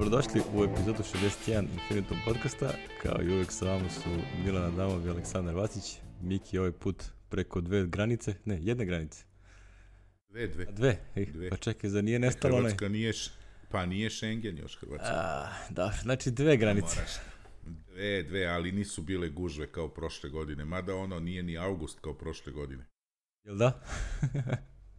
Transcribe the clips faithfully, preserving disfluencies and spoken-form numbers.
Dobrodošli u epizodu šezdeset jedan Infinitum podcasta. Kao i uvijek sa vama su Milan Adamov i Aleksandar Vasić. Miki ovaj put preko dve granice, ne, jedne granice. Dve, dve. A dve, Ej, dve. Pa čekaj, za nije nestalo onaj. Hrvatska nije, pa nije Schengen još Hrvatska. A, da, znači dve granice. Moraš. Dve, dve, ali nisu bile gužve kao prošle godine. Mada ono nije ni avgust kao prošle godine. Jel da?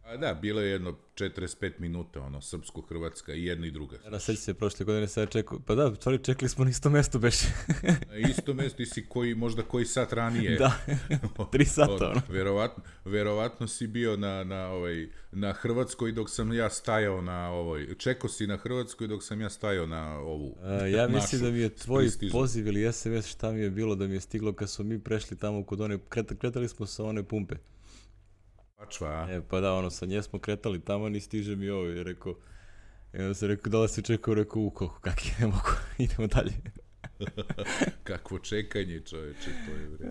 A da, bilo je jedno četrdeset pet minuta, ono, srpsko-hrvatska i jedna i druga. Ja sećam se prošle godine sad čekao, pa da, stvari čekali smo na isto mesto beše. Na isto mesto, ti si koji, možda koji sat ranije. Da, tri sata ono. Verovatno, verovatno si bio na, na, ovaj, na Hrvatskoj dok sam ja stajao na ovoj, čekao si na Hrvatskoj dok sam ja stajao na ovu. A, ja mislim našu, da mi je tvoj pristižu. poziv ili es em es šta mi je bilo da mi je stiglo kad smo mi prešli tamo kod one, kret, kretali smo sa one pumpe. Pačva. E, pa da, ono, sa nje smo kretali tamo, ni stiže mi ovo, i rekao, i onda se rekao, da li si čekao, rekao, u, kako, kak je, ne mogu, idemo dalje. Kakvo čekanje, čoveče, to je vre.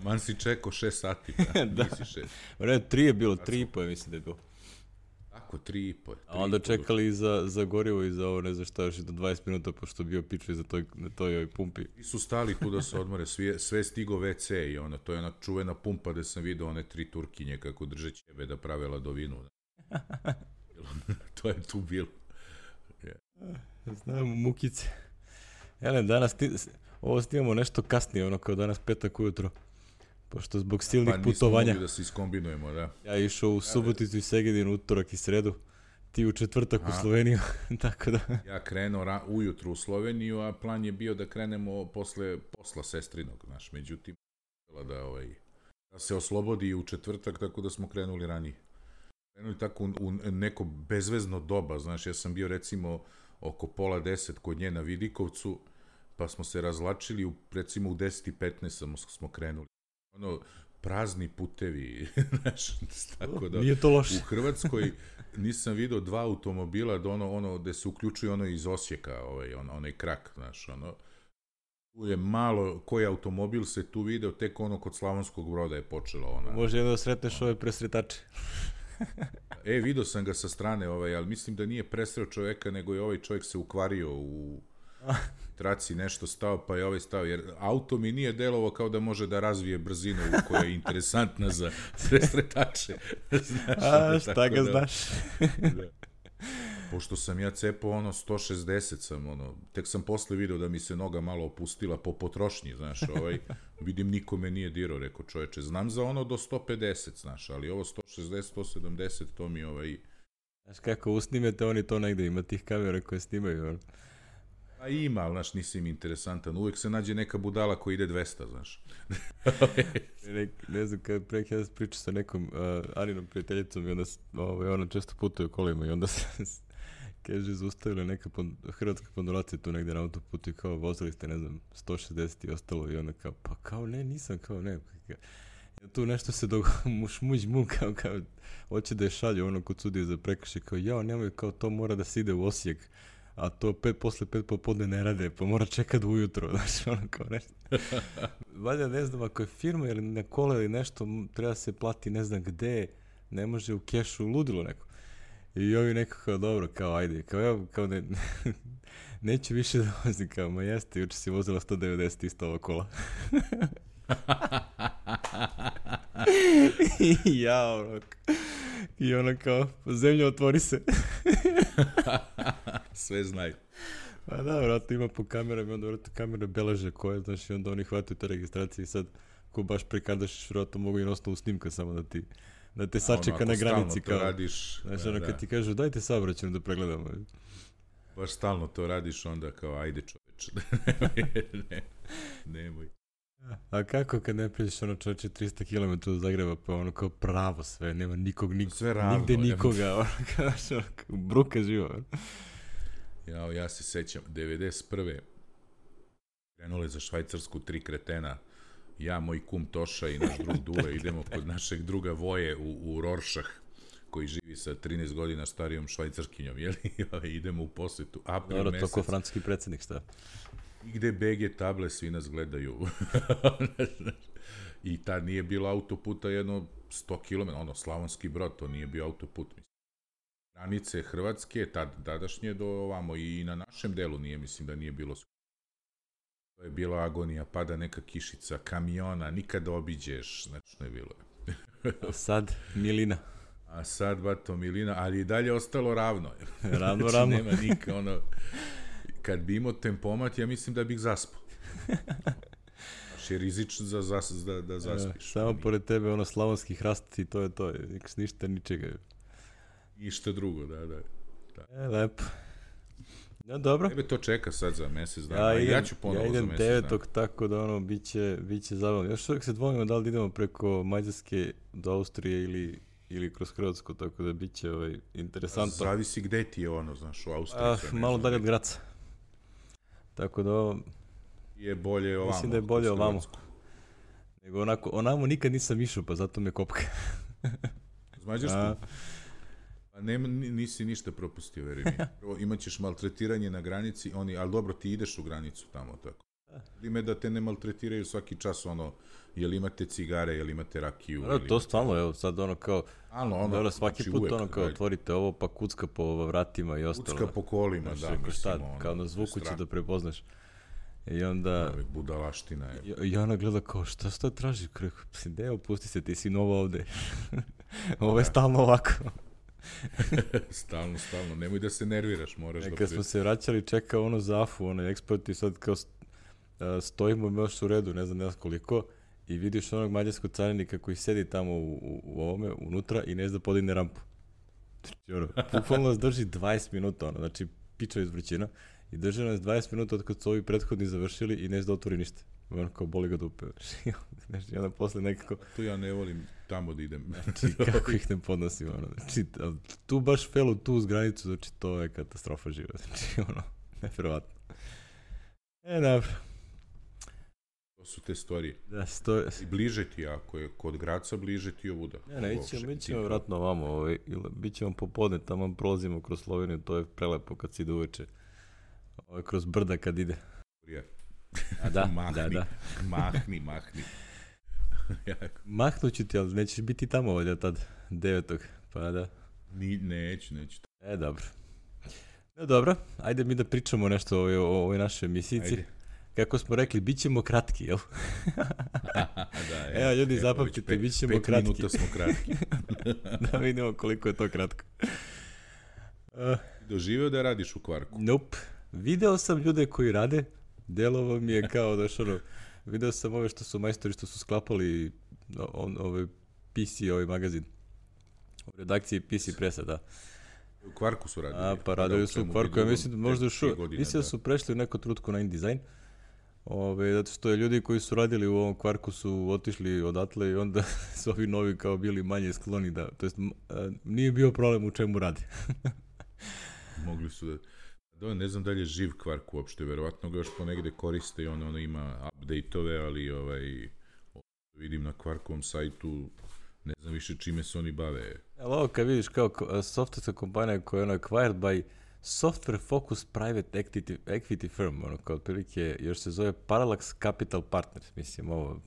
Man si čekao šest sati, pa, Da. nisi šest. Ne, tri je bilo, tri i po je, mislim da je bilo. Tako, tri i po. A onda čekali i za, za gorivo i za ovo, ne znam šta, još i do dvadeset minuta, pošto bio piču za toj, na toj ovoj pumpi. Ti su stali tu da se odmore, sve, sve stigo ve ce i ono, to je ona čuvena pumpa gde sam vidio one tri Turkinje kako drže ćebe da prave ladovinu. To je tu bilo. Yeah. Znam, mukice. Jelen, danas ti, ovo snimamo nešto kasnije, ono kao danas petak ujutro. Pošto zbog silnih pa, putovanja. Pa nismo mogli da se iskombinujemo, da. Ja išao u Suboticu i Segedin, utorak i sredu. Ti u četvrtak u Sloveniju, tako da... Ja krenuo ra- ujutru u Sloveniju, a plan je bio da krenemo posle posla sestrinog, znaš, međutim, da, ovaj, da se oslobodi u četvrtak, tako da smo krenuli ranije. Krenuli tako u, u neko bezvezno doba, znaš, ja sam bio recimo oko pola deset kod nje na Vidikovcu, pa smo se razlačili, u, recimo u deset i petnaest smo, smo krenuli. Ono, prazni putevi, znaš, tako da... Nije to loše. U Hrvatskoj nisam vidio dva automobila da ono, ono, gde se uključuje ono iz Osijeka, ovaj, on, onaj krak, znaš, ono... Tu je malo, koji automobil se tu video, tek ono kod Slavonskog Broda je počelo ona... Može jedno da sretneš ove presretače. E, vidio sam ga sa strane, ovaj, ali mislim da nije presreo čoveka, nego je ovaj čovjek se ukvario u traci, nešto stao, pa je ovaj stao, jer auto mi nije delovo kao da može da razvije brzinu koja je interesantna za presretače. Znaš, A, šta ga da, znaš? Da. Pošto sam ja cepao ono sto šezdeset sam, ono, tek sam posle video da mi se noga malo opustila po potrošnji, znaš, ovaj, vidim nikome nije dirao, rekao čoveče, znam za ono do sto pedeset, znaš, ali ovo sto šezdeset, sto sedamdeset, to mi ovaj... Znaš kako, usnimete oni to negde, ima tih kamera koje snimaju, ono. A ima, ali, znaš, nisi im interesantan, uvijek se nađe neka budala koja ide dvesta, znaš. ne, ne znam, kad prek ja pričam sa nekom uh, Arinom prijateljicom i onda ovaj, ona često putuje kolima i onda se kaže, zaustavila neka pon, hrvatska pendulacija tu negdje na autoputu i kao vozili ste, ne znam, sto šezdeset i ostalo i ona kao, pa kao ne, nisam, kao ne. Ja, tu nešto se dogo, muš muđ mu, kao, kao, hoće da je šalju ono kod sudije za prekršaj, kao, jao, nemoj, kao, to mora da se ide u Osijek, a to pet, posle pet popodne ne rade, pa mora čekati ujutro, znaš, ono kao nešto. Valjda, ne znam, ako je firma ili na kola ili nešto, treba se plati ne znam gde, ne može u kešu, ludilo neko. I ovi neko kao, dobro, kao, ajde, kao, ja, kao, ne, neću više da vozim, kao, ma jeste, juče si vozila sto devedeset isto ova kola. I ja, ono, i ono kao, zemlja otvori se. Sve znaju. Pa da, vratno ima po kamerama i onda vratno kamere beleže koje, znaš, i onda oni hvataju te registracije i sad, ko baš prekardaš, vratno mogu i na osnovu snimka samo da ti, da te sačeka ono, na granici. Kao, radiš, znaš, da, ono da. kad ti kažu, dajte saobraćajno da pregledamo. Baš stalno to radiš, onda kao, ajde čoveče, ne, nemoj. A kako kad ne pređeš ono čoveče tristo kilometara do Zagreba, pa ono kao pravo sve, nema nikog, nik, sve ravno, nigde nikoga, ono kao, ono, kao bruka živa. Ja, ja se sećam, devedeset prve krenule za Švajcarsku tri kretena, ja, moj kum Toša i naš drug Dule, idemo kod našeg druga Voje u, u Rorschach, koji živi sa trinaest godina starijom švajcarskinjom, jel? Idemo u posetu, april Dobro, mesec. to ko francuski predsjednik, šta? I gde be ge table, svi nas gledaju. I tad nije bilo autoputa jedno sto kilometara, ono, Slavonski Brod, to nije bio autoput, mislim. granice Hrvatske, tad, tadašnje do ovamo i na našem delu nije, mislim da nije bilo. To je bila agonija, pada neka kišica, kamiona, nikada obiđeš, znači ne bilo. Sad milina. A sad, bato, milina, ali i dalje ostalo ravno. Ravno, znači, ravno. Nema nika, ono, kad bi imao tempomat, ja mislim da bih zaspao. Baš je rizično za, za, da, da zaspiš. Ja, samo pored tebe, ono, slavonski hrast i to je to, ništa, ničega. Ništa drugo, da, da. da. E, lepo. Ja, dobro. Tebe to čeka sad za mjesec dana, Ja, idem, ja ću ponovo ja idem za mjesec dana. devetog, tako da ono, bit će, bit će zabavno. Još uvijek se dvojimo da li idemo preko Mađarske do Austrije ili, ili kroz Hrvatsku, tako da bit će ovaj, interesantno. Zavisi gde ti je ono, znaš, u Austriji. Ah, malo dalje od Graca. Tako da ovo... Je bolje ovamo. Mislim da je bolje ovamo. Nego onako, onamo nikad nisam išao, pa zato me kopka. Z Mađarskom? Pa nema, nisi ništa propustio, veri mi. Prvo, imat ćeš maltretiranje na granici, oni, ali dobro, ti ideš u granicu tamo, tako. Ime da te ne maltretiraju svaki čas, ono, jel imate cigare, jel imate rakiju. No, to stvarno, evo, sad ono kao, ano, ono, dobro, svaki znači, put uvek, ono kao ajde. otvorite ovo, pa kucka po vratima i ostalo. Kucka po kolima, znači, da, mislim, šta, ono, kao na zvuku će strah. da prepoznaš. I onda... Ove, budalaština je. I, i ona gleda kao, šta šta traži? Kreko, ne, opusti se, ti si nova ovde. Ovo je stalno ovako. stalno, stalno, nemoj da se nerviraš, moraš e, da... Kad smo se vraćali, čeka ono za afu, ono eksport i sad kao stojimo još u redu, ne znam, ne znam koliko, i vidiš onog mađarskog carinika koji sedi tamo u, u, u ovome, unutra i ne zna da podigne rampu. Znači, ono, bukvalno nas drži dvadeset minuta, ono, znači, piča iz vrućina, i drži nas dvadeset minuta od kad su ovi prethodni završili i ne zna da otvori ništa. Ono kao boli ga dupe. Znači, onda posle nekako... Tu ja ne volim tamo da idem. Znači, kako ih ne podnosim, ono. Znači, tu baš felu, tu uz granicu, znači, to je katastrofa živa. Znači, ono, nevjerovatno. E, dobro. To su te stvari. Da, sto... I bliže ti, ako je kod Graca, bliže ti ovuda. Ne, ne, ićemo, mi ćemo vratno ovamo, ovaj, ili bit ćemo popodne, tamo prolazimo kroz Sloveniju, to je prelepo kad si ide uveče. Ovaj, kroz brda kad ide. A da, mahni, da, da. mahni, mahni. Mahnuću ti, ali nećeš biti tamo ovdje tad, devetog, pa da. Ni, neću, neću. E, dobro. No, dobro, ajde mi da pričamo nešto o ovoj, o ovoj našoj emisijici. Ajde. Kako smo rekli, bit ćemo kratki, jel? da, je. Evo, ljudi, Evo, zapamtite, bit ćemo pet kratki. Pet minuta smo kratki. Da vidimo koliko je to kratko. Uh, Doživeo da radiš u Kvarku? Nope. Video sam ljude koji rade, delovo mi je kao da što ono, video sam ove što su majstori što su sklapali on, ovaj P C, ovaj magazin. U redakciji P C Presa, da. U Kvarku su radili. A, pa radili su u Kvarku, ja mislim da možda još, mislim da su prešli u neku trutku na InDesign. Ove, zato što je ljudi koji su radili u ovom Kvarku su otišli odatle i onda su ovi novi kao bili manje skloni da, to jest nije bio problem u čemu radi. Mogli su da... Da, ne znam da li je živ Kvark uopšte, verovatno ga još ponegde koriste i ono, ono ima update-ove, ali ovaj, vidim na Kvarkovom sajtu, ne znam više čime se oni bave. Ali ovo kad vidiš kao softwarska kompanija koja je ono acquired by Software Focus Private Equity, equity Firm, ono kao otprilike još se zove Parallax Capital Partners, mislim ovo.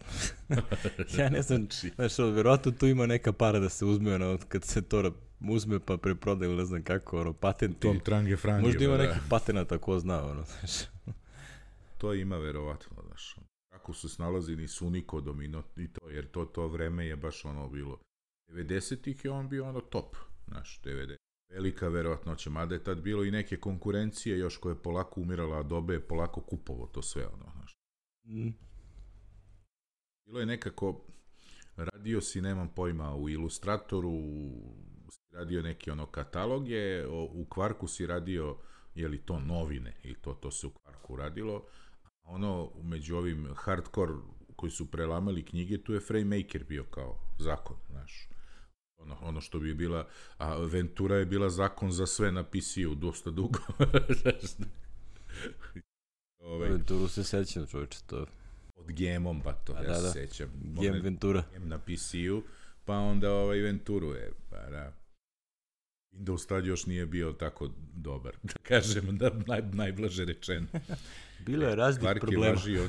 Ja ne znam, znaš, verovatno tu ima neka para da se uzme, ono, kad se to uzme pa preproda ili ne znam kako, ono, patenti. Tom Trange Frange. Možda ima da. nekih patenata, ko zna, ono, znaš. To ima verovatno, znaš. Kako su snalazili su Unikodom i, no, i to, jer to, to vreme je baš ono bilo. devedesetih je on bio ono top, znaš, devedeset. Velika verovatnoća, mada je tad bilo i neke konkurencije još koje je polako umirala, a Adobe je polako kupovo to sve, ono, znaš. Mm. Bilo je nekako, radio si, nemam pojma, u Illustratoru, radio neke ono kataloge, u Kvarku si radio, je li to novine, i to, to se u Kvarku radilo, a ono, među ovim hardcore koji su prelamali knjige, tu je FrameMaker bio kao zakon, znaš. Ono, ono što bi bila, a Ventura je bila zakon za sve na P C-u, dosta dugo. Ove, Venturu se sećam, čovječe, to. Od Gemom, pa to, a, ja da, se da. sećam. Gem Ventura. Gem na P C-u, pa onda ovaj Venturu je, pa da. Windows tad još nije bio tako dobar, da kažem, da, naj, najblaže rečeno. Bilo je raznih Kvark problema. Je važio,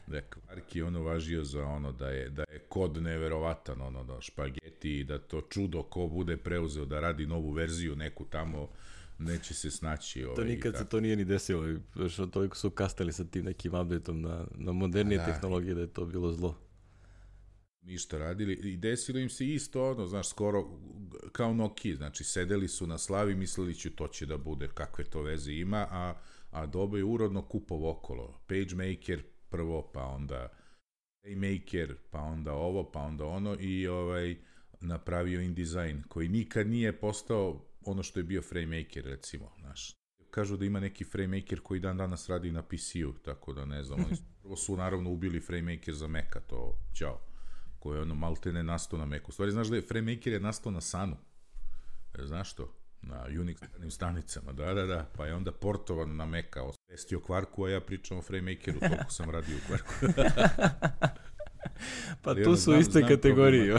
Da je kvark je ono važio za ono da je, da je kod neverovatan, ono da špageti, da to čudo ko bude preuzeo da radi novu verziju neku tamo, neće se snaći. Ovaj, to nikad se to nije ni desilo, što toliko su kastali sa tim nekim updateom na, na modernije da, tehnologije da je to bilo zlo. Ništa radili i desilo im se isto ono, znaš, skoro kao Nokia, znači sedeli su na slavi, mislili ću to će da bude, kakve to veze ima, a, a Adobe je urodno kupov okolo. PageMaker prvo, pa onda Playmaker, pa onda ovo, pa onda ono i ovaj napravio InDesign, koji nikad nije postao ono što je bio FrameMaker, recimo, znaš. Kažu da ima neki FrameMaker koji dan danas radi na P C-u, tako da ne znam, oni su, prvo su naravno ubili FrameMaker za Maca, to, ćao, koji je ono maltene nastao na Macu. Stvari, znaš da je FrameMaker je nastao na Sunu, znaš to? Na Unix stanicama, da, da, da, pa je onda portovan na Maca, osvestio kvarku, a ja pričam o FrameMakeru, toliko sam radio u kvarku. Pa tu su znam, iste znam kategorije,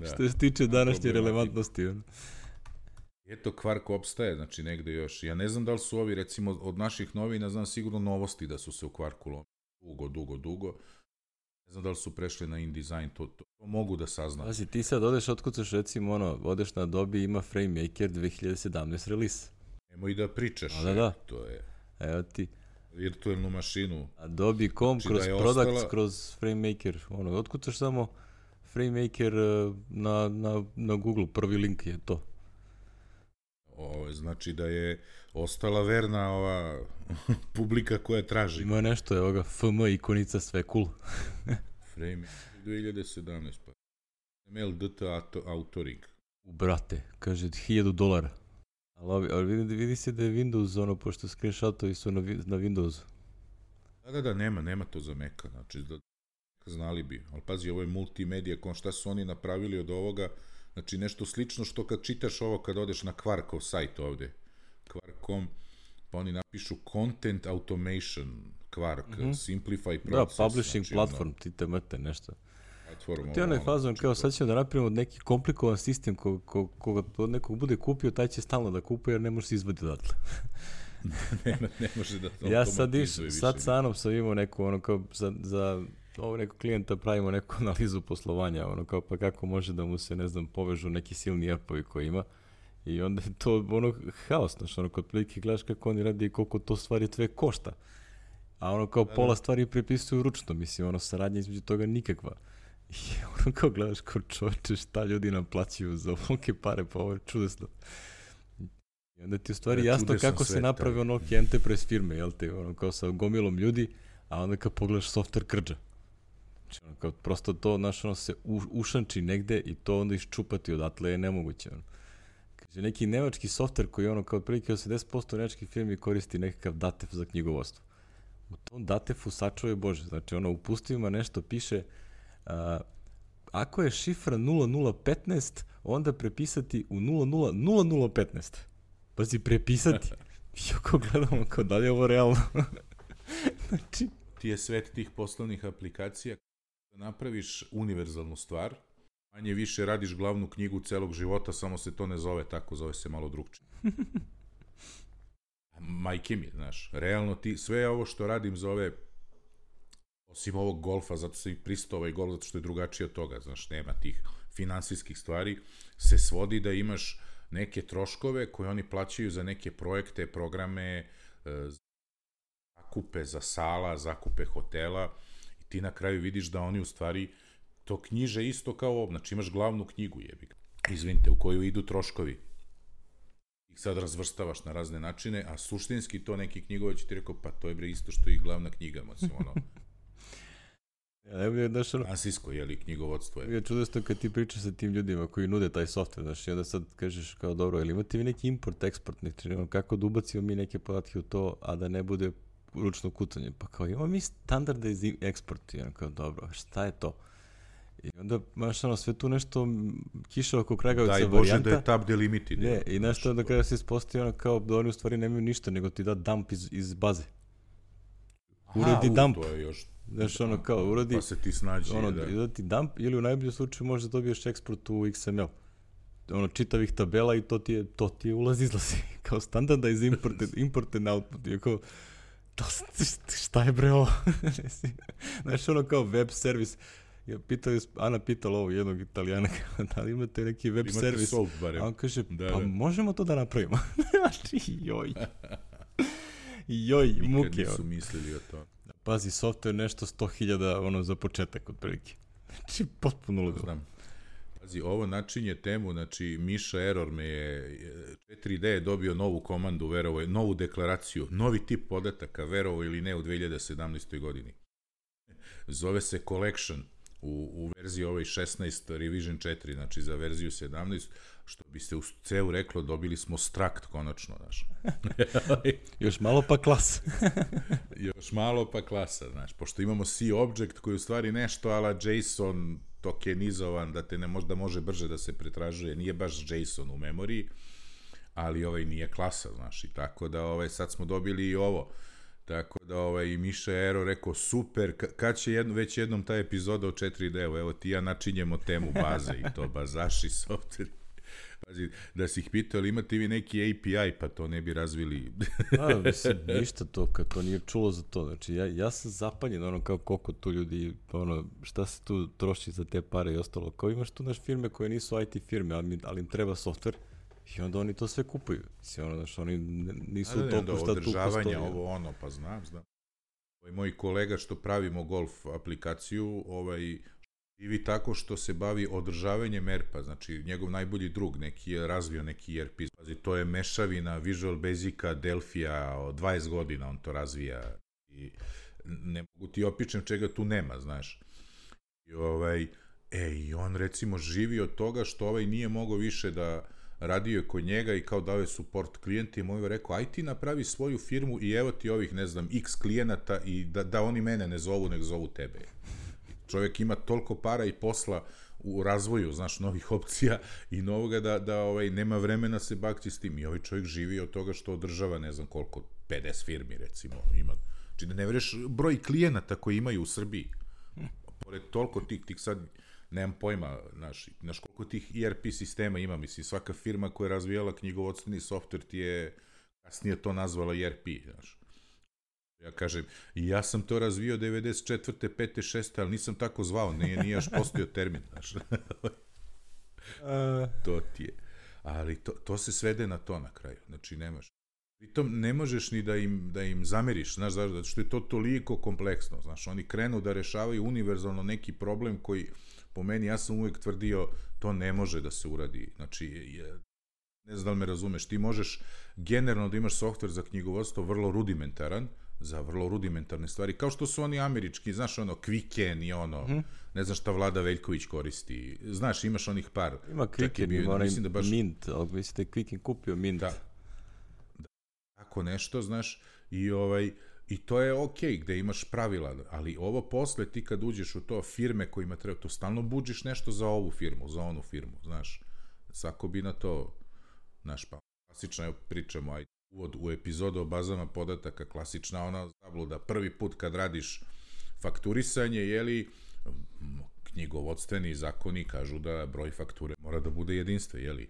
da, što se tiče današnje relevantnosti. Eto, kvark opstaje, znači negde još. Ja ne znam da li su ovi, recimo, od naših novina, znam sigurno Novosti da su se u kvarku lomili dugo, dugo, dugo. Ne znam da li su prešli na InDesign, to, to, to mogu da saznam. Pazi, ti sad odeš, otkucaš, recimo, ono, odeš na Adobe, ima FrameMaker dve hiljade sedamnaeste release. Nemoj da pričaš. A, da, da. To je... Evo ti. Virtualnu mašinu. Adobe punkt com, znači kroz da Products, ostala... kroz FrameMaker. Ono, otkucaš samo FrameMaker na, na, na Google, prvi link je to. O, znači da je ostala verna ova publika koja traži. Ima nešto, evo ga, F M ikonica, sve cool. Frame dve hiljade sedamnaeste pa. M L D T Authoring. U brate, kaže hiljadu dolara. Ali, ali vidi, vidi se da je Windows, ono, pošto screenshotovi su na, na Windowsu. Da, da, da, nema, nema to za Maca, znači da znali bi. Ali pazi, ovo je multimedija, kon šta su oni napravili od ovoga. Znači nešto slično što kad čitaš ovo kad odeš na Quarkov sajt ovde, Quark dot com, pa oni napišu Content Automation, Quark, mm-hmm. Simplify Process. Da, Publishing znači, Platform, ono, ti te mrte nešto. Platform, ti onaj fazon, kao sad ćemo da napravimo neki komplikovan sistem ko, ko, koga od nekog bude kupio, taj će stalno da kupuje jer ne može se izvadi odatle. ne, ne može da to ja sad iš, sad sa Anom sam imao neku, ono kao za, za ovo nekog klijenta pravimo neku analizu poslovanja, ono kao pa kako može da mu se, ne znam, povežu neki silni apovi koji ima i onda je to ono haos, znaš, ono kod prilike gledaš kako oni radi i koliko to stvari sve košta, a ono kao pola stvari prepisuju ručno, mislim, ono saradnja između toga nikakva i ono kao gledaš kao čovječe šta ljudi naplaćuju za ovolike pare, pa ovo je čudesno. I onda ti u stvari ja, jasno kako se napravi ono enterprise firme, jel te, ono kao sa gomilom ljudi, a onda kad pogledaš software krđa. Znači, ono, kao prosto to, znaš, ono se u, ušanči negde i to onda iščupati odatle je nemoguće. Ono. Kaže, neki nemački software koji ono, kao otprilike osamdeset posto nemačkih firmi koristi nekakav datev za knjigovodstvo. U tom datefu sačuje Bože. Znači, ono, u pustivima nešto piše, a, ako je šifra nula nula petnaest, onda prepisati u nula nula nula nula petnaest. Pazi, prepisati. I ako gledamo kao da li je ovo realno. Znači... Ti je svet tih poslovnih aplikacija da napraviš univerzalnu stvar, manje više radiš glavnu knjigu celog života, samo se to ne zove tako, zove se malo drugčije. Majke mi, znaš, realno ti, sve ovo što radim zove, osim ovog golfa, zato sam i pristao ovaj golf, zato što je drugačije od toga, znaš, nema tih finansijskih stvari, se svodi da imaš neke troškove koje oni plaćaju za neke projekte, programe, zakupe za sala, zakupe hotela i ti na kraju vidiš da oni u stvari to knjiže isto kao ovo, znači imaš glavnu knjigu, jebi, izvinite, u koju idu troškovi. Ih sad razvrstavaš na razne načine, a suštinski to neki knjigovac ti rekao, pa to je bre isto što i glavna knjiga, mislim, ono... Ja, ne bi, znaš, ono... Finansijsko, jeli, knjigovodstvo je. Ja čudesto kad ti pričaš sa tim ljudima koji nude taj software, znaš, i onda sad kažeš kao, dobro, ili imate vi neki import, eksport, znači, ono, kako da ubacimo mi neke podatke u to, a da ne bude ručno kucanje, pa kao, imamo mi standardize export, i ono kao, dobro, šta je to? I onda, znaš, ono, sve tu nešto kiša oko Kragavica varijanta. Daj Bože da je tab delimited. Ne, i nešto da kraja se ispostavi ono kao da oni u stvari nemaju ništa, nego ti da dump iz, iz baze. Uradi Aha, dump. U, to je još... Znaš, ono kao, uradi... Pa se ti snađi, ono, da. Da ti dump, ili u najboljem slučaju možda dobiješ eksport u X M L. Ono, čitavih tabela i to ti je, to ti je ulaz izlazi. Kao standardize imported, imported output. I kao, šta je bre ovo? Znaš, ono kao web servis. Ja pitali, Ana pitala ovo jednog Italijana, da li imate neki web imate servis? Soap, barem. A on kaže, da, pa da. možemo to da napravimo. Znači, joj. Joj, Nikad muke. Nikad nisu ono. mislili o tome. Pazi, software nešto sto hiljada ono, za početak, otprilike. Znači, potpuno ludo. Znam. Pazi, ovo načinje temu, znači Miša Error me je, četiri D je dobio novu komandu, verovo, novu deklaraciju, novi tip podataka, verovo ili ne, u dve hiljade sedamnaestoj godini. Zove se Collection u, u verziji ovoj šesnaest Revision četiri, znači za verziju sedamnaest, što bi se u C E U reklo, dobili smo Struct konačno, znaš. Još malo pa klas. Još malo pa klasa, znaš, pošto imamo C object koji je u stvari nešto ala JSON tokenizovan, da te ne možda može brže da se pretražuje, nije baš JSON u memoriji, ali ovaj nije klasa, znaš, i tako da ovaj, sad smo dobili i ovo, tako da ovaj, Miša Ero rekao, super, kad će jedno, već jednom ta epizoda o četiri D, evo ti ja načinjemo temu baze i to bazaši software. Pazi, da si ih pitao, ali imate vi neki A P I, pa to ne bi razvili. A, mislim, ništa to, kad to nije čulo za to. Znači, ja, ja sam zapaljen, ono, kao koliko tu ljudi, ono, šta se tu troši za te pare i ostalo. Kao imaš tu naš firme koje nisu I T firme, ali, ali im treba software i onda oni to sve kupuju. Mislim, ono, znaš, oni nisu da, toliko šta tu postoji. Održavanja, ovo ono, pa znam, znam. Ovaj moj kolega što pravimo golf aplikaciju, ovaj, živi tako što se bavi održavanjem E R P-a, znači njegov najbolji drug neki je razvio neki E R P, znači, to je mešavina Visual Basica, Delphija, od dvadeset godina on to razvija i ne mogu ti opičem čega tu nema, znaš. I, ovaj, e, i on recimo živi od toga što ovaj nije mogao više da radio je kod njega i kao dao je support klijentima, on je rekao, aj ti napravi svoju firmu i evo ti ovih, ne znam, x klijenata i da, da oni mene ne zovu, nek zovu tebe. Čovjek ima toliko para i posla u razvoju, znaš, novih opcija i novoga da, da ovaj, nema vremena se bakći s tim. I ovaj čovjek živi od toga što održava, ne znam koliko, pedeset firmi, recimo, ima. Znači da ne veruješ broj klijenata koji imaju u Srbiji. Pored toliko tih, tih sad, nemam pojma, znaš, znaš koliko tih E R P sistema ima, mislim, svaka firma koja je razvijala knjigovodstveni softver ti je kasnije to nazvala E R P, znaš. Ja kažem, ja sam to razvio devedeset četvrte, pete, šeste, ali nisam tako zvao, nije, nije još postojao termin, znaš. To ti je. Ali to, to se svede na to na kraju, znači nemaš. Pritom ne možeš ni da im, da im zameriš, znaš, zato što je to toliko kompleksno, znaš, oni krenu da rešavaju univerzalno neki problem koji, po meni, ja sam uvijek tvrdio, to ne može da se uradi, znači, je, ne znam da li me razumeš, ti možeš generalno da imaš softver za knjigovodstvo vrlo rudimentaran, za vrlo rudimentarne stvari, kao što su oni američki, znaš, ono, Quicken i ono, mm-hmm. ne znam šta Vlada Veljković koristi, znaš, imaš onih par. Ima Quicken, ima onaj da baš... Mint, ali mislite Quicken kupio Mint. Da. da. Tako nešto, znaš, i ovaj, i to je okej, okay, gde imaš pravila, ali ovo posle, ti kad uđeš u to, firme kojima treba, to stalno buđiš nešto za ovu firmu, za onu firmu, znaš, svako bi na to, znaš, pa, klasično pričamo, ajde, uvod u epizodu o bazama podataka, klasična ona zabluda, prvi put kad radiš fakturisanje, jeli, knjigovodstveni zakoni kažu da broj fakture mora da bude jedinstven, jeli?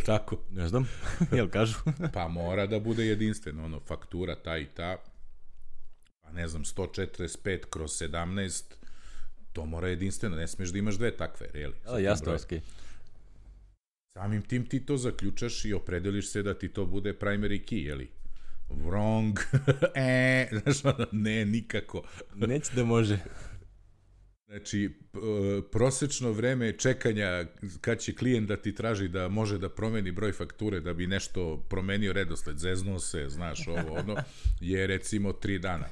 Tako? Ne znam, jel kažu? Pa mora da bude jedinstven, ono, faktura ta i ta, pa ne znam, sto četrdeset pet kroz sedamnaest, to mora jedinstveno, ne smiješ da imaš dve takve, jeli? Ja, jasno, okej. Samim tim ti to zaključaš i opredeliš se da ti to bude primary key, jeli? Wrong. e, znaš, ono, ne, nikako. Neće da može. Znači, prosečno vreme čekanja kad će klijent da ti traži da može da promeni broj fakture, da bi nešto promenio redosled, zeznuo se, znaš, ovo, ono, je recimo tri dana.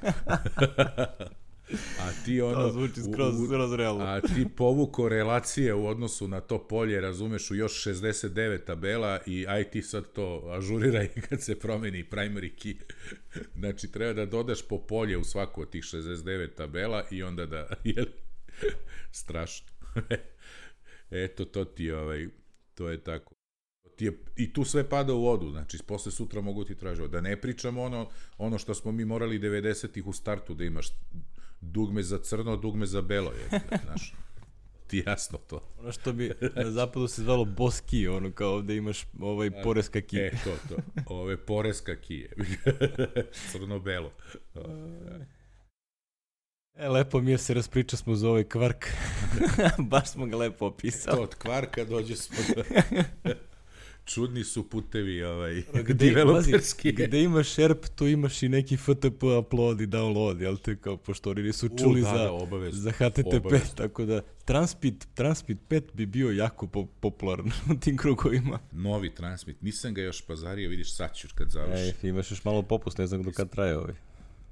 A ti ono, to zvuči skroz, skroz realno. A ti povuko relacije u odnosu na to polje, razumeš, u još šezdeset devet tabela i aj ti sad to ažuriraj kad se promeni primary key. Znači, treba da dodaš po polje u svaku od tih šezdeset devet tabela i onda da, jel, strašno. Eto, to ti je, ovaj, to je tako. Ti je, i tu sve pada u vodu, znači posle sutra mogu ti tražiti. Da ne pričamo ono, ono što smo mi morali devedesetih u startu da imaš dugme za crno, dugme za belo, je, znaš, ti jasno to. Ono što bi na zapadu se zvalo boss key, ono kao ovde imaš ovaj poreska key. E, to, to, ove poreska key, crno-belo. E, lepo mi je se raspriča smo za ovaj kvark. Baš smo ga lepo opisao. To od kvarka dođe smo do... Čudni su putevi ovaj, gde, developerski. Bazi, gde imaš Sherp, tu imaš i neki F T P upload i download, jel te, kao pošto oni nisu čuli U, da, za, da, obavez, za H T T P, obavez. Tako da Transmit, Transmit pet bi bio jako po, popularan u tim krugovima. Novi Transmit, nisam ga još pazario, vidiš sad ću kad završi. E, imaš još malo popust, ne znam do kad traje ovaj.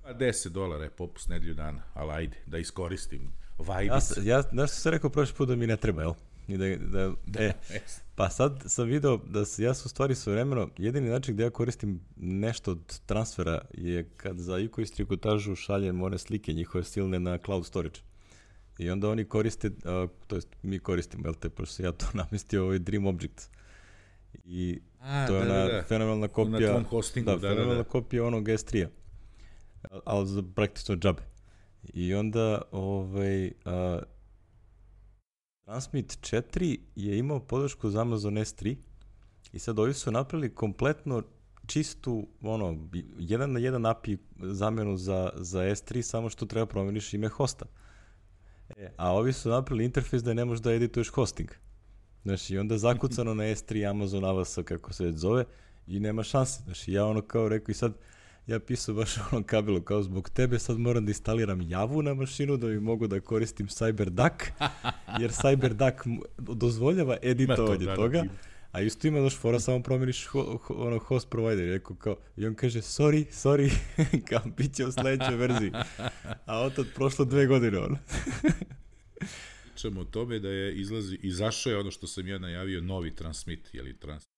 Pa deset dolara je popust nedelju dana, ali ajde, da iskoristim. Vajbic. Ja, ja, znaš što sam rekao prošli put da mi ne treba, jel? I da, da, da, e, pa sad sam video da se, ja sam u stvari svojevremeno, jedini način gde ja koristim nešto od transfera je kad za I K O i strikotažu šaljem one slike njihove silne na cloud storage. I onda oni koriste, uh, to jest mi koristimo, jel te, pošto sam ja to namestio, ovaj Dream Object. I A, to je da, ona da, da. fenomenalna kopija, na tvom hostingu, da, da, fenomenalna da, da. kopija onog S tri-a, ali za praktično džabe. I onda, ovaj, uh, Transmit četiri je imao podršku za Amazon S tri i sad ovi su napravili kompletno čistu, ono, jedan na jedan A P I zamenu za, za S tri, samo što treba promeniš ime hosta. E, a ovi su napravili interfejs da ne možeš da edituješ hosting. Znači, i onda zakucano na S tri Amazon A W S, kako se već zove, i nema šanse. Znači, ja ono kao rekao i sad, ja pisao baš ono kabelu, kao zbog tebe sad moram da instaliram Javu na mašinu da bi mogu da koristim CyberDuck, jer CyberDuck dozvoljava editovanje to, toga, a isto ima daš fora, samo promeniš ho, ho, ono host provider, rekao kao, i on kaže, sorry, sorry, kao bit će u sledećoj verziji, a otad prošlo dve godine ono. Pričamo o tome da je izlazi, izašao je ono što sam ja najavio, novi Transmit, jeli Transmit.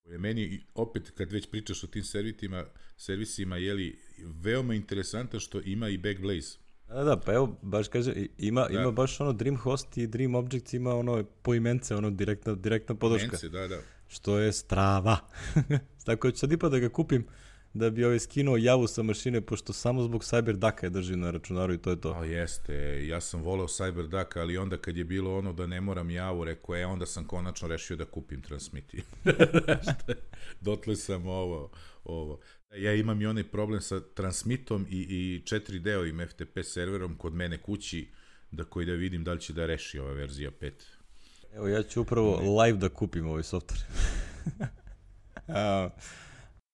Je meni, opet, kad već pričaš o tim servitima, servisima, jeli, veoma interesantno što ima i Backblaze. Da, da, pa evo, baš kaže, ima, da. ima baš ono DreamHost i DreamObjects, ima ono poimence, ono direktna, direktna podrška. Poimence, da, da. Što je strava. Tako da ću sad ipa da ga kupim, da bi ovaj skinuo Javu sa mašine, pošto samo zbog CyberDucka je drži na računaru i to je to. A jeste, ja sam voleo CyberDuck, ali onda kad je bilo ono da ne moram Javu, rekao, e, onda sam konačno rešio da kupim Transmit. Dotle sam ovo, ovo. Ja imam i onaj problem sa Transmitom i, i četiri D-ovim F T P serverom kod mene kući, da koji da vidim da li će da reši ova verzija pet. Evo, ja ću upravo ne. live da kupim ovaj software. A,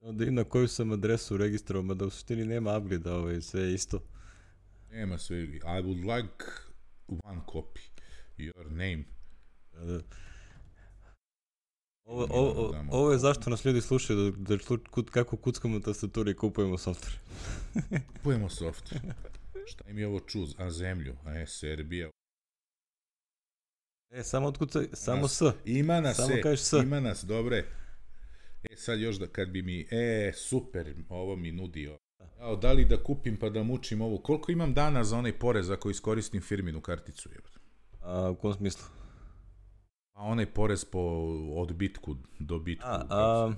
onda i na koju sam adresu registrovao, mada u suštini nema upgrade, ovaj, sve je isto. Nema sve. I would like one copy. Your name. Da, da. Ovo, ovo, ovo je zašto nas ljudi slušaju, da, da kud, kako kuckamo tastaturi i kupujemo software. Kupujemo software. Šta im je ovo čuz? A zemlju? A je Serbija? E, samo otkucaj, samo nas, S. Ima nas, samo e, kažeš S. Ima nas, dobre. E, sad još da kad bi mi, e, super, ovo mi nudio. Jao, da li da kupim pa da mučim ovo? Koliko imam dana za onaj porez ako iskoristim firminu karticu? A, u kom smislu? A onaj porez po odbitku, dobitku. A, a,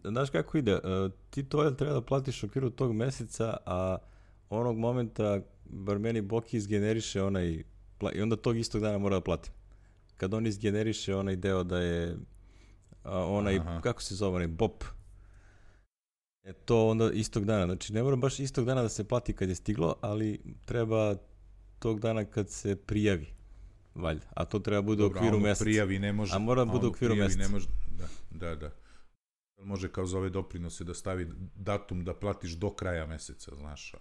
znaš kako ide? A, ti to treba da platiš u okviru tog meseca, a onog momenta, bar meni Boki izgeneriše onaj, i onda tog istog dana mora da platim. Kad on izgeneriše onaj deo da je a, onaj, Aha. kako se zove, onaj B O P, e to onda istog dana. Znači ne mora baš istog dana da se plati kad je stiglo, ali treba tog dana kad se prijavi. Valjda, a to treba bude u okviru meseca. Prijavi ne može. A mora bude u okviru meseca. Ne može, da, da, da. Može kao za ove doprinose da stavi datum da platiš do kraja meseca, znaš.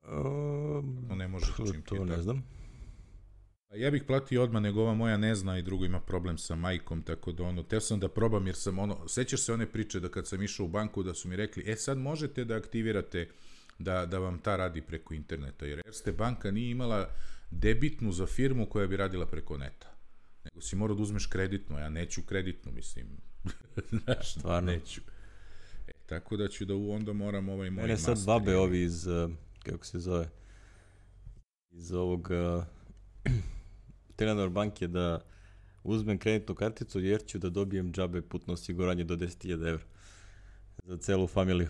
Um, to ne može. Čim to ne znam. Ja bih platio odmah, nego ova moja ne zna i drugo ima problem sa majkom, tako da ono, teo sam da probam jer sam ono, sećaš se one priče da kad sam išao u banku da su mi rekli, e sad možete da aktivirate da, da vam ta radi preko interneta, jer Erste banka nije imala debitnu za firmu koja bi radila preko neta. Nego si morao da uzmeš kreditnu, ja neću kreditnu, mislim. Znaš, stvarno. Neću. E, tako da ću da onda moram ovaj moj master. Mene sad babe ovi iz, uh, kako se zove, iz ovog uh, Telenor banke da uzmem kreditnu karticu jer ću da dobijem džabe putno osiguranje do deset hiljada evra za celu familiju.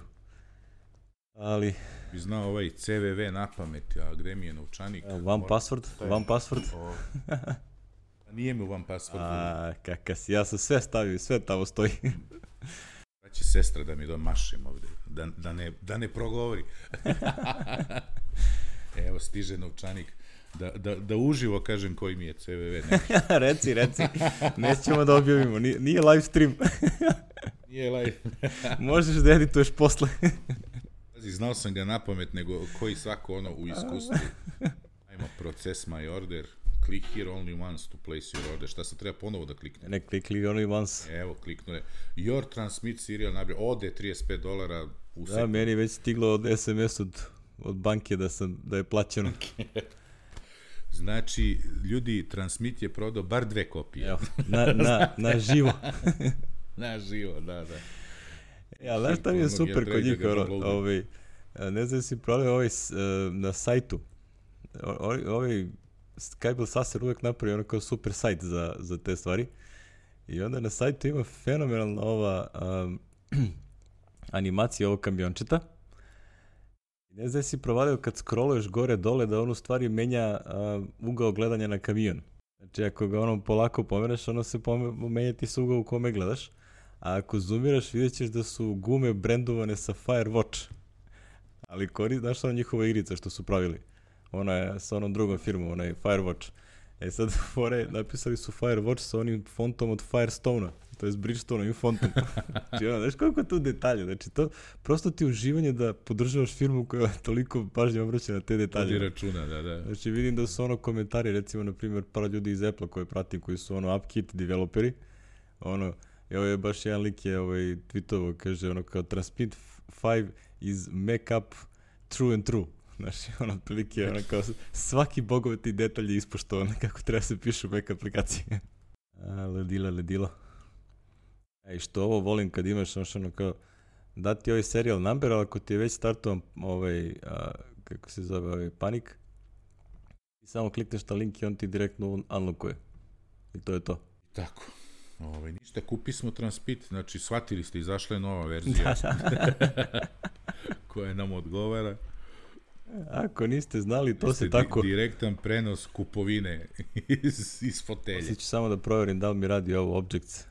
Ali bi znao ovaj C V V na pamet, a gde mi je novčanik? One Mora... password, one password. Nije mi one password. A, kakav si, ja sam sve stavio, sve tamo stoji. Da će sestra da mi domašim ovde, da, da, ne, da ne progovori. Evo, stiže novčanik. Da, da, da uživo kažem koji mi je C V V. reci, reci. Nećemo da objavimo. Nije, nije live stream. Nije live. Možeš da edituješ posle. Znao sam ga napamet, nego koji svako ono u iskustvu. Ajmo, proces my order. Click here only once to place your order. Šta se treba ponovo da klikne? Ne, click here only once. Evo, kliknu je. Your transmit serial number. Ode trideset pet dolara u sekundu. Da, meni je već stiglo od S M S od, od banke da, sam, da je plaćeno. Znači, ljudi, Transmit je prodao bar dve kopije. Evo, na, na, na živo. Na živo, da, da. Ja, znaš šta mi je super kod njih, ono, ovaj, ne znam si prodao ovaj na sajtu. Ovaj Skybel Sasser uvek napravi ono kao super sajt za, za te stvari. I onda na sajtu ima fenomenalna ova um, animacija ovog kamiončeta. Ne znam si provalio kad scrolluješ gore dole da on u stvari menja uh, ugao gledanja na kamion. Znači ako ga ono polako pomereš, ono se menja ti se ugao u kome gledaš. A ako zoomiraš vidjet ćeš da su gume brendovane sa Firewatch. Ali koristi, znaš ono njihova igrica što su pravili. Ona je sa onom drugom firmom, ona je Firewatch. E sad fore napisali su Firewatch sa onim fontom od Firestone-a. To je s Bridgestone-ovim fontom. Znači, ono, znaš koliko tu detalje. Znači, to prosto ti uživanje da podržavaš firmu koja toliko pažnje obraća na te detalje. Vodi računa, da, da. Znači, vidim da su ono komentari, recimo, na primjer, par ljudi iz Apple koje pratim, koji su ono UpKit developeri. Ono, evo je baš jedan lik je ovaj, tweetovo, kaže, ono, kao Transmit five is make up true and true. Znači, ono, prilike, ono, kao svaki bogovati detalj je ispoštovan kako treba se pišu Mac aplikacije. A, ledila, ledila. Ej, što ovo volim kad imaš ono kao dati ovaj serial number, ali ako ti je već startovan ovaj, a, kako se zove, ovaj panik, i samo klikneš na link i on ti direktno unlockuje. I to je to. Tako. Ovaj, ništa, kupi smo Transmit, znači shvatili ste, izašla je nova verzija koja nam odgovara. Ako niste znali, to Jeste se tako... Di- direktan prenos kupovine iz, iz fotelje. Sada ću samo da proverim da li mi radi ovo Objects,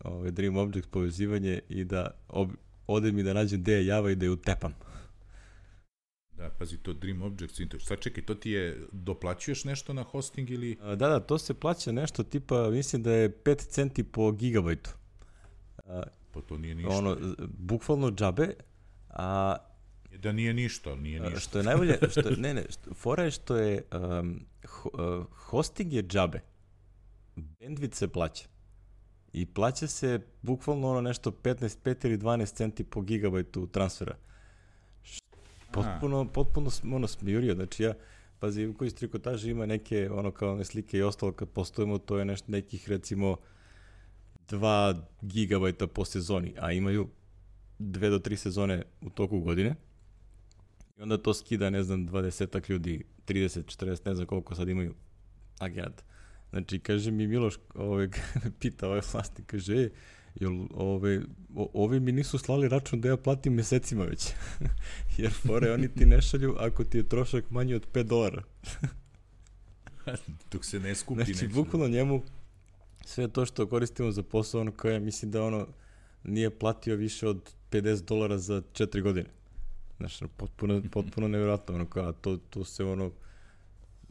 ovaj Dream Objects povezivanje i da ob... ode mi da nađem gde je Java i da je utepam. Da, pazi, to Dream Objects, sad čekaj, to ti je, doplaćuješ nešto na hosting ili... A, da, da, to se plaća nešto tipa, mislim da je pet centi po gigabajtu. A, pa to nije ništa. Ono, bukvalno džabe, a... Da nije ništa, nije ništa. Što je najbolje, što, ne, ne, što, fora je što je, um, ho, uh, hosting je džabe, bandwidth se plaća. I plaća se bukvalno ono nešto petnaest, pet ili dvanaest centi po gigabajtu transfera. Potpuno, potpuno ono smijurio, znači ja, pazi, koji iz trikotaže ima neke, ono kao one slike i ostalo kad postojimo, to je nešto nekih recimo dva gigabajta po sezoni, a imaju dve do tri sezone u toku godine. I onda to skida, ne znam, dvadesetak ljudi, trideset, četrdeset, ne znam koliko sad imaju agenata. Znači, kaže mi Miloš, ovaj, pita ovaj vlasnik, kaže, e, jel, ove, o, ovi mi nisu slali račun da ja platim mesecima već. Jer fore, oni ti ne šalju ako ti je trošak manji od pet dolara. Dok se ne skupi znači, nešto. bukvalno njemu sve to što koristimo za posao, ono koje mislim da ono nije platio više od pedeset dolara za četiri godine. Znači, potpuno, potpuno nevjerojatno, ono kao, to, to se ono,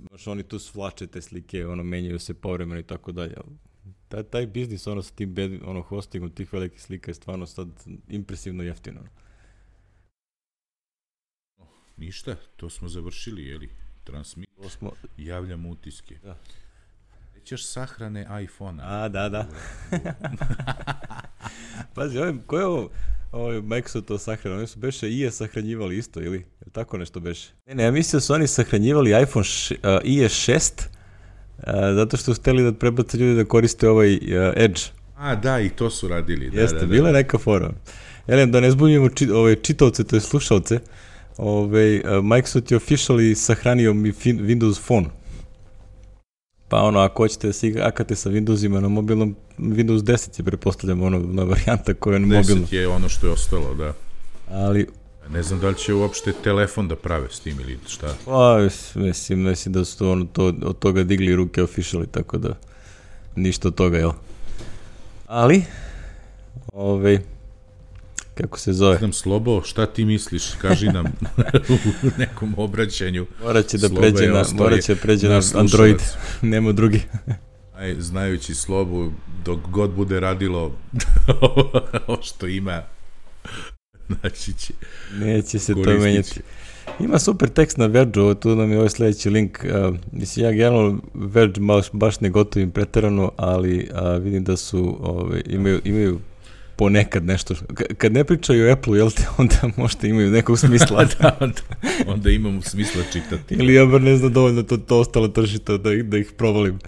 znaš, oni tu svlače te slike, ono, menjaju se povremeno i tako dalje. Taj, taj biznis, ono, sa tim bed, ono, hostingom tih velikih slika je stvarno sad impresivno jeftino. Ništa, to smo završili, jeli? Transmit, to smo... javljamo utiske. Da. Nećeš sahrane iPhone-a. A, da, da. Pazi, ovaj, ko je ovo? Ovo je Microsoft to sahranio, oni su beše i je sahranjivali isto, ili? Je tako nešto beše? Ne, ne, ja mislim da su oni sahranjivali iPhone š, uh, i es šest, uh, zato što su hteli da prebace ljudi da koriste ovaj uh, Edge. A, da, i to su radili. Da, Jeste, da, da. bila je neka fora. Elem, da ne zbunjujemo či, ove čitovce, to je slušalce, ove, uh, Microsoft je officially sahranio mi fin, Windows Phone. Pa ono, ako hoćete da se igrate sa Windowsima na mobilnom, Windows deset je, prepostavljamo, ono, na varijanta koja je na mobilnom. deset je ono što je ostalo, da. Ali... Ne znam da li će uopšte telefon da prave s tim ili šta. Pa, mislim, mislim da su ono to, od toga digli ruke officially, tako da ništa od toga, jel? Ali, ovaj, kako se zove. Znam, Slobo, šta ti misliš? Kaži nam u nekom obraćanju. Morat će da pređe na, morat će pređe na Android, nema drugi. Aj, znajući Slobu, dok god bude radilo ovo što ima, znači će... Neće se to menjati. Ima super tekst na Verge-u, tu nam je ovaj sledeći link. Uh, mislim, ja generalno Verge baš, baš ne gotovim preterano, ali uh, vidim da su, ove, imaju, imaju ponekad nešto. K- kad ne pričaju o Apple-u, jel te, onda možda imaju nekog smisla. da, onda, onda imamo smisla čitati. Ili ja bar ne znam dovoljno to, to ostalo tršito da, da ih provalim.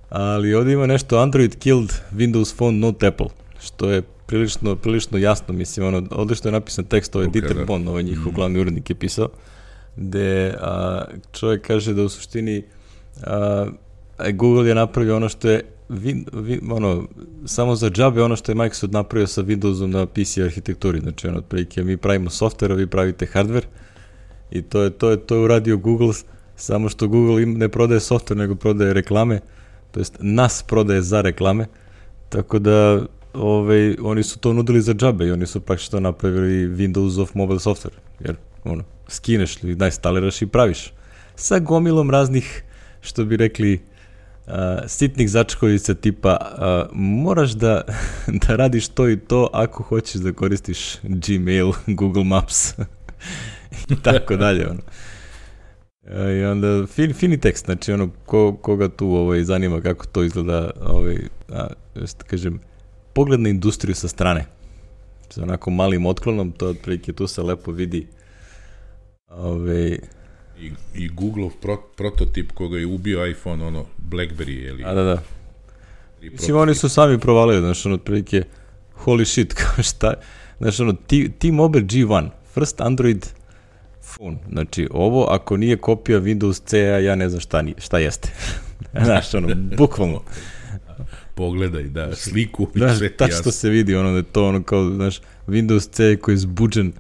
Ali ovdje ima nešto Android killed Windows Phone not Apple, što je prilično, prilično jasno, mislim, ono, odlično je napisan tekst, ovaj Dieter da. Bohn, ovaj njihov mm. glavni urednik je pisao, gde a, čovjek kaže da u suštini a, Google je napravio ono što je vi, vi, ono, samo za džabe ono što je Microsoft napravio sa Windowsom na P C arhitekturi, znači ono, otprilike mi pravimo software, a vi pravite hardware i to je, to je, to je uradio Google, samo što Google im ne prodaje software, nego prodaje reklame, to jest nas prodaje za reklame, tako da Ove, oni su to nudili za džabe i oni su praktično napravili Windows of mobile software, jer ono, skineš ili najstaliraš i praviš. Sa gomilom raznih, što bi rekli, uh, sitnih začkovica tipa uh, moraš da, da radiš to i to ako hoćeš da koristiš Gmail, Google Maps i tako dalje. Ono. I onda fin, fini tekst, znači ono, ko, koga tu ovaj, zanima kako to izgleda, ovaj, a, just kažem, pogled na industriju sa strane. Sa onako malim otklonom, to otprilike tu se lepo vidi. Ove... I, i Google pro, prototip koga je ubio iPhone, ono, BlackBerry, je li? A, da, da. Mislim, oni su sami provalili, znaš, ono, otprilike, holy shit, kao šta, znaš, ono, T-Mobile G jedan, first Android phone, znači, ovo, ako nije kopija Windows C E, ja ne znam šta, šta jeste. Znaš, ono, bukvalno. Pogledaj, da, sliku i da, sve ti jasno. Tačno se vidi, ono, da je to ono kao, znaš, Windows C koji je zbuđen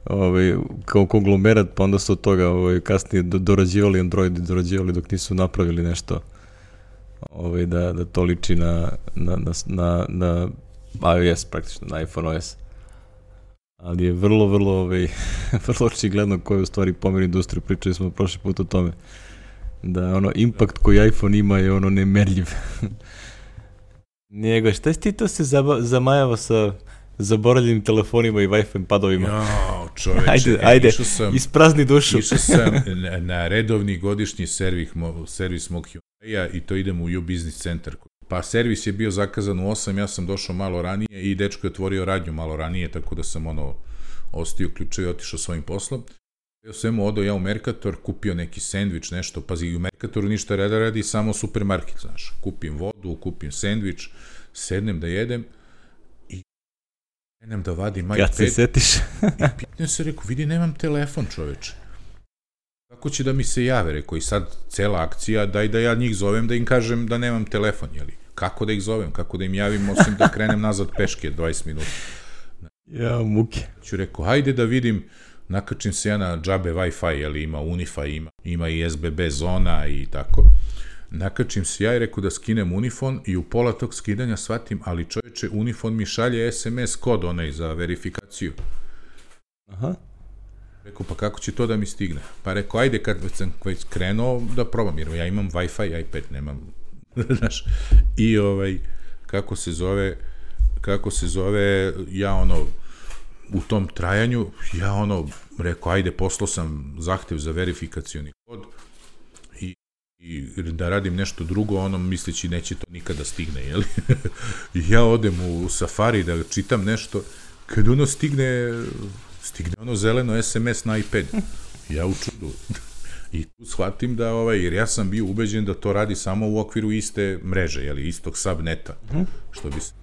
ovaj, kao konglomerat, pa onda su od toga ovaj, kasnije dorađivali Android i dorađivali dok nisu napravili nešto ovaj, da, da to liči na, na, na, na, na iOS, praktično, na iPhone O S. Ali je vrlo, vrlo, ovaj, vrlo očigledno koji je u stvari pomjer industriju, pričali smo prošli put o tome, da ono, impact koji iPhone ima je ono nemerljiv. Njega, šta ti to se zaba, zamajava sa zaboravljenim telefonima i Wi-Fi padovima? Jo, čoveče, ajde, ajde, sam, isprazni dušu. Išao sam na, na redovni godišnji servis, servis mog Hyundai-a i to idem u U-Business Center. Pa servis je bio zakazan u osam, ja sam došao malo ranije i dečko je otvorio radnju malo ranije, tako da sam ono ostio ključe i otišao svojim poslom. Ja sam odao ja u Mercator, kupio neki sendvič, nešto, pazi, u Mercatoru ništa reda radi, samo supermarket, znaš, kupim vodu, kupim sendvič, sednem da jedem i krenem da vadim iPad. Kad se setiš? I pitam se, reku, vidi, nemam telefon, čoveče. Kako će da mi se jave, reku, i sad cela akcija, daj da ja njih zovem da im kažem da nemam telefon, jeli? Kako da ih zovem, kako da im javim, osim da krenem nazad peške dvadeset minuta. Ja, muke. Ću reku, hajde da vidim, nakačim se ja na džabe Wi-Fi, jeli ima Unify, ima, ima i S B B zona i tako. Nakačim se ja i reku da skinem Unifon i u pola tog skidanja shvatim, ali čovječe, Unifon mi šalje S M S kod onaj za verifikaciju. Aha. Reku, pa kako će to da mi stigne? Pa reku, ajde kad sam već krenuo da probam, jer ja imam Wi-Fi, iPad, nemam, znaš, i ovaj, kako se zove, kako se zove, ja ono, u tom trajanju, ja ono, rekao, ajde, poslao sam zahtev za verifikacioni kod i, i da radim nešto drugo, ono, misleći neće to nikada stigne, jel? Ja odem u Safari da čitam nešto, kad ono stigne, stigne ono zeleno S M S na iPad. Ja u čudu. I tu shvatim da, ovaj, jer ja sam bio ubeđen da to radi samo u okviru iste mreže, jel, istog subneta, što bi se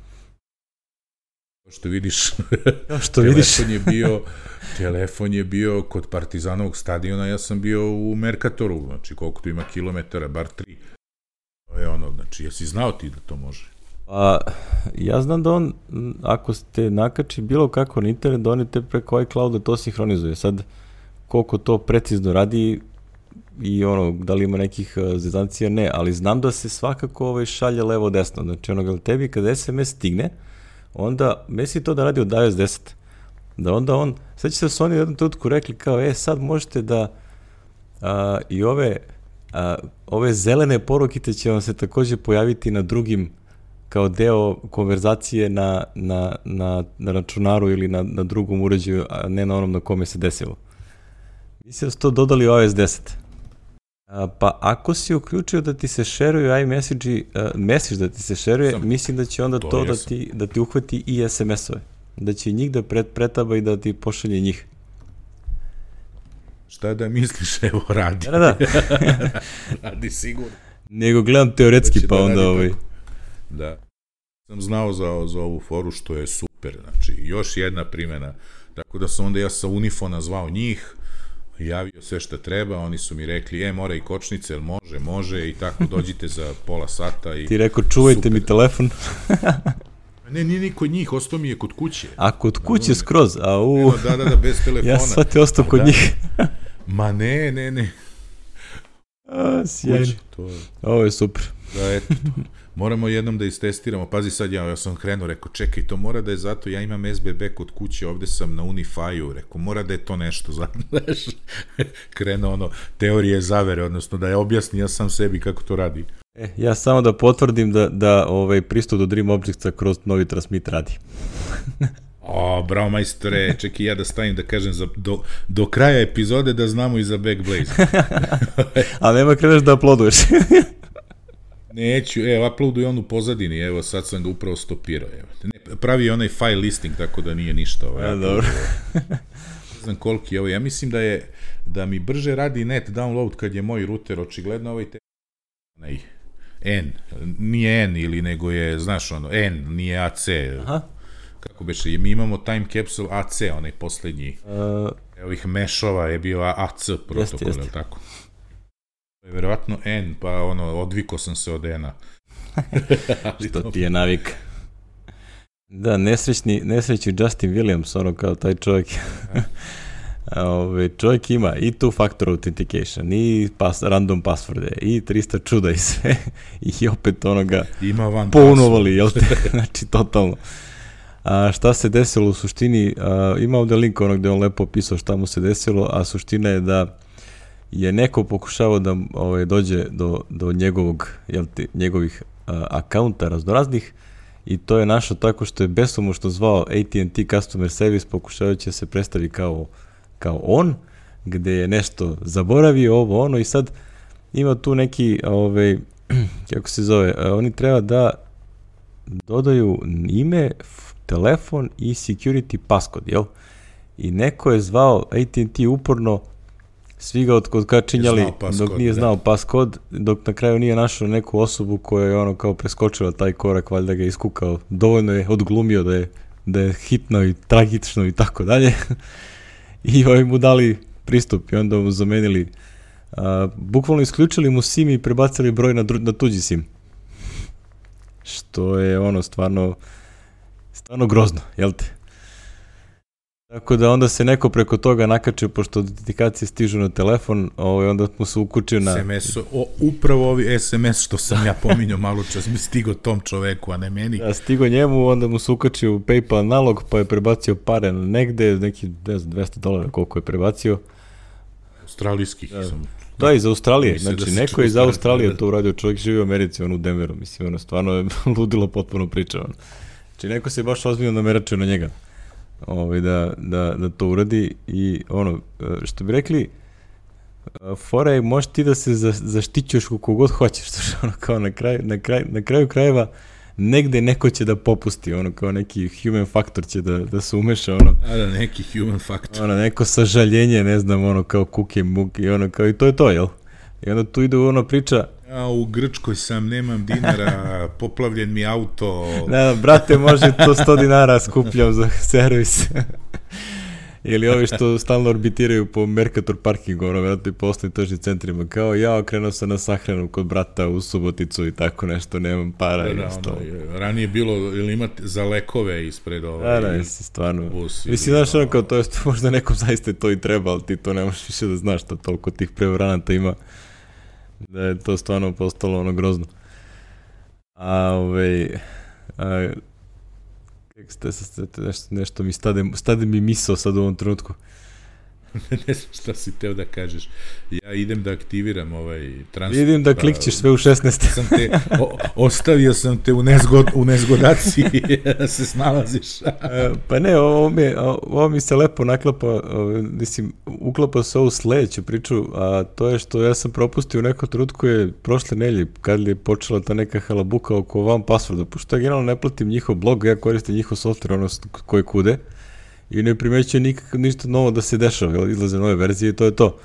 što vidiš, što telefon vidiš. je bio, telefon je bio kod Partizanovog stadiona, ja sam bio u Mercatoru, znači koliko tu ima kilometara, bar tri. To je ono, znači, jesi znao ti da to može? A, ja znam da on, ako ste nakači bilo kako na internet, da oni te preko iClouda to sinhronizuje. Sad, koliko to precizno radi i ono, da li ima nekih uh, zezancija, ne, ali znam da se svakako ovaj, šalje levo-desno. Znači, ono, tebi kada S M S stigne, onda misli to da radi od iOS deset. da onda on, sad će se su oni u jednom trenutku rekli kao, e, sad možete da a, i ove, a, ove zelene porukice će vam se takođe pojaviti na drugim, kao deo konverzacije na, na, na, na računaru ili na, na drugom uređaju, a ne na onom na kome se desilo. Mislim da su to dodali u iOS deset. A, pa ako si uključio da ti se šeruju iMessage-i, uh, message da ti se šeruje, Sam, mislim da će onda to, to da, ti, da ti uhvati i es em es-ove. Da će njih da pret, pretaba i da ti pošalje njih. Šta da misliš, evo radi. Da, da. Radi sigurno. Nego gledam teoretski, pa da onda ovaj... Da. Sam znao za, za ovu foru što je super, znači još jedna primjena. Tako da sam onda ja sa Unifona zvao njih, javio sve šta treba, oni su mi rekli, e, mora i kočnice, jel može, može, i tako dođite za pola sata. I ti rekao, čuvajte super. Mi telefon. Ne, nije ni kod njih, ostao mi je kod kuće. A kod kuće da, skroz, a u... Eno, da, da, da, bez telefona. Ja sam te ostao kod da. njih. Ma ne, ne, ne. A, sjajno. To je... Ovo je super. Da, eto, to. Moramo jednom da istestiramo. Pazi sad, ja, ja sam krenuo, rekao, čekaj, to mora da je zato, ja imam es be be kod kuće, ovde sam na Unify-u, rekao, mora da je to nešto, znaš, krenuo ono, teorije zavere, odnosno da je objasni ja sam sebi kako to radi. E, ja samo da potvrdim da, da ovaj pristup do Dream Objectsa kroz novi transmit radi. O, bravo majstore, čekaj ja da stavim da kažem za, do, do kraja epizode da znamo i za Backblaze. A nema kreneš da uploaduješ. Neću, evo, uploaduj on u pozadini, evo, sad sam ga upravo stopirao, evo. Ne, pravi onaj file listing, tako da nije ništa. Ovaj, ja, dobro. Ne znam koliki je ovo, ja mislim da je, da mi brže radi net download kad je moj router, očigledno ovaj te... Nej, N, nije N ili nego je, znaš ono, N, nije A C. Aha. Kako beše, mi imamo time capsule A C, onaj poslednji. Uh, ovih mešova je bio A C protokol, je li tako? Verovatno N, pa ono, odviko sam se od N-a. Što ti je navik. Da, nesrećni, nesrećni Justin Williams, ono kao taj čovjek. Ove, čovjek ima i two-factor authentication, i pas, random passworde, i trista čuda i sve. I opet onoga pounovali, jel te? Znači, totalno. A šta se desilo u suštini? A, ima ovde link onog gde on lepo opisao šta mu se desilo, a suština je da je neko pokušavao da ovaj, dođe do, do njegovog, jel te, njegovih a, akaunta raznoraznih i to je našao tako što je besomučno zvao A T and T Customer Service pokušavajući da se predstavi kao, kao on, gde je nešto zaboravio, ovo ono i sad ima tu neki, ovaj, kako se zove, oni treba da dodaju ime, telefon i security passcode, jel? I neko je zvao A T and T uporno, svi ga odkačinjali dok nije znao paskod, dok na kraju nije našao neku osobu koja je ono kao preskočila taj korak, valjda ga je iskukao, dovoljno je odglumio da je, da je hitno i tragično i tako dalje. I ovi mu dali pristup i onda mu zamenili, a, bukvalno isključili mu SIM i prebacili broj na, dru, na tuđi SIM. Što je ono stvarno, stvarno grozno, jel te? Tako da onda se neko preko toga nakačio, pošto autentikacije stižu na telefon, ovaj, onda mu se ukučio na... S M S, o, upravo ovi S M S što sam ja pominjao malo čas, mi stigo tom čoveku, a ne meni. Da, stigo njemu, onda mu se ukačio u PayPal nalog, pa je prebacio pare negde, neki, ne znam, dvesta dolara koliko je prebacio. Australijskih da. sam... Da, iz Australije, znači da neko iz Australije da. To uradio, čovjek živi u Americi, on u Denveru, mislim, ono, stvarno je ludilo potpuno priča, ono. Znači neko se baš ozbiljno nameračio na njega. Ovaj, da, da, da to uradi i ono, što bi rekli, fora je, možeš ti da se za, zaštićuješ koliko god hoćeš, što ono kao na kraju, na, kraj, na kraju krajeva negde neko će da popusti, ono kao neki human factor će da, da se umeša, ono. A da, neki human factor. Ono, neko sažaljenje, ne znam, ono kao kuke, muke, ono kao i to je to, jel? I onda tu ide ono priča, ja u Grčkoj sam, nemam dinara, poplavljen mi auto. Ne, brate, može to sto dinara skupljam za servis. Ili ovi što stalno orbitiraju po Mercator parkingu, ono, vjerojatno i po osnovnim tržnim centrima, kao ja okrenuo sam na sahranu kod brata u Suboticu i tako nešto, nemam para. Da, i da, ono, ranije bilo, ili imate za lekove ispred ovaj... Da, da, stvarno. Bus, mislim, znaš, ono, kao to je, možda nekom zaista to i treba, ali ti to ne možeš više da znaš, što toliko tih prevaranata ima, da je to stvarno postalo ono grozno. A, ovaj, a, Nešto, nešto mi stade, stade mi misao sad u ovom trenutku. Ne znam šta si teo da kažeš. Ja idem da aktiviram ovaj transfer. Vidim da klikćeš sve u šesnaest. Sam te, o, ostavio sam te u, nezgod, u nezgodaciji da se snalaziš. Pa ne, ovo mi, ovo mi se lepo naklapa, mislim, uklapa se ovu sledeću priču, a to je što ja sam propustio u nekom trenutku je prošle nelje, kad je počela ta neka halabuka oko van passworda, pošto ja generalno ne platim njihov blog, ja koristim njihov software, ono koji kude, i ne primećuje nikak, ništa novo da se dešava, izlaze nove verzije i to je to.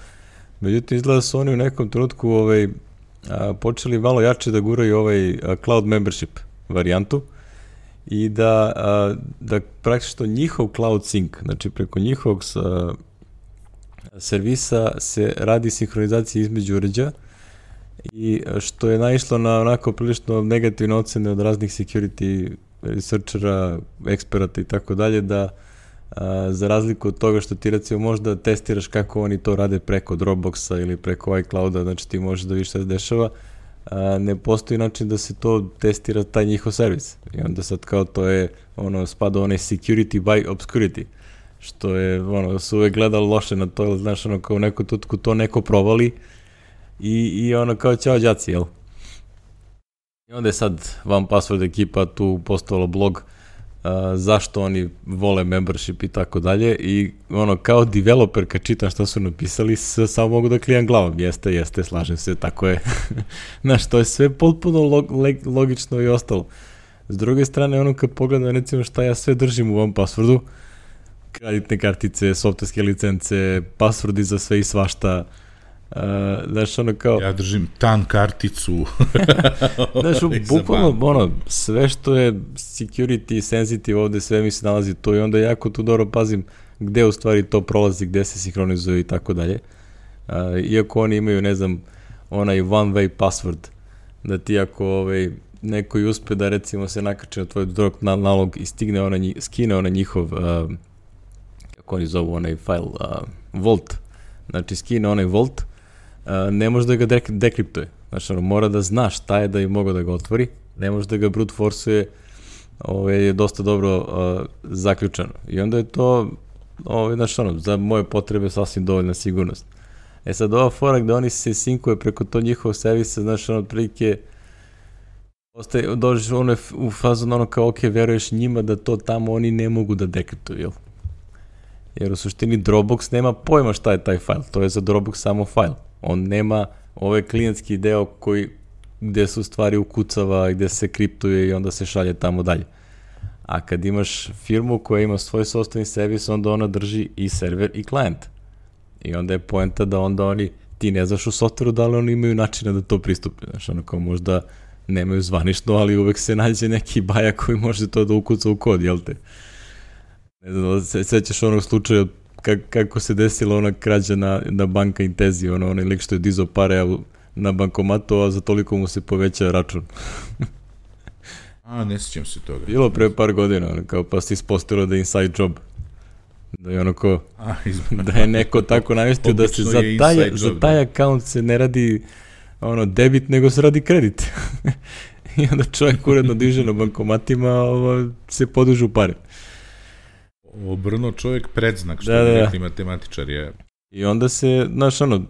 Međutim, izgleda su oni u nekom trenutku ovaj, a, počeli malo jače da guraju ovaj a, cloud membership varijantu i da, a, da praktično njihov cloud sync, znači preko njihovog a, servisa se radi sinhronizacija između uređaja i što je naišlo na onako prilično negativne ocene od raznih security researchera, eksperata i tako dalje, da a, za razliku od toga što ti recimo možda testiraš kako oni to rade preko Dropboxa ili preko iClouda, znači ti možeš da vidiš šta se dešava, a, ne postoji način da se to testira taj njihov servis. I onda sad kao to je, ono, spada onaj security by obscurity, što je, ono, su uvek gledali loše na to, znaš, ono, kao u neku tutku to neko provali i, i ono, kao ćao đaci, jel? I onda je sad One Password ekipa tu postavila blog Uh, zašto oni vole membership i tako dalje i ono kao developer kad čitam šta su napisali s, samo mogu da klijam glavom, jeste, jeste, slažem se, tako je. Znaš, to je sve potpuno log, logično i ostalo. S druge strane, ono kad pogledam recimo šta ja sve držim u ovom passwordu, kreditne kartice, softverske licence, passwordi za sve i svašta, Uh, znaš, ono kao... Ja držim tan karticu. Znaš, bukvalno, ono, sve što je security, sensitive, ovde sve mi se nalazi to i onda jako tu dobro pazim gde u stvari to prolazi, gde se sinhronizuje i tako dalje. Uh, iako oni imaju, ne znam, onaj one way password, da ti ako ovaj, neko i uspe da recimo se nakače na tvoj drop na nalog i stigne ona, skine ona njihov, uh, kako oni zovu onaj file, uh, Vault, znači skine onaj Vault, Uh, ne može da ga dek dekriptuje. Znači, ono, mora da zna šta je da je mogo da ga otvori, ne može da ga brute forceuje, ovo je dosta dobro uh, zaključano. I onda je to, ovo, znači, ono, za moje potrebe sasvim dovoljna sigurnost. E sad, ova fora gde oni se sinkuje preko to njihovog servisa, znači, ono, prilike, ostaje, dođeš ono u fazu, ono, kao, ok, veruješ njima da to tamo oni ne mogu da dekriptuju, jel? Jer u suštini Dropbox nema pojma šta je taj file, to je za Dropbox samo file. On nema ovaj klijentski deo koji, gde su stvari ukucava, gde se kriptuje i onda se šalje tamo dalje. A kad imaš firmu koja ima svoj sopstveni servis, onda ona drži i server i klijent. I onda je poenta da onda oni, ti ne znaš u softveru da li oni imaju načina da to pristupe. Znaš, ono kao možda nemaju zvanično, ali uvek se nađe neki baja koji može to da ukuca u kod, jel te? Ne znam, se, sećaš onog slučaja Kak, kako se desila ona krađa na, na banka Intezi, ono, onaj lik što je dizao pare na bankomatu, a za toliko mu se poveća račun. A, ne sjećam se toga. Bilo pre par godina, ono, kao pa se ispostavilo da je inside job. Da je ono ko, a, da je neko tako namestio da se za taj, za taj account se ne radi ono, debit, nego se radi kredit. I onda čovjek uredno diže na bankomatima, ovo, se podužu pare. Obrnuo čovjek predznak, što da, bi da, rekli matematičar je. I onda se, znaš, ono,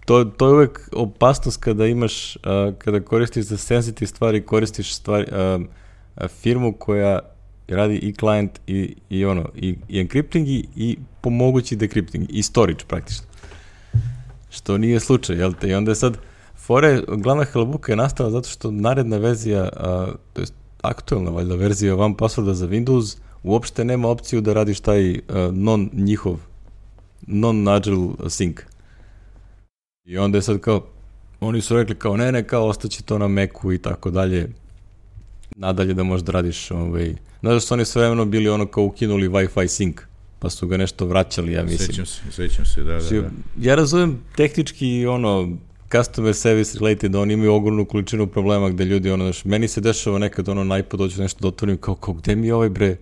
to, to je uvek opasnost kada imaš, uh, kada koristiš za sensitive stvari, koristiš stvari, uh, uh, firmu koja radi i client i, i ono, i, i encrypting i, i pomogući decrypting, i storage praktično. Što nije slučaj, jel te? I onda je sad, fore, glavna halabuka je nastala zato što naredna verzija, uh, to je aktualna valjda verzija One Passworda za Windows, uopšte nema opciju da radiš taj uh, non njihov, non-agile sync. I onda je sad kao, oni su rekli kao ne, ne, kao ostaće to na Macu i tako dalje, nadalje da možda radiš, ovaj, znaš da su oni sve vremeno bili ono kao ukinuli Wi-Fi sync, pa su ga nešto vraćali, ja mislim. Sećam se, sećam se, da, da, da. Ja razumem tehnički, ono, customer service related, oni imaju ogromnu količinu problema gde ljudi, ono, znaš, meni se dešava nekad, ono, na iPod dođu nešto da otvorim, kao, kao, gde mi je ovaj bre,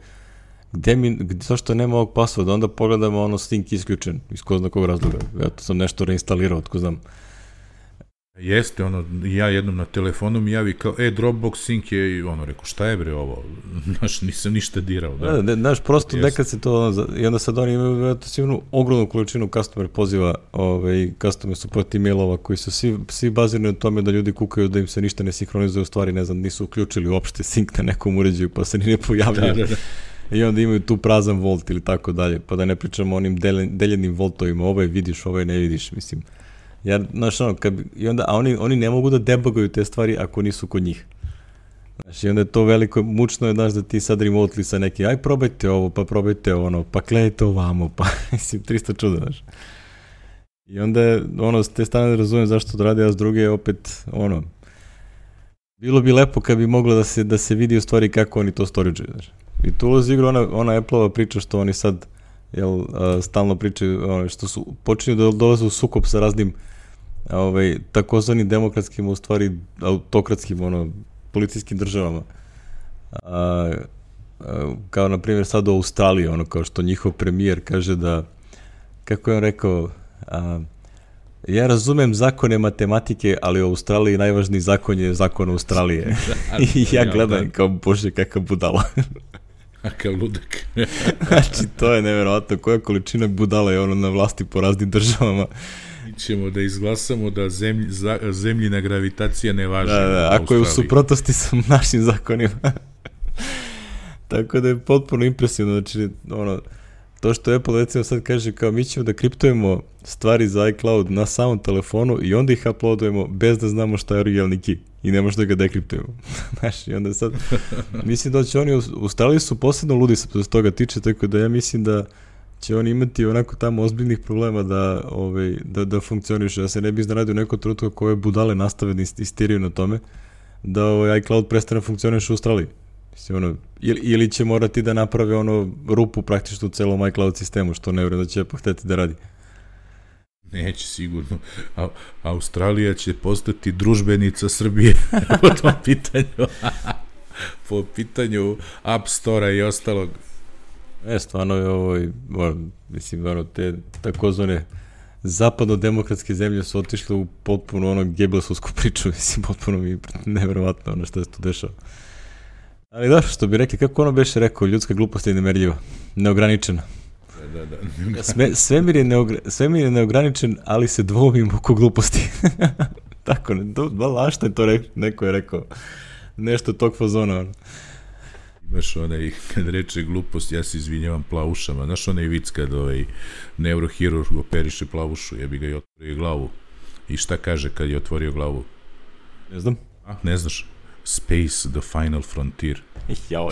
gde mi, gde, zašto nema ovog passworda, onda pogledamo, ono, sync isključen, iz ko zna kog razloga, ja to sam nešto reinstalirao, tko znam. Jeste, ono, ja jednom na telefonu mi javi kao, e, Dropbox sync je, i ono, rekao, šta je bre ovo? Znaš, nisam ništa dirao. Da, da, znaš, prosto Jeste. Nekad se to, ono, i onda sad oni imaju sigurno ogromnu količinu customer poziva, ovaj, customer support emailova koji su svi, svi bazirani na tome da ljudi kukaju da im se ništa ne sinhronizuje, u stvari, ne znam, nisu uključili uopšte sync na nekom uređaju, pa se ni ne pojavljaju. Da, da, da. I onda imaju tu prazan volt ili tako dalje, pa da ne pričamo o onim deljenim voltovima, ovaj vidiš, ovaj ne vidiš, mislim. Ja, znaš, ono, kad, i onda, a oni, oni ne mogu da debuguju te stvari ako nisu kod njih. Znaš, i onda je to veliko, mučno je, znaš, da ti sad remotely sa neki, aj probajte ovo, pa probajte ono, pa gledajte ovamo, pa, mislim, tristo čuda, znaš. I onda je, ono, s te strane razumem zašto to radi, a s druge je opet, ono, bilo bi lepo kad bi moglo da se, da se vidi u stvari kako oni to storage-uju, znaš. I tu ulazi igra ona, ona Apple-ova priča što oni sad, jel, uh, stalno pričaju, ono, što su, počinju da dolaze u sukob sa raznim ovaj, takozvanim demokratskim, u stvari autokratskim, ono, policijskim državama. A, a, kao, na primjer, sad u Australiji, ono, kao što njihov premijer kaže da, kako je on rekao, a, ja razumem zakone matematike, ali u Australiji najvažniji zakon je zakon Australije. I ja gledam kao, bože, kakav budala. Kakav ludak. Znači, to je nevjerovatno. Koja količina budala je ono na vlasti po raznim državama. Mi ćemo da izglasamo da zemlj, za, zemljina gravitacija ne važi. Da, da, ako je u suprotnosti sa našim zakonima. Tako da je potpuno impresivno. Znači, ono, to što Apple recimo sad kaže kao mi ćemo da kriptujemo stvari za iCloud na samom telefonu i onda ih uploadujemo bez da znamo šta je originalni key i ne možda ga dekriptujemo. Znaš, i onda sad, mislim da će oni, u Australiji su posebno ludi što se toga tiče, tako da ja mislim da će oni imati onako tamo ozbiljnih problema da, ovaj, da, da funkcioniše, da se ne bi iznaredio neko trenutku koje budale nastave da istiriju na tome, da ovaj iCloud prestane funkcioniše u Australiji. Mislim, ono, ili, ili će morati da naprave ono rupu praktično u celom iCloud sistemu, što ne vjerujem da će pohteti da radi. Neće sigurno. A, Australija će postati družbenica Srbije po tom pitanju. Po pitanju App Store-a i ostalog. E, stvarno je ovo, mislim, ono, te takozvane zapadno-demokratske zemlje su otišle u potpuno ono Gebelsovsku priču, mislim, potpuno mi nevjerovatno ono što se tu dešava. Ali da, što bi rekli, kako ono beše rekao, ljudska glupost je nemerljiva, neograničena. Da, da, da. Sve, svemir, je neogra, svemir je neograničen, ali se dvoumim oko gluposti. Tako, ne, to, ba, što je to rekao, neko je rekao, nešto tog fazona. Ono. Imaš onaj, kad reče glupost, ja se izvinjavam plavušama. Znaš onaj vic kad ovaj neurohirurg operiše plavušu, jebi ga i otvorio glavu. I šta kaže kad je otvorio glavu? Ne znam. A, ne znaš? Space, the final frontier. Jao.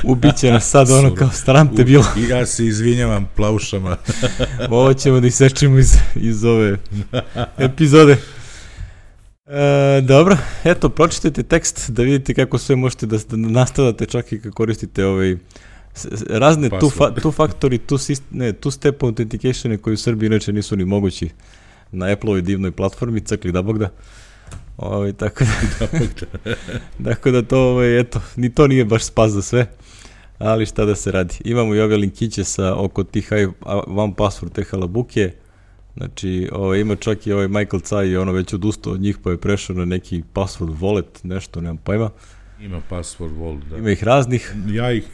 Ubiće nas sad ono kao staram te bilo. I ja se izvinjavam plavušama. Ovo ćemo da isečimo iz, iz ove epizode. E, dobro, eto, pročitajte tekst da vidite kako sve možete da, da nastavate čak i kad koristite ovaj, razne tu, fa, tu faktori, tu, ne, tu step authentication koji u Srbiji inače nisu ni mogući na Apple-ovoj divnoj platformi, cakli da bog da. Ovaj, tako da, tako da to, ovaj, eto, ni to nije baš spas za sve, ali šta da se radi. Imamo i ove linkiće sa oko tih one password, te halabuke, znači ovaj, ima čak i ovaj Michael Caj i ono već odustao od njih pa je prešao na neki password wallet, nešto, nemam pojma. Ima password wallet, da. Ima ih raznih. Ja ih,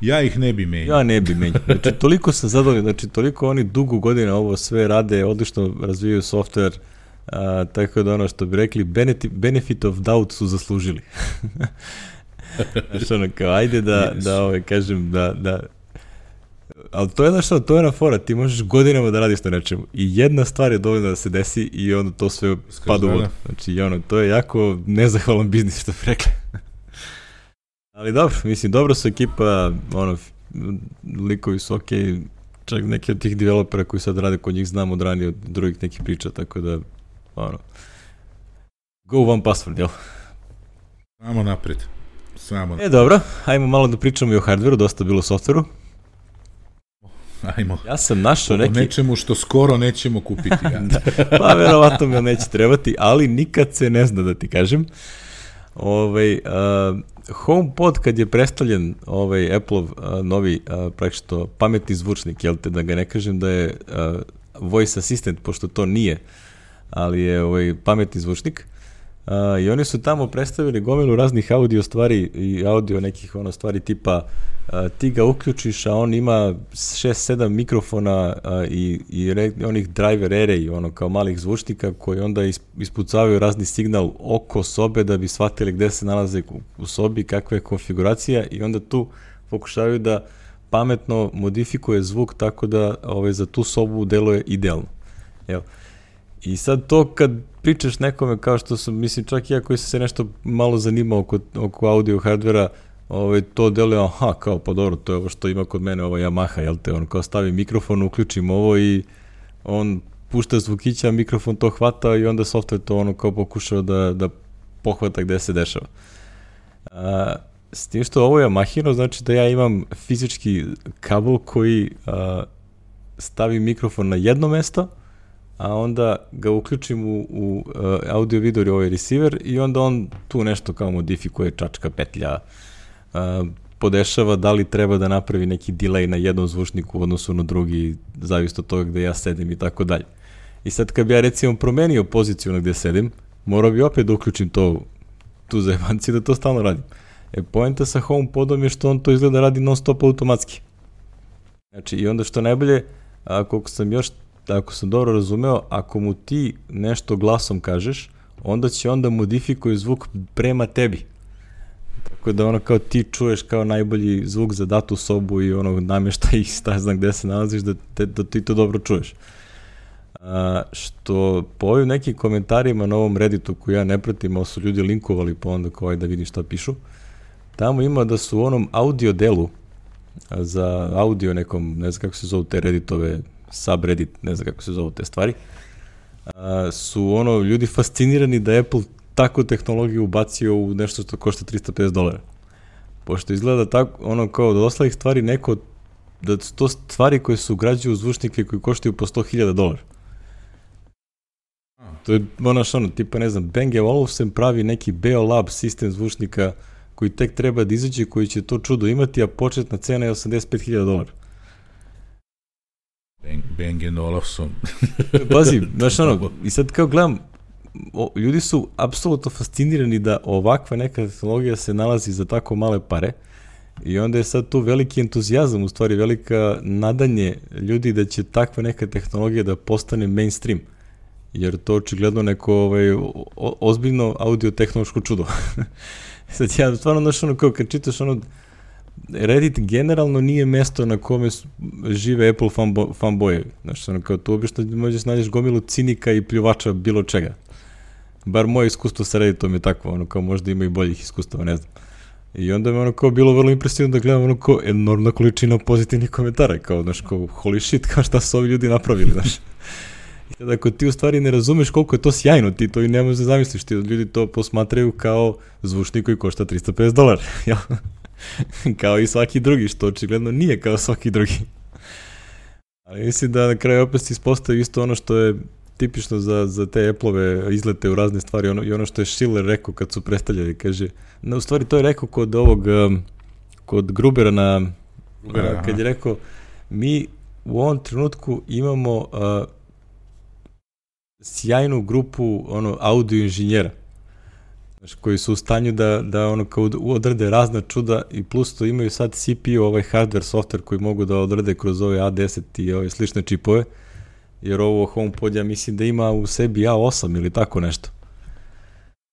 ja ih ne bi menjao. Ja ne bi menjao. Znači, toliko sam zadovoljan, znači, toliko oni dugo godina ovo sve rade, odlično razvijaju software. Uh, tako da ono što bi rekli benefit, benefit of doubt su zaslužili. Znaš ono kao ajde da, yes. da ovaj, kažem da, da ali to je znaš ono, to je na fora, ti možeš godinama da radiš na nečemu i jedna stvar je dovoljna da se desi i onda to sve pada u vodu. Znači ono, to je jako nezahvalan biznis što bi rekli. Ali dobro, mislim, dobro su ekipa, ono, likovi su okej, okay, čak neki od tih developera koji sad rade kod njih znam od ranije od drugih nekih priča, tako da ono, go one password, jel? Samo napred. Samo. E, dobro, ajmo malo da pričamo i o hardveru, dosta bilo o softveru. Ajmo. Ja sam našao neki... O nečemu što skoro nećemo kupiti. Ja. Da, pa verovatno me neće trebati, ali nikad se ne zna da ti kažem. Ovaj, uh, HomePod kad je predstavljen ovaj Apple-ov uh, novi uh, praktično pametni zvučnik, jel te, da ga ne kažem da je uh, voice assistant, pošto to nije ali je ovaj pametni zvučnik. Uh, I oni su tamo predstavili gomilu raznih audio stvari i audio nekih ono stvari tipa uh, ti ga uključiš, a on ima šest sedam mikrofona uh, i, i re, onih driver array, ono kao malih zvučnika koji onda ispucavaju razni signal oko sobe da bi shvatili gde se nalaze u, u sobi, kakva je konfiguracija i onda tu pokušavaju da pametno modifikuje zvuk tako da ovaj, za tu sobu deluje idealno. Evo. I sad to kad pričaš nekome kao što sam, mislim čak i ja koji sam se nešto malo zanimao oko, oko audio hardvera, ovaj, to deluje, aha, kao pa dobro, to je ovo što ima kod mene, ova Yamaha, jel te, on kao stavi mikrofon, uključim ovo i on pušta zvukića, mikrofon to hvata i onda software to ono kao pokušao da, da pohvata gde se dešava. A, s tim što ovo je Yamahino, znači da ja imam fizički kabel koji a, stavi mikrofon na jedno mesto, a onda ga uključim u, u uh, audio video ovaj receiver i onda on tu nešto kao modifikuje, čačka, petlja, uh, podešava da li treba da napravi neki delay na jednom zvučniku u odnosu na drugi, zavisno od toga gde ja sedim i tako dalje. I sad kad bi ja recimo promenio poziciju na gde sedim, morao bi opet da uključim to, tu zajebanciju da to stalno radim. E, poenta sa HomePodom je što on to izgleda radi non stop automatski. Znači, i onda što najbolje, ako sam još ako sam dobro razumeo, ako mu ti nešto glasom kažeš, onda će onda modifikuje zvuk prema tebi. Tako da ono kao ti čuješ kao najbolji zvuk za datu sobu i ono namješta ih sta znam gde se nalaziš da, te, da ti to dobro čuješ. A, što po ovim nekim komentarima na ovom Redditu koji ja ne pratim, ali su ljudi linkovali pa onda kao da vidim šta pišu, tamo ima da su u onom audio delu za audio nekom, ne znam kako se zovu te Redditove subreddit, ne znam kako se zovu te stvari, a, su ono ljudi fascinirani da Apple takvu tehnologiju ubacio u nešto što košta trista pedeset dolara. Pošto izgleda tako, ono kao da ostalih stvari neko, da su to stvari koje su ugrađuju u zvučnike koji koštaju po sto hiljada dolara. To je ono što ono, tipa ne znam, Bang and Olufsen pravi neki Beolab sistem zvučnika koji tek treba da izađe, koji će to čudo imati, a početna cena je osamdeset pet hiljada dolara. Bang, Bang and Olufsen. Pazi, znaš ono, i sad kao gledam, o, ljudi su apsolutno fascinirani da ovakva neka tehnologija se nalazi za tako male pare i onda je sad tu veliki entuzijazam, u stvari velika nadanje ljudi da će takva neka tehnologija da postane mainstream, jer to očigledno neko ovaj, o, ozbiljno audio-tehnološko čudo. Sad ja stvarno, znaš ono, kao kad čitaš ono, Reddit generalno nije mesto na kome žive Apple fanbo, fanbojevi. Znaš, ono, kao tu obično možeš nađeš gomilu cinika i pljuvača bilo čega. Bar moje iskustvo sa Redditom je takvo, ono, kao možda ima i boljih iskustava, ne znam. I onda mi ono kao bilo vrlo impresivno da gledam ono kao enormna količina pozitivnih komentara, kao, znaš, kao holy shit, kao šta su ovi ljudi napravili, znaš. I tada ako ti u stvari ne razumeš koliko je to sjajno, ti to i ne možeš da zamisliš, ti ljudi to posmatraju kao zvučnik koji košta trista pedeset dolara, jel? Kao i svaki drugi, što očigledno nije kao svaki drugi. Ali mislim da na kraju opet se ispostavi isto ono što je tipično za, za te Apple-ove izlete u razne stvari, ono, i ono što je Schiller rekao kad su predstavljali, kaže, no, u stvari to je rekao kod ovog, kod Grubera na, Grubera, kad je rekao, mi u ovom trenutku imamo uh, sjajnu grupu ono, audio inženjera, koji su u stanju da, da ono kao odrade razna čuda i plus to imaju sad C P U, ovaj hardware, software koji mogu da odrade kroz ove A deset i ove slične čipove, jer ovo HomePod ja mislim da ima u sebi A osam ili tako nešto.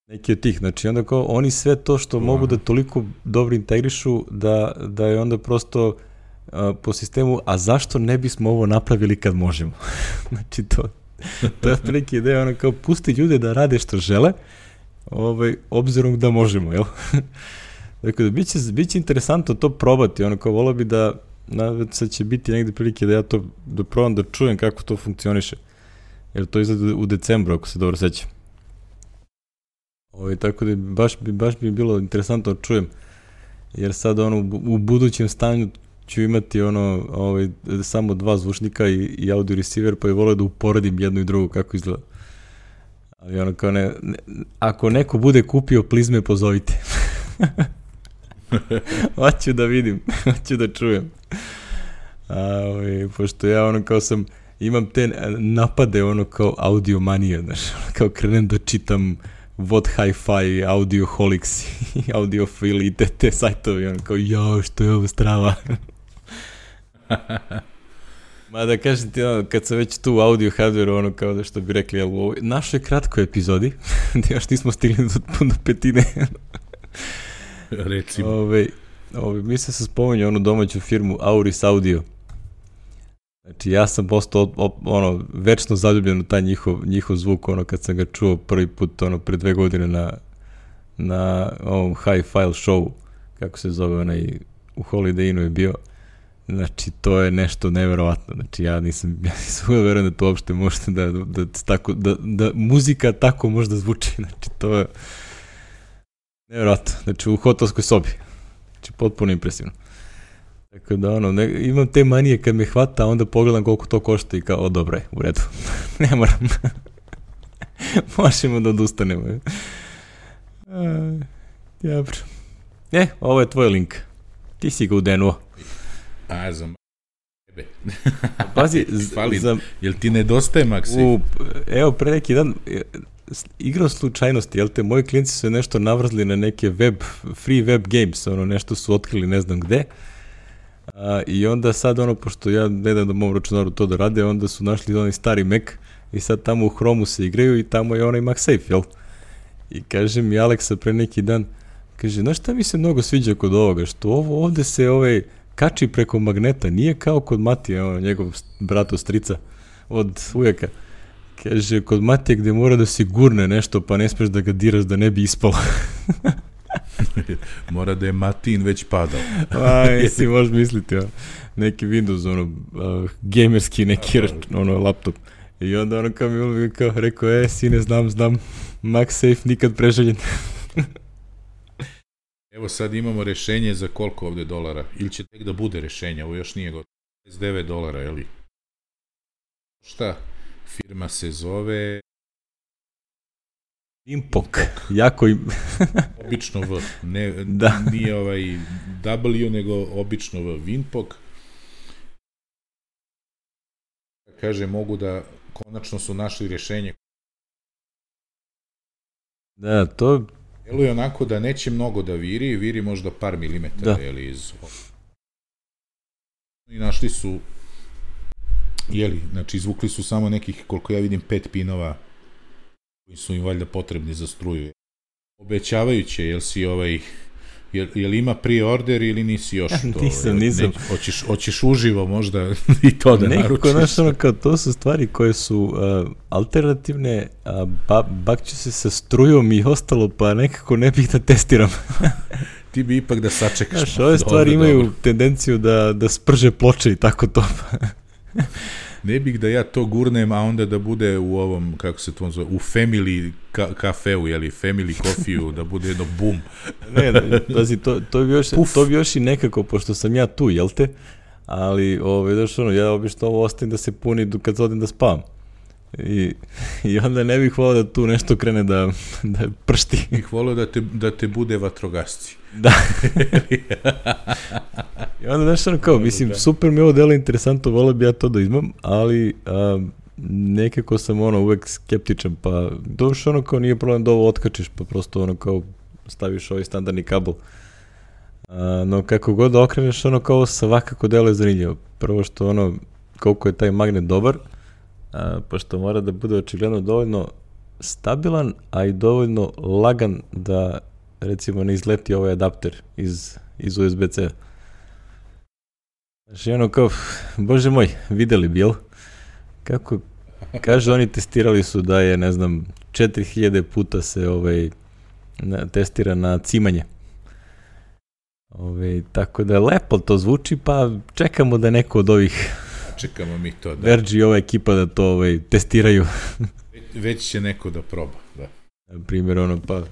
Neki od tih, znači onda kao oni sve to što uh. mogu da toliko dobro integrišu da, da je onda prosto uh, po sistemu, a zašto ne bismo ovo napravili kad možemo? Znači to, to je prilike ideja, ono kao pusti ljude da rade što žele, ovaj, obzirom da možemo, jel? Dakle, da biće, biće interesantno to probati, ono kao volao bi da, na, sad će biti negde prilike da ja to, da probam da čujem kako to funkcioniše, jer to izgleda u decembru, ako se dobro sećam. Ovaj, tako da baš bi, baš bi bilo interesantno da čujem, jer sad ono, u, u budućem stanju ću imati ono, ovaj, samo dva zvučnika i, i audio receiver, pa je volao da uporedim jednu i drugu kako izgleda. Ali ono kao ne, ne, ako neko bude kupio plizme, pozovite. Hoću da vidim, hoću da čujem. A, ovaj, pošto ja ono kao sam, imam te napade ono kao audiomanija, znaš, kao krenem da čitam What Hi-Fi, Audioholics, Audiofil i te, te sajtovi, ono kao, jao, što je ovo strava. Ma da kažem ti, ono, kad sam već tu u audio hardware, ono kao da što bi rekli, jel, u ovoj našoj kratkoj epizodi, da još nismo stigli do, do petine. Recimo. Ove, ove, mi se se spominje onu domaću firmu Auris Audio. Znači, ja sam postao ono, večno zaljubljen u taj njihov, njihov zvuk, ono, kad sam ga čuo prvi put, ono, pre dve godine na, na ovom Hi-File show, kako se zove, onaj, u Holiday Innu je bio. Znači, to je nešto neverovatno. Znači, ja nisam, ja nisam uveren da to uopšte možete da, da, da, tako, da, da muzika tako možda zvuči. Znači, to je neverovatno. Znači, u hotelskoj sobi. Znači, potpuno impresivno. Tako da, ono, ne, imam te manije kad me hvata, a onda pogledam koliko to košta i kao, o, dobro je, u redu. Ne moram. Možemo da odustanemo. Dobro. E, ovo je tvoj link. Ti si ga udenuo. A, za tebe. Pazi, za... Jel ti nedostaje, Maksi? U, evo, pre neki dan, igrao slučajnosti, jel te, moji klinci su nešto navrzli na neke web, free web games, ono, nešto su otkrili ne znam gde, a, i onda sad, ono, pošto ja ne dam da mom računaru to da rade, onda su našli onaj stari Mac i sad tamo u Chromu se igraju i tamo je onaj MagSafe, jel? I kaže mi Aleksa pre neki dan, kaže, znaš šta mi se mnogo sviđa kod ovoga, što ovo ovde se ovaj kači preko magneta, nije kao kod Matije, ono, njegov brato strica od ujaka. Kaže, kod Matije gde mora da se gurne nešto, pa ne smeš da ga diraš da ne bi ispalo. Mora da je Matin već padao. Aj, si možeš misliti, o, neki Windows, ono, uh, gamerski neki, ono, laptop. I onda ono kao mi kao rekao, e, sine, znam, znam, MagSafe nikad preželjen. Evo sad imamo rešenje za koliko ovde dolara, ili će tek da bude rešenje, ovo još nije gotovo, pedeset devet dolara, jeli? Šta? Firma se zove... Impok, jako im... Obično V, ne, da. Nije ovaj W, nego obično V, Vinpok. Kaže, mogu da, konačno su našli rešenje. Da, to... Deluje onako da neće mnogo da viri, viri možda par milimetara, da. Jeli, iz... I našli su, jeli, znači izvukli su samo nekih, koliko ja vidim, pet pinova koji su im valjda potrebni za struju. Obećavajuće, jel si ovaj, jel, jel ima pre-order ili nisi još to? Nisam, nisam. Ne, hoćeš, hoćeš uživo možda i to da naručiš? Nekako, znaš, ono, kao, to su stvari koje su uh, alternativne, a ba, bakću se sa strujom i ostalo, pa nekako ne bih da testiram. Ti bi ipak da sačekaš. Znaš, ove stvari dobro, imaju dobro. tendenciju da, da sprže ploče i tako to. Ne bih da ja to gurnem, a onda da bude u ovom, kako se to zove, u family ka- kafeu, jeli, family coffee-u, da bude jedno bum. Ne, da, pazi, to, to, bi još, to bi još i nekako, pošto sam ja tu, jel te? Ali, ovaj, daš ono, ja obično ovo ostavim da se puni kad odem da spavam. I, i onda ne bih volao da tu nešto krene da, da pršti. Bih volao da te, da te bude vatrogasci. Da. I onda, znaš, ono kao, mislim, super mi ovo delo interesantno, volao bi ja to da imam, ali a, nekako sam, ono, uvek skeptičan, pa došlo, ono, kao, nije problem da ovo otkačiš, pa prosto, ono, kao, staviš ovaj standardni kabel. A, no, kako god da okreneš, ono, kao, svakako delo je zanimljivo. Prvo što, ono, koliko je taj magnet dobar, a, pošto mora da bude očigledno dovoljno stabilan, a i dovoljno lagan da, recimo, ne izleti ovaj adapter iz, iz U S B C. Znači, ono kao, bože moj, videli bi, jel? Kako, kaže, oni testirali su da je, ne znam, četiri hiljade puta se ovaj, na, testira na cimanje. Ovaj, tako da lepo to zvuči, pa čekamo da neko od ovih čekamo mi to, da. Verge i ova ekipa da to ovaj, testiraju. Već će neko da proba, da. Na primjer, ono, pa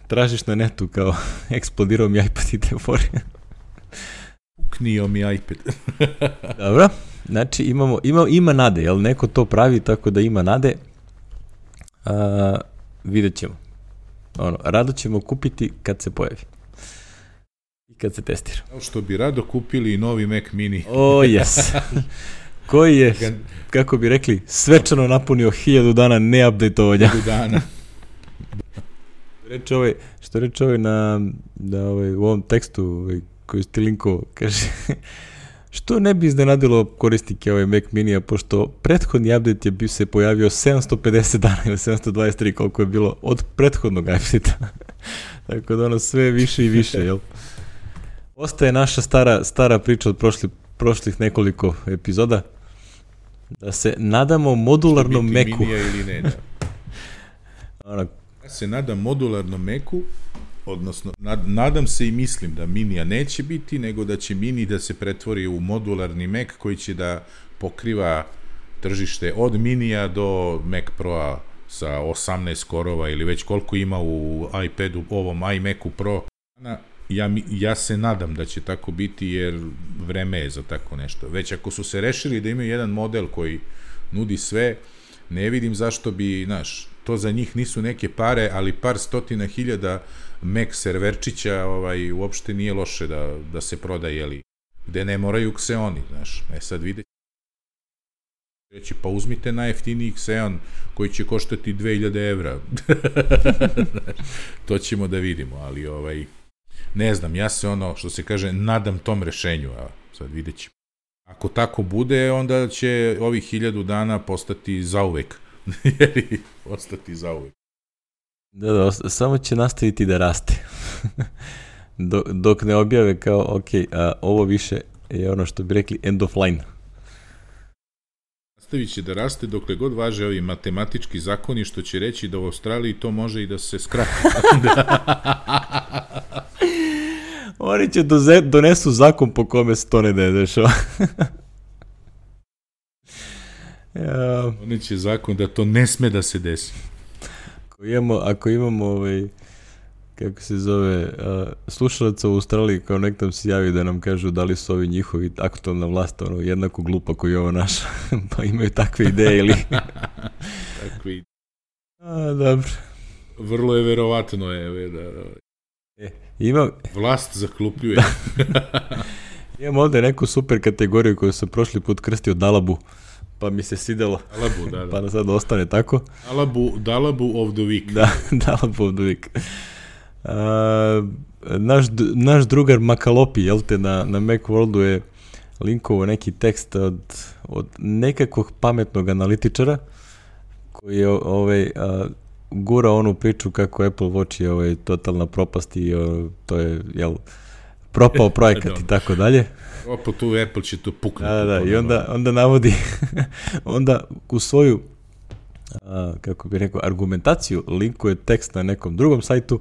tražiš na netu kao eksplodirao mi iPad i te fore. Uknio mi iPad. Dobro, znači imamo, ima, ima nade, jel neko to pravi tako da ima nade, a, vidjet ćemo. Ono, rado ćemo kupiti kad se pojavi. I kad se testira. Kao što bi rado kupili i novi Mac Mini. O, oh, yes. koji je, kako bi rekli, svečano napunio hiljadu dana neupdateovanja. Hiljadu dana. Reče ovaj, što reče ovaj na, da ovaj, u ovom tekstu ovaj, koji ste linko, kaže, što ne bi iznenadilo korisnike ovaj Mac Mini-a, pošto prethodni update je bi se pojavio sedamsto pedeset dana ili sedamsto dvadeset tri, koliko je bilo od prethodnog update-a. Tako da ono sve više i više, jel? Ostaje naša stara, stara priča od prošli, prošlih nekoliko epizoda, da se nadamo modularnom Macu. Minija ili ne, da. Ono, ja se nadam modularnom Macu, odnosno nad, nadam se i mislim da Minija neće biti, nego da će Mini da se pretvori u modularni Mac koji će da pokriva tržište od Minija do Mac Pro-a sa osamnaest korova ili već koliko ima u iPadu, ovom iMacu Pro. Ja, ja se nadam da će tako biti, jer vreme je za tako nešto. Već ako su se rešili da imaju jedan model koji nudi sve, ne vidim zašto bi, znaš, to za njih nisu neke pare, ali par stotina hiljada Mac serverčića ovaj, uopšte nije loše da, da se prodaje, jeli, gde ne moraju Xeoni, znaš. E sad vidite, reći, pa uzmite najjeftiniji Xeon koji će koštati dve hiljade evra. To ćemo da vidimo, ali ovaj, ne znam, ja se ono, što se kaže, nadam tom rešenju, a sad vidjet ćemo. Ako tako bude, onda će ovih hiljadu dana postati zauvek. Jer ostati zauvek. Da, da, samo će nastaviti da raste. dok, dok ne objave kao, ok, a, ovo više je ono što bi rekli end of line. Nastavit će da raste dokle god važe ovi matematički zakoni, što će reći da u Australiji to može i da se skrati. Oni će doze, donesu zakon po kome se to ne dešava. Ja. Oni će zakon da to ne sme da se desi. Ako imamo, ako imamo ovaj, kako se zove, uh, slušalaca u Australiji, kao nek nam se javi da nam kažu da li su ovi njihovi aktualna vlast ono, jednako glupa koji je ovo naša, pa imaju takve ideje ili... Takve ideje. A, dobro. Vrlo je verovatno je, da... E, imam... Vlast zaklupljuje. Imam ovde neku super kategoriju koju sam prošli put krstio Dalabu, pa mi se svidelo. Dalabu, da, da. Pa da sad ostane tako. Dalabu, Dalabu of the week. Da, Dalabu of the week. Uh, naš, naš drugar Makalopi, jel te, na, na Macworldu je linkovo neki tekst od, od nekakvog pametnog analitičara koji je ovaj, uh, gura onu priču kako Apple Watch je ovaj, totalna propast i uh, to je, jel, propao projekat i tako dalje. Opo tu Apple će to puknuti. Da, da, i onda, onda navodi, onda u svoju, a, kako bih rekao, argumentaciju linkuje tekst na nekom drugom sajtu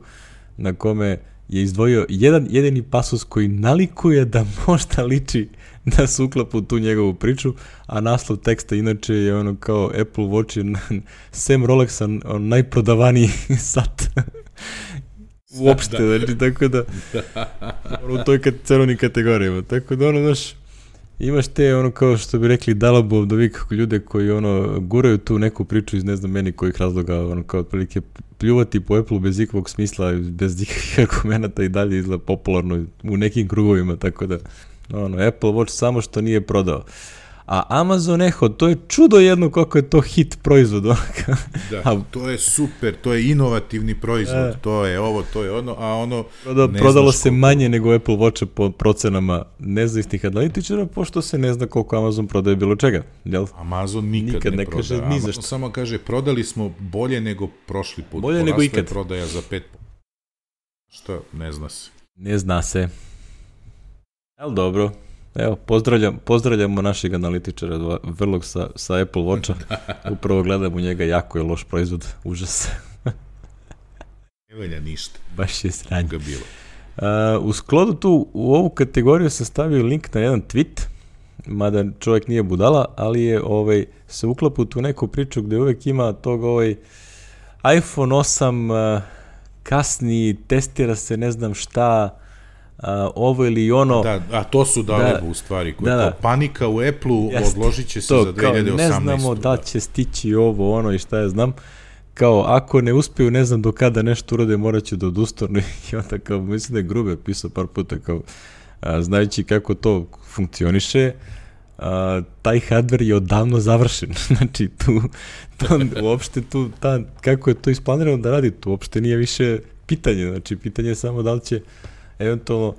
na kome je izdvojio jedan jedini pasus koji nalikuje da možda liči da se uklapa u tu njegovu priču, a naslov teksta inače je ono kao Apple Watch je sem Rolexa on najprodavaniji sat. Uopšte, da. Znači, tako da, ono, u toj cenovnim kategorijama, tako da, ono, znaš, imaš te, ono, kao što bi rekli, Dalabu of the week, ljude koji, ono, guraju tu neku priču iz ne znam meni kojih razloga, ono, kao otprilike pljuvati po Apple bez ikakvog smisla, bez ikakvih argumenata i dalje izgleda popularno u nekim krugovima, tako da, ono, Apple Watch samo što nije prodao. A Amazon Echo, to je čudo jedno kako je to hit proizvod. Da, a, to je super, to je inovativni proizvod, a, to je ovo, to je ono, a ono... Proda, prodalo se koliko... manje nego Apple Watcha po procenama nezavisnih analitičara, pošto se ne zna koliko Amazon prodaje bilo čega. Jel? Amazon nikad, nikad ne, ne kaže proda. Ni zašto. Amazon samo kaže, prodali smo bolje nego prošli put. Bolje nego ikad. Prodaja za pet. Što? Ne zna se. Ne zna se. Ali dobro. Evo, pozdravljam, pozdravljamo našeg analitičara vrlog sa, sa Apple Watcha. Upravo gledam u njega, jako je loš proizvod, užas. Ne valja ništa. Baš je sranje. Uh, u sklodu tu, u ovu kategoriju sam stavio link na jedan tweet, mada čovjek nije budala, ali je ovaj, se uklapa u tu neku priču gde uvek ima tog ovaj iPhone osam uh, kasni, testira se ne znam šta, Uh, ovo ili ono... Da, a to su Dalabu u stvari, koja da, da. Panika u Apple-u odložit će se to, za dve hiljade osamnaestu. Ne znamo da će stići ovo, ono i šta ja znam. Kao, ako ne uspiju, ne znam do kada nešto urade, morat ću da odustanu. I onda kao, mislim da je Grube pisao par puta, kao, a, znajući kako to funkcioniše, a, taj hardware je odavno završen. Znači, tu, to, uopšte tu, ta, kako je to isplanirano da radi, tu uopšte nije više pitanje. Znači, pitanje je samo da li će eventualno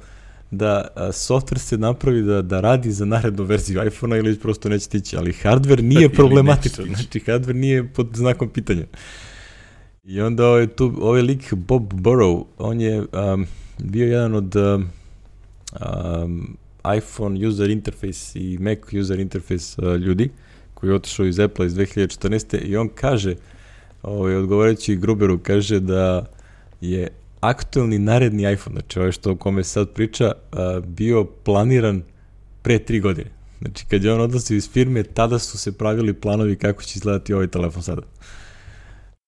da a, software se napravi da, da radi za narednu verziju iPhone-a ili prosto neće tići, ali hardware nije problematičan. Znači, hardware nije pod znakom pitanja. I onda ovaj, tu, ovaj lik Bob Burrow, on je um, bio jedan od um, um, iPhone user interface i Mac user interface uh, ljudi koji je otišao iz Apple iz dve hiljade četrnaeste. i on kaže, ovaj, odgovarajući Gruberu, kaže da je aktuelni naredni iPhone, znači ovaj što o kome sad priča, uh, bio planiran pre tri godine. Znači kad je on odlazio iz firme, tada su se pravili planovi kako će izgledati ovaj telefon sada.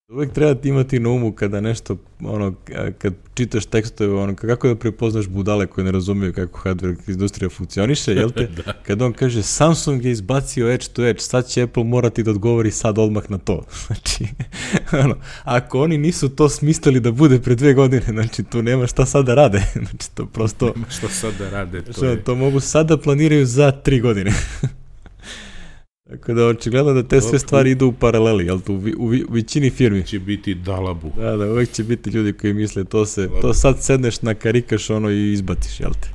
Uvijek treba imati na umu kada nešto, ono, kad čitaš tekstove, ono, kako da prepoznaš budale koje ne razumiju kako hardware industrija funkcioniše, jel te? Kad on kaže Samsung je izbacio edge to edge, sad će Apple morati da odgovori sad odmah na to. Znači, ono, ako oni nisu to smislili da bude pre dve godine, znači tu nema šta sad da rade. Znači to prosto... Nema šta sad da rade. To, što, je... to mogu sad da planiraju za tri godine. Tako da očigledno da te sve stvari idu u paraleli, jel tu u, u, u većini firmi. Će biti dalabu. Da, da, uvek će biti ljudi koji misle to se, dalabu. To sad sedneš na karikaš ono i izbatiš, jel te?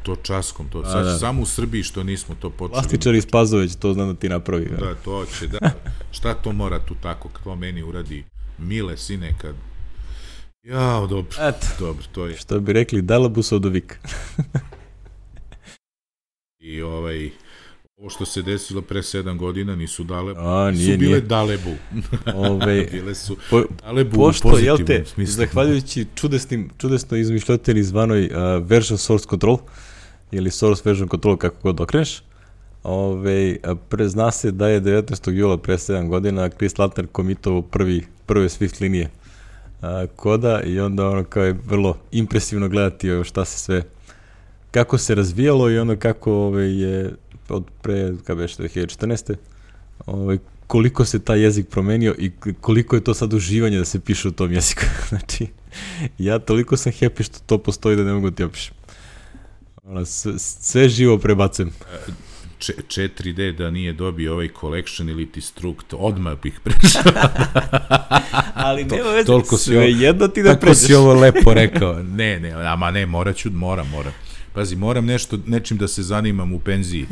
To časkom, to. A, sad da. Samo u Srbiji što nismo to počeli. Plastičar iz Pazoveć, to znam da ti napravi. Da, da to će, da. Šta to mora tu tako, to meni uradi mile sine kad... Jao, dobro, Eto. dobro, to je. Što bi rekli, dalabusov do vika. I ovaj... Ovo što se desilo pre sedam godina nisu dalebu, A, nije, su bile nije. dalebu. Ove, bile su po, dalebu pošto, u pozitivnom jel te, smislu. zahvaljujući čudesnim, čudesno izmišljotini zvanoj uh, version source control, ili source version control, kako god okreneš, ove, pre, zna se da je devetnaestog jula pre sedam godina Chris Lattner komitovao prvi, prve Swift linije uh, koda i onda ono kao je vrlo impresivno gledati šta se sve, kako se razvijalo i ono kako ove, je od pre, kada već dve hiljade četrnaeste. Ovaj, koliko se taj jezik promenio i koliko je to sad uživanje da se piše u tom jeziku. Znači, ja toliko sam happy što to postoji da ne mogu ti opišem. Ono, sve, sve živo prebacujem. četiri D da nije dobio ovaj collection ili ti strukt, odmah bih prešao. Ali nema veze, toliko sve ovo, jedno ti da tako pređeš. Tako si ovo lepo rekao. Ne, ne, ama ne, morat ću, moram, moram. Pazi, moram nešto, nečim da se zanimam u penziji.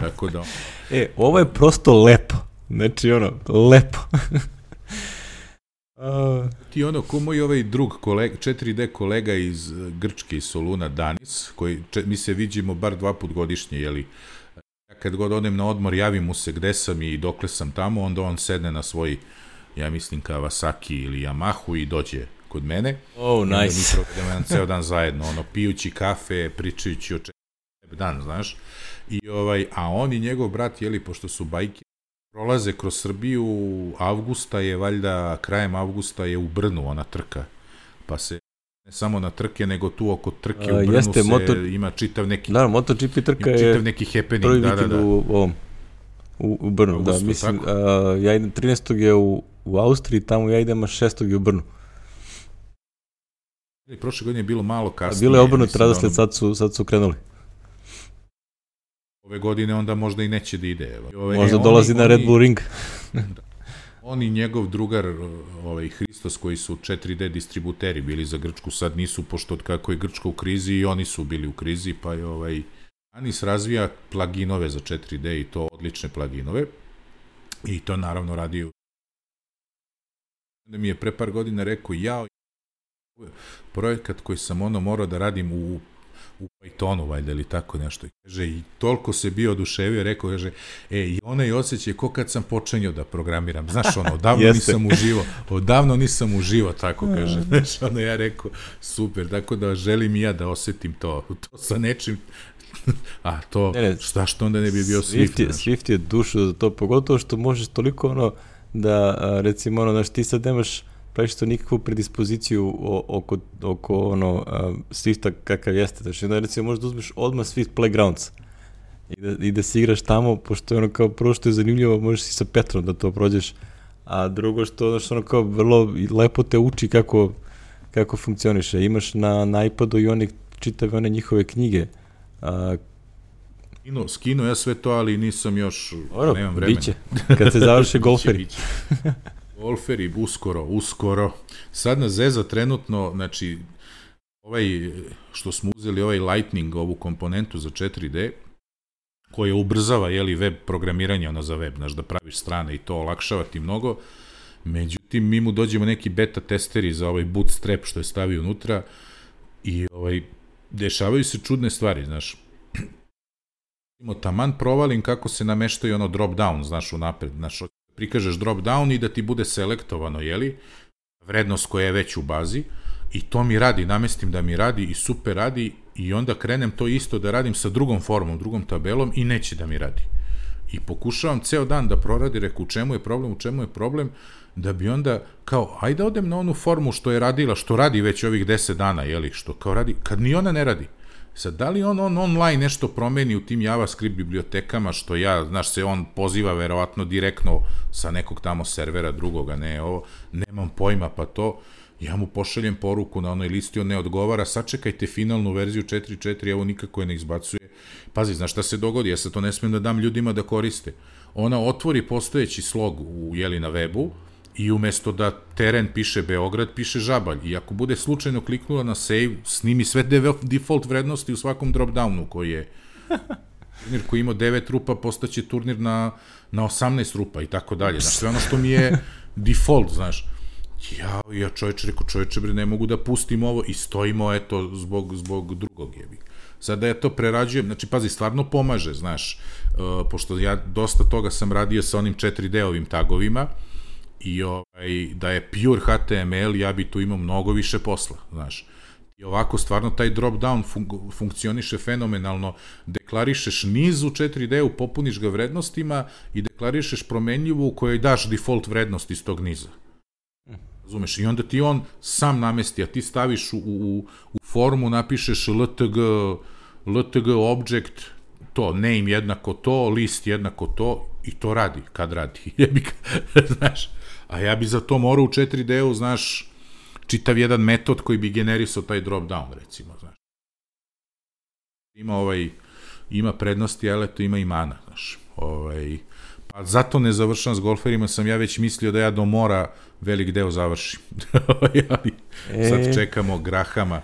Tako da... E, ovo je prosto lepo. Znači, ono, lepo. uh... Ti ono, ko moj ovaj drug kolega, četiri D kolega iz Grčke, iz Soluna, Danis, koji, če, mi se viđimo bar dva put godišnje, jeli, ja kad god odem na odmor, javim mu se gde sam i dokle sam tamo, onda on sedne na svoj, ja mislim, Kawasaki ili Yamahu i dođe kod mene. Oh, nice. Mi provedemo jedan ceo dan zajedno, ono, pijući kafe, pričajući o čemu dan, znaš. I ovaj, a on i njegov brat, jeli, pošto su bajke, prolaze kroz Srbiju, avgusta je, valjda, krajem avgusta je u Brnu ona trka, pa se ne samo na trke, nego tu oko trke u Brnu uh, jeste, se motor... ima čitav neki... Da, MotoGP trka je čitav neki happening, prvi da, vikend da, da. u ovom, u, u Brnu, Augusto, da, mislim, uh, ja idem trinaestog je u, u Austriji, tamo ja idem, a šestog je u Brnu. I prošle godine je bilo malo kasnije. Bilo je obrnuto radosled, ono... sad, su, sad su krenuli. Ove godine onda možda i neće da ide. Ove, možda e, dolazi oni, na Red Bull Ring. On i njegov drugar, ovaj, Hristos, koji su četiri D distributeri bili za Grčku, sad nisu, pošto od kako je Grčka u krizi i oni su bili u krizi, pa je ovaj, Anis razvija pluginove za četiri D i to odlične pluginove. I to naravno radi. Onda mi je pre par godina rekao, ja projekat koji sam ono morao da radim u, u Pythonu, valjda, ili tako nešto. I kaže, i toliko se bio oduševio, rekao, kaže, e, i onaj osjećaj ko kad sam počinio da programiram. Znaš, ono, odavno nisam uživo, odavno nisam uživo, tako kaže. Znaš, ono, ja rekao, super, tako da želim i ja da osjetim to, to sa nečim, a to, ne, ne, šta što onda ne bi bio Swift. Swift je, Swift je dušu za to, pogotovo što možeš toliko, ono, da, recimo, ono, znaš, ti sad nemaš praviš to nikakvu predispoziciju oko, oko ono, uh, Swifta kakav jeste. Znači, onda recimo možda uzmeš odmah Swift Playgrounds i da, i da si igraš tamo, pošto je ono kao prvo što je zanimljivo, možeš si sa Petrom da to prođeš, a drugo što, znači, ono kao vrlo lepo te uči kako, kako funkcioniše. Imaš na, na iPadu i one čitave one njihove knjige, uh, Skinu, skinu ja sve to, ali nisam još, Oro, nemam vremena. Biće, kad se završe golferi. Biće, biće. Golferi, uskoro, uskoro. Sad na Zeza trenutno, znači, ovaj, što smo uzeli, ovaj Lightning, ovu komponentu za četiri D, koja ubrzava, jeli, web programiranje, ono za web, znaš, da praviš strane i to olakšava ti mnogo. Međutim, mi mu dođemo neki beta testeri za ovaj bootstrap što je stavio unutra i ovaj, dešavaju se čudne stvari, znaš. Taman provalim kako se nameštaju ono drop down, znaš, unapred, znaš, prikažeš drop down i da ti bude selektovano, jeli, vrednost koja je već u bazi i to mi radi, namestim da mi radi i super radi i onda krenem to isto da radim sa drugom formom, drugom tabelom i neće da mi radi. I pokušavam ceo dan da proradi, reku u čemu je problem, u čemu je problem, da bi onda kao, ajde odem na onu formu što je radila, što radi već ovih deset dana, jeli, što kao radi, kad ni ona ne radi. Sad, da li on, on online nešto promeni u tim JavaScript bibliotekama, što ja, znaš, se on poziva verovatno direktno sa nekog tamo servera drugoga, ne, ovo, nemam pojma, pa to, ja mu pošaljem poruku na onoj listi, on ne odgovara, sačekajte finalnu verziju četiri četiri, evo nikako je ne izbacuje. Pazi, znaš šta se dogodi, ja sad to ne smijem da dam ljudima da koriste. Ona otvori postojeći slog u, jeli, na webu, i umesto da teren piše Beograd, piše Žabalj. I ako bude slučajno kliknula na save, snimi sve default vrednosti u svakom dropdownu koji je turnir koji ima devet rupa, postaće turnir na, na osamnaest rupa i tako dalje. Znaš, sve ono što mi je default, znaš. Ja, ja čovječe, reko čovječe, bre, ne mogu da pustim ovo i stojimo, eto, zbog, zbog drugog jebi. Sada ja to prerađujem, znači, pazi, stvarno pomaže, znaš, uh, pošto ja dosta toga sam radio sa onim četiri D-ovim tagovima, i ovaj, da je pure H T M L, ja bi tu imao mnogo više posla, znaš. I ovako, stvarno, taj drop-down fun- funkcioniše fenomenalno, deklarišeš niz u četiri D-u, popuniš ga vrednostima i deklarišeš promenljivu u kojoj daš default vrednost iz tog niza. Razumeš? I onda ti on sam namesti, a ti staviš u, u, u formu, napišeš ltg, ltg object, to, name jednako to, list jednako to, i to radi, kad radi. Jebi, znaš, a ja bi za to morao u četiri D-u, znaš, čitav jedan metod koji bi generisao taj drop down, recimo, znaš. Ima ovaj, ima prednosti, ali to ima i mana, znaš. Ovaj, pa zato ne završam s golferima, sam ja već mislio da ja do mora velik deo završim. e... Sad čekamo Grahama.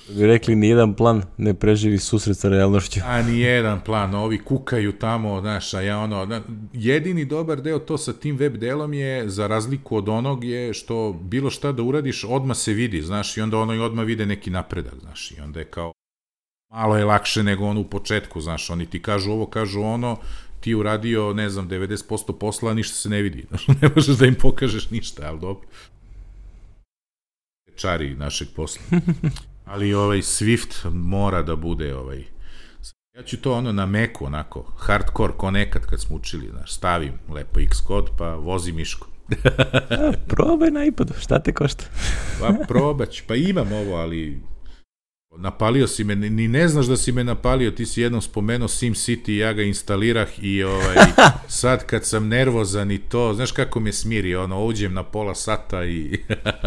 Bi rekli, nijedan plan ne preživi susret sa realnošću. A nijedan plan, ovi kukaju tamo, znaš, a ja ono, jedini dobar deo to sa tim web delom je, za razliku od onog, je što bilo šta da uradiš, odmah se vidi, znaš, i onda ono i odmah vide neki napredak, znaš, i onda je kao, malo je lakše nego ono u početku, znaš, oni ti kažu ovo, kažu ono, ti uradio, ne znam, devedeset posto posla, ništa se ne vidi, znaš, ne možeš da im pokažeš ništa, ali dobro. Čari našeg posla. Ali ovaj Swift mora da bude ovaj, ja ću to ono na Macu, onako, hardcore ko nekad kad smo učili, znaš, stavim lepo Xcode pa vozi miško. A, probaj na iPadu, šta te košta? Pa probać, pa imam ovo, ali napalio si me, ni ne znaš da si me napalio, ti si jednom spomenuo SimCity, ja ga instalirah i ovaj, sad kad sam nervozan i to, znaš kako me smiri, ono, uđem na pola sata i...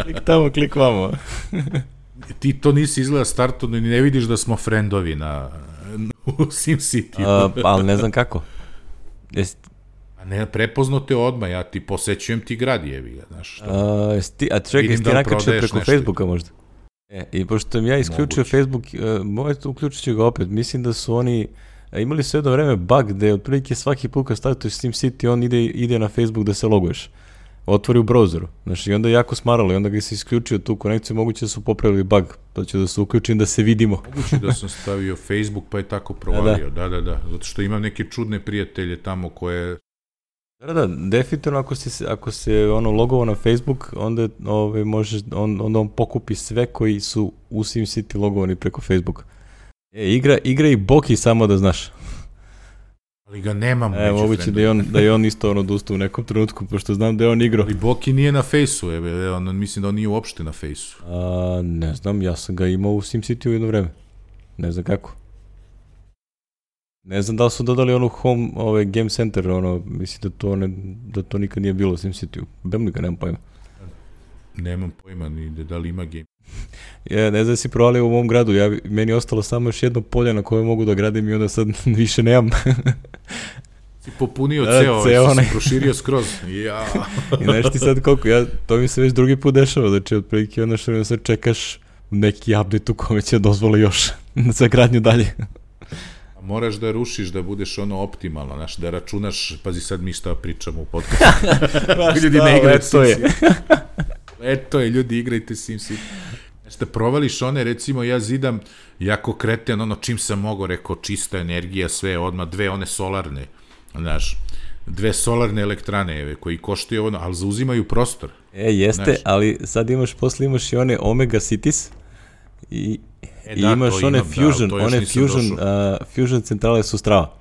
Klik tamo, klik vamo. Ti to nisi izgleda startu, ni ne vidiš da smo friendovi na, u SimCity. Uh, ali ne znam kako. Jesi... A ne, prepoznao te odmah, ja ti posećujem ti grad, jebi ga, znaš. Uh, ti, a čekaj, jesi ti nakačio preko nešto. Facebooka možda? E, i pošto sam ja isključio Moguće. Facebook, uh, možete uključit ću ga opet, mislim da su oni uh, imali sve jedno vreme bug gde otprilike svaki put kad stavite SimCity, on ide, ide na Facebook da se loguješ. Otvori u browseru, znači i onda je jako smaralo i onda ga se isključio tu konekciju, moguće da su popravili bug, pa ću da se uključim da se vidimo. Moguće da sam stavio Facebook pa je tako provalio, da, da, da, da, zato što imam neke čudne prijatelje tamo koje... Da, da, definitivno ako se, ako se ono logovao na Facebook, onda, ove, možeš, on, onda on pokupi sve koji su u SimCity logovani preko Facebooka. E, igra, igra i Boki samo da znaš. Ali ga nemam. E, moguće da je on, da je on isto ono odustao u nekom trenutku, pošto znam da je on igrao. Ali Boki nije na Fejsu, je, on, mislim da on nije uopšte na Fejsu. A, ne znam, ja sam ga imao u SimCity u jedno vreme. Ne znam kako. Ne znam da li su dodali onu home, ovaj, game center, ono, mislim da to, ne, da to nikad nije bilo u SimCity-u. Bem li ga, nemam pojma. Nemam pojma ni da li ima game. Ja ne znam da si provalio u mom gradu, ja, meni je ostalo samo još jedno polje na koje mogu da gradim i onda sad više nemam. Si popunio da, ceo, ceo si proširio skroz. Ja. I znaš ti sad koliko, ja, to mi se već drugi put dešava, znači otprilike onda što sad čekaš neki update u kome će dozvoli još za gradnju dalje. Moraš da rušiš, da budeš ono optimalno, znaš, da računaš, pazi sad mi šta pričamo u podcastu. Ljudi ne igraju SimCity. Eto je, ljudi igrajte SimCity. Znaš, da provališ one, recimo ja zidam jako kreten, ono čim sam mogao, rekao čista energija, sve odmah, dve one solarne, znaš, dve solarne elektrane koji koštaju ono, ali zauzimaju prostor. E, jeste, znaš, ali sad imaš, posle imaš i one Omega Cities i... E, I da, imaš one imam, Fusion, da, one Fusion, uh, Fusion centrale su strava.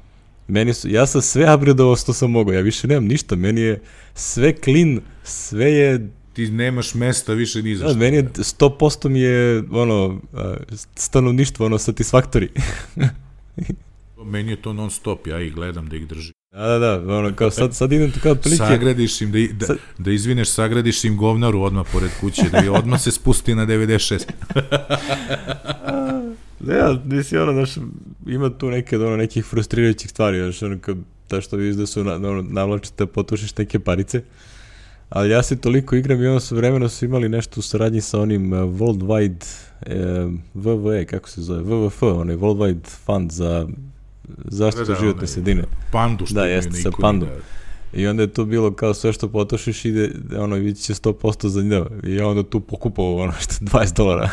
Meni su, ja sam sve upgradeovao što sam mogao, ja više nemam ništa, meni je sve clean, sve je... Ti nemaš mesta više ni za što. Da, meni je sto posto mi je, ono, uh, stanovništvo, ono, satisfactory. Meni je to non stop, ja ih gledam da ih držim. Da, da, da, ono, kao sad, sad idem tu kao prilike... Sagradiš im, da, da, sad... da izvineš, sagradiš im govnaru odmah pored kuće, da odmah se spusti na devedeset šest. Ja, nisi ono, znaš, ima tu neke, ono, nekih frustrirajućih stvari, znaš, ono, kao, ta što vidiš da su, na, ono, navlačite, potušiš neke parice, ali ja se toliko igram i ono su vremeno su imali nešto u saradnji sa onim uh, Worldwide, uh, V V E, kako se zove, V V F, onaj Worldwide Fund za zaštitu da, životne sredine. Pandu što da, jeste, sa pandom. Da. I onda je to bilo kao sve što potrošiš ide, ono, vidit će sto posto za njega. I ja onda tu pokupao ono što dvadeset dolara.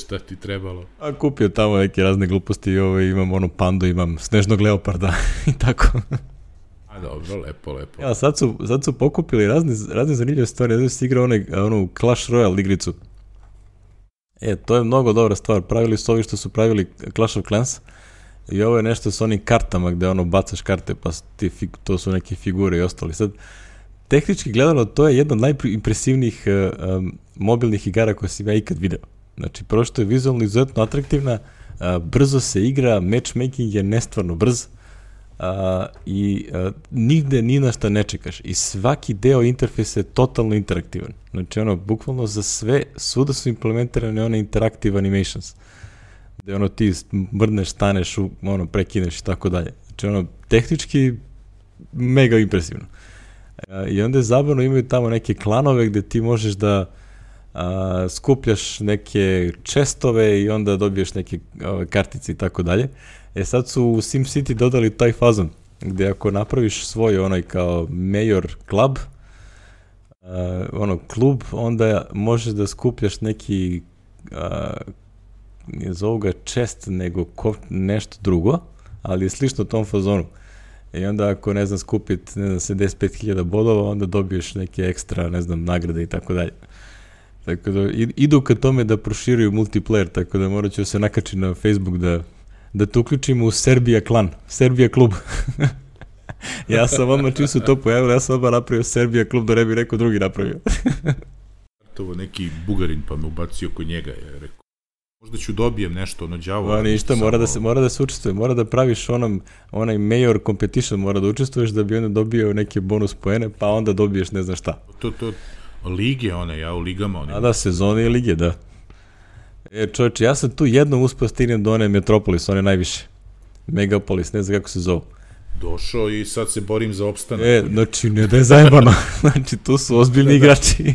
Šta ti trebalo? A kupio tamo neke razne gluposti i ovo, imam ono pandu, imam snežnog leoparda i tako. A dobro, lepo, lepo. Ja, sad su, sad su pokupili razne, razne zanimljive stvari. Znači si igrao onaj, onu Clash Royale igricu. E, to je mnogo dobra stvar. Pravili su ovi što su pravili Clash of Clans. I ovo je nešto s onim kartama gde ono bacaš karte, pa ti, to su neke figure i ostali. Sad, tehnički gledano, to je jedna od najimpresivnijih um, mobilnih igara koje sam ja ikad video. Znači, prvo što je vizualno izuzetno atraktivna, uh, brzo se igra, matchmaking je nestvarno brz uh, i uh, nigde ni na šta ne čekaš. I svaki deo interfejsa je totalno interaktivan. Znači, ono, bukvalno za sve, svuda su implementirane one interactive animations. Gde ono ti mrdneš, staneš, ono, prekineš i tako dalje. Znači ono, tehnički mega impresivno. E, I onda je zabavno, imaju tamo neke klanove gde ti možeš da a, skupljaš neke čestove i onda dobiješ neke ove, kartice i tako dalje. E sad su u SimCity dodali taj fazon, gde ako napraviš svoj onaj kao Mayor Club, a, ono, klub, onda možeš da skupljaš neki a, nije zovu ga čest, nego ko, nešto drugo, ali je slično tom fazonu. I onda ako, ne znam, skupit, ne znam, sedamdeset pet hiljada bodova, onda dobiješ neke ekstra, ne znam, nagrade i tako dalje. Tako da, idu ka tome da proširuju multiplayer, tako da morat ću se nakačiti na Facebook da, da te uključimo u Serbia klan, Serbia klub. Ja sam odmah, čim su to pojavili, ja sam odmah napravio Serbia klub, da ne bi neko drugi napravio. To neki Bugarin pa me ubacio kod njega, je rekao. Možda ću dobijem nešto, ono đavo. No, ništa, mora da se, mora da se učestvuje, mora da praviš onom, onaj Mayor competition, mora da učestvuješ da bi onda dobio neke bonus poene, pa onda dobiješ ne znam šta. To, to, lige one, ja u ligama. One. A da, sezone i lige, da. E, čovječe, ja sam tu jednom uspio stignem do one Metropolis, one najviše. Megapolis, ne znam kako se zove. Došao i sad se borim za opstanak. E, znači, ne da je zajebano. Znači, tu su ozbiljni igrači.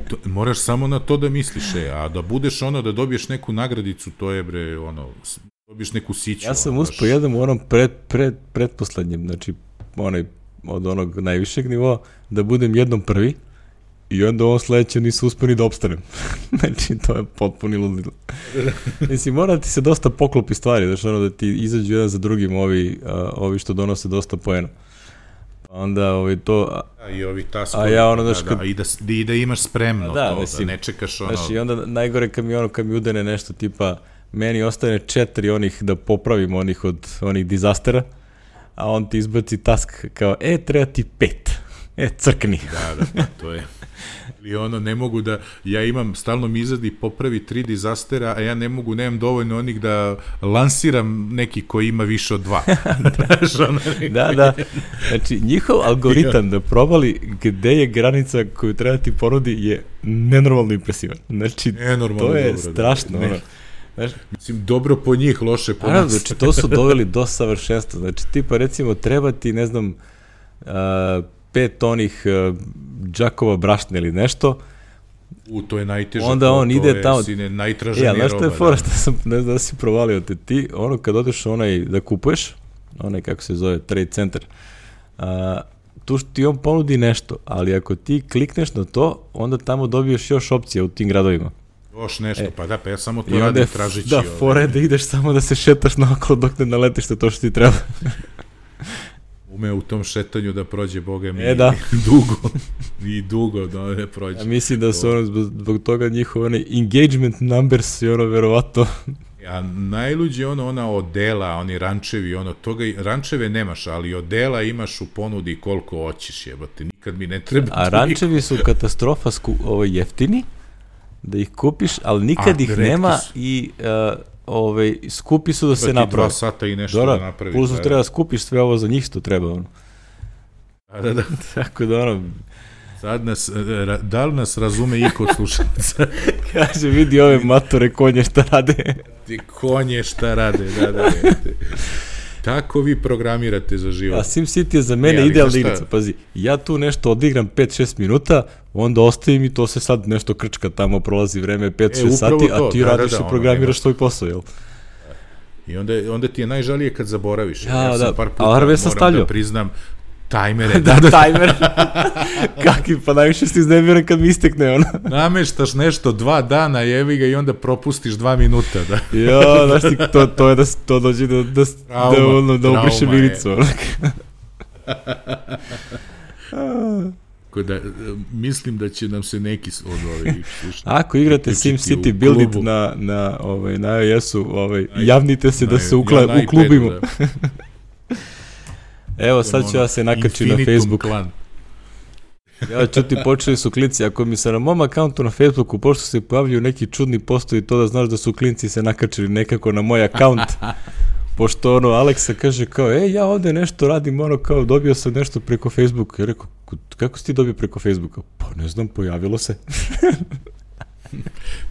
To, moraš samo na to da misliš, e, a da budeš ono, da dobiješ neku nagradicu, to je bre, ono, dobiješ neku siću. Ja sam uspio jedan u onom pred, pred, predposlednjem, znači, onaj, od onog najvišeg nivoa, da budem jednom prvi i onda ovom sledećem nisu uspio ni da opstanem. Znači, to je potpuni ludilo. Mislim, mora da ti se dosta poklopi stvari, znači, ono, da ti izađu jedan za drugim ovi, a, ovi što donose dosta poena. Onda ovaj to a, i ovi taskovi, a ja ono da, da, da, i, da, i da imaš spremno da, to, mislim, da ne čekaš ono. Znači, i onda najgore kad mi ono, kad mi udene nešto tipa, meni ostane četiri onih da popravim onih od onih dizastera, a on ti izbaci task kao, e, treba ti pet. E, crkni. Da, da, pa to je. I ono, ne mogu da, ja imam, stalno mi izradi popravi tri dizastera, a ja ne mogu, nemam dovoljno onih da lansiram neki koji ima više od dva. Da, da. Znači, njihov algoritam da probali gde je granica koju treba ti ponudi je nenormalno impresivan. Znači, nenormalno to je dobro, strašno. Da, ono. Znaš, mislim, dobro po njih, loše po nas. Znači, to su doveli do savršenstva. Znači, tipa, recimo, treba ti, ne znam, uh, pet onih uh, džakova brašna ili nešto. U, to je najteže. Onda to, on to ide je, tamo. Sine, najtraženija roba. Ja, znaš što je fora, što sam, ne znam da si provalio te ti, ono kad odeš onaj da kupuješ, onaj kako se zove, Trade Center, uh, tu ti on ponudi nešto, ali ako ti klikneš na to, onda tamo dobiješ još opcije u tim gradovima. Još nešto, e, pa da, pa ja samo to radim radim tražići. Da, fora je da ideš samo da se šetaš naokolo dok ne naletiš na to što ti treba. Ume u tom šetanju da prođe, Boga mi, e, da. dugo. I dugo da ne prođe. Ja mislim da su ono, zbog toga njihove one engagement numbers i ono verovatno. A najluđe ono, ona odela, oni rančevi, ono, toga, rančeve nemaš, ali odela imaš u ponudi koliko hoćeš, jebate, nikad mi ne treba. A rančevi su katastrofa sku, ovo, jeftini, da ih kupiš, ali nikad A, ih nema su. I uh, ovaj, skupi su da se naprave. Dva sata i nešto Dora, da napraviš. Plus da, treba da skupiš sve ovo za njih što treba. Ono. Da, da, da. Tako da ono... Sad nas, da li nas razume iko od slušalca? Kaže, vidi ove matore konje šta rade. Ti konje šta rade, da, da. Tako vi programirate za život. A SimCity je za mene idealna igrica. Pazi, ja tu nešto odigram pet šest minuta, onda ostavim i to se sad nešto krčka tamo, prolazi vreme pet šest e, sati, to. A ti da, radiš da, da, i programiraš ono, svoj posao, jel? I onda, onda ti je najžalije kad zaboraviš. Ja, ja sam da, par puta moram stavljio. da priznam tajmere. Da, da, tajmer. Kakvi, pa najviše si iznemiran kad mi istekne ono. Nameštaš nešto dva dana, jevi ga i onda propustiš dva minuta. Da. Jo, znaš ti, to, to je da to dođe da, da, trauma, da, ono, da ubriše miricu. Da, mislim da će nam se neki od ovih ako igrate SimCity Build It na, na, ovaj, na iOS-u, ovaj, javnite se na, da se ukla, ja uklubimo. Da. Evo, sad ću ja se nakači na Facebook. Clan. Ja ću ti, počeli su klinci. Ako mi se na mom akauntu na Facebooku pošto se pojavljaju neki čudni postoji, to da znaš da su klinci se nakačili nekako na moj akaunt. Pošto ono, Aleksa kaže kao, ej, ja ovde nešto radim, ono kao, dobio sam nešto preko Facebooka. Ja rekao, kako si ti dobio preko Facebooka? Pa ne znam, pojavilo se.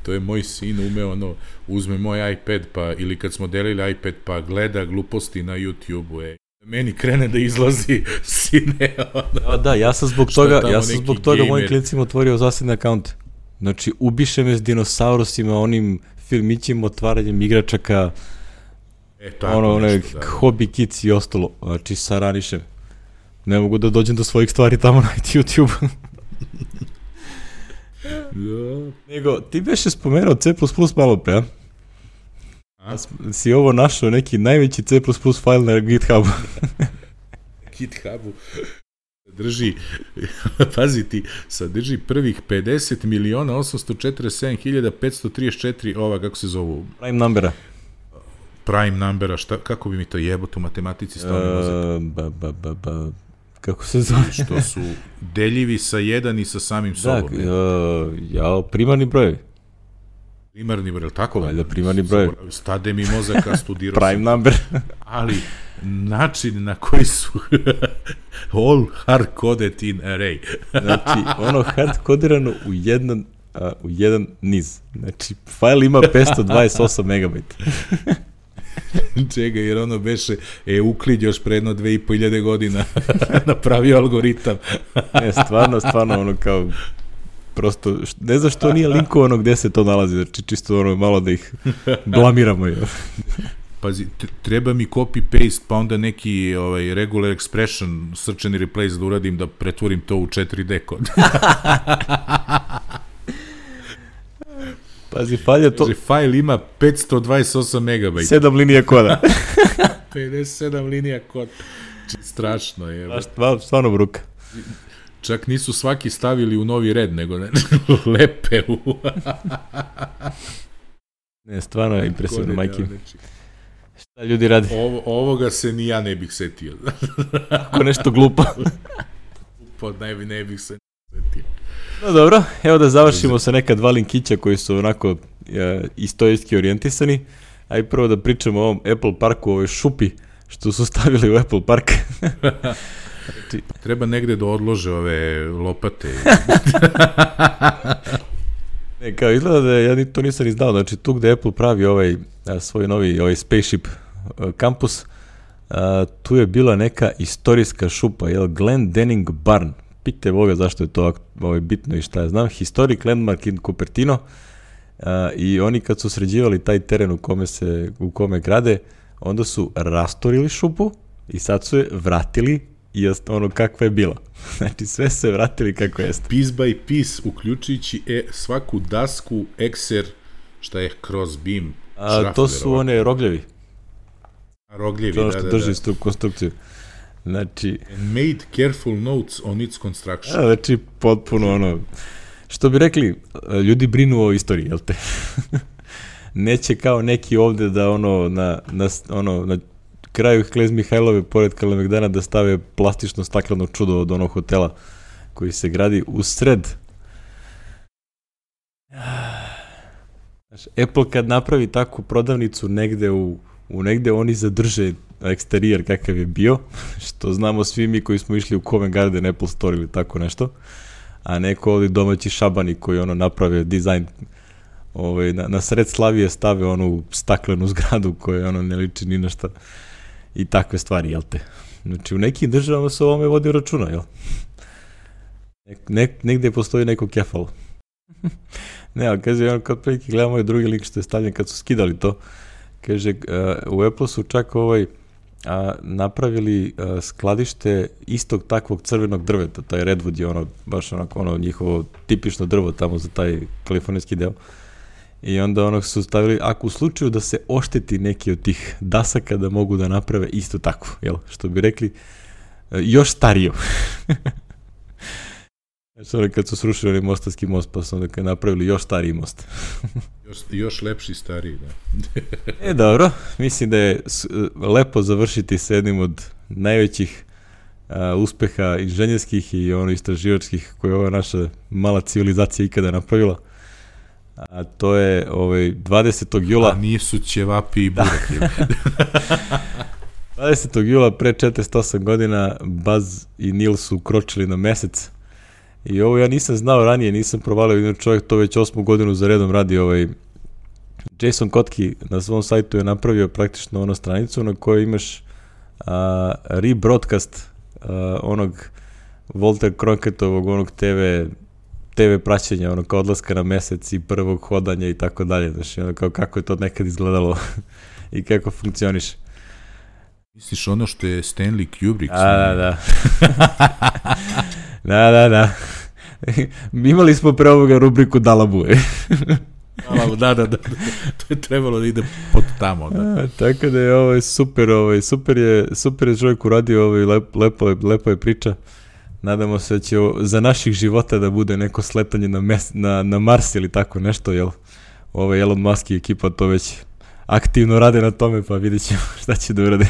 To je moj sin umeo, ono, uzme moj iPad, pa, ili kad smo delili iPad, pa gleda gluposti na YouTube-u, ej. Meni krene da izlazi sine. Ono. Da, ja sam zbog toga, ja sam zbog toga mojim klincima otvorio zasebne akaunte. Znači, ubiše me s dinosaurusima, onim filmićima, otvaranjem igračaka, e, tako ono, one, nešto, da, hobby kids i ostalo. Znači, saraniše me. Ne mogu da dođem do svojih stvari tamo na YouTube. Da. Nego, ti beše spomenuo C plus plus malo pre, a? A? Si ovo našao neki najveći C plus plus file na GitHubu. GitHubu drži, pazi ti, sadrži prvih pedeset miliona osamsto četrdeset sedam hiljada petsto trideset četiri ova, kako se zovu? Prime numbera. Prime numbera, šta, kako bi mi to jebote u matematici stavio mozak? Uh, ba, ba, ba, ba, kako se zove? Što su deljivi sa jedan i sa samim sobom. Da, uh, ja, primarni broj. Primarni broj, tako? Valjda primarni broj. Stade mi mozaka, studirao Prime sam. Number. Ali način na koji su all hard-coded in array. Znači, ono hard-codirano u jedan, uh, u jedan niz. Znači, fajl ima petsto dvadeset osam megabajta. Čega, jer ono beše Euklid još pre jedno dve i po hiljade godina napravio algoritam. Ne, stvarno, stvarno, ono kao, prosto, ne znam što nije linkovano gde se to nalazi, znači čisto ono malo da ih blamiramo. Pazi, treba mi copy-paste, pa onda neki ovaj, regular expression, search and replace da uradim, da pretvorim to u četiri D kod. Pazi, falja to... Kaže, fajl ima petsto dvadeset osam megabajta. sedam linija koda. pedeset sedam linija koda. Strašno je. Stvarno, stvarno bruka. Čak nisu svaki stavili u novi red, nego ne, lepe u... Ne, stvarno je impresivno, majke. Šta ljudi radi? Ovo, ovoga se ni ja ne bih setio. Ako nešto glupo. Glupo, ne, ne bih se setio. No dobro, evo da završimo sa neka dva linkića koji su onako e, istorijski orijentisani. Aj prvo da pričamo o ovom Apple Parku, ovoj šupi što su stavili u Apple Park. Znači, treba negde da odlože ove lopate. Ne, kao izgleda da ja to nisam ni znao, znači tu gde Apple pravi ovaj a, svoj novi ovaj spaceship a, kampus, a, tu je bila neka istorijska šupa, jel, Glendenning Barn. Pitajte Boga zašto je to ovaj, bitno i šta ja znam. Historic Landmark in Cupertino. A, i oni kad su sređivali taj teren u kome se u kome grade, onda su rastorili šupu i sad su je vratili i ono kakva je bila. Znači sve se vratili kako jeste. Piece by piece, uključujući e, svaku dasku, ekser, šta je crossbeam, A to su one rogljevi. Rogljevi, ono što da, drži da, da. konstrukciju. Znači... And made careful notes on its construction. A, znači potpuno ono... Što bi rekli, ljudi brinu o istoriji, jel te? Neće kao neki ovde da ono na, na, ono, na kraju Knez Mihajlove pored Kalemegdana da stave plastično stakleno čudo od onog hotela koji se gradi u sred. Znaš, Apple kad napravi takvu prodavnicu negde u, u negde, oni zadrže eksterijer kakav je bio, što znamo svi mi koji smo išli u Covent Garden Apple Store ili tako nešto, a neko ovdje domaći šabani koji ono naprave dizajn ovaj, na, na sred Slavije stave onu staklenu zgradu koja ono ne liči ni na šta i takve stvari, jel te? Znači u nekim državama se o ovome vodi računa, jel? Ne, negde postoji neko kefalo. Ne, ali kaže, ono kad prilike gledamo ovaj drugi link što je stavljen kad su skidali to, kaže, uh, u Apple su čak ovaj a, napravili a, skladište istog takvog crvenog drveta, taj Redwood je ono, baš onako ono njihovo tipično drvo tamo za taj kalifornijski deo. I onda onog su stavili, ako u slučaju da se ošteti neki od tih dasaka da mogu da naprave isto tako, jel? Što bi rekli, još stariju. Znači ono kad su srušili onaj Mostarski most, pa su onda kad napravili još stariji most. još, još lepši stariji, da. E, dobro, mislim da je lepo završiti sa jednim od najvećih a, uspeha inženjerskih i ono istraživačkih koje je ova naša mala civilizacija ikada napravila. A to je ovaj dvadesetog jula. A nisu ćevapi i burek. dvadesetog jula pre četrdeset osam godina Buzz i Neil su ukročili na mesec. I ovo ja nisam znao ranije, nisam provalio, jedan čovjek to već osmu godinu za redom radi. Ovaj Jason Kotke na svom sajtu je napravio praktično ono stranicu na kojoj imaš a, rebroadcast a, onog Walter Crocettovog onog te ve te ve praćenja, ono kao odlaska na mesec i prvog hodanja i tako dalje. Znači, ono kao kako je to nekad izgledalo i kako funkcioniše. Misliš ono što je Stanley Kubrick? A, da, da. da, da, da. Imali smo pre ovoga rubriku Dalabue. Dalabu, da, da, da. To je trebalo da ide pod tamo. Da. A, tako da je ovo super, ovaj, super je, super je čovjek uradio, ovaj, lep, lepo, lepo je priča. Nadamo se da će za naših života da bude neko sletanje na, mes, na, na Mars ili tako nešto, jel? Ovo Elon Musk i ekipa to već aktivno rade na tome, pa vidjet ćemo šta će da urade.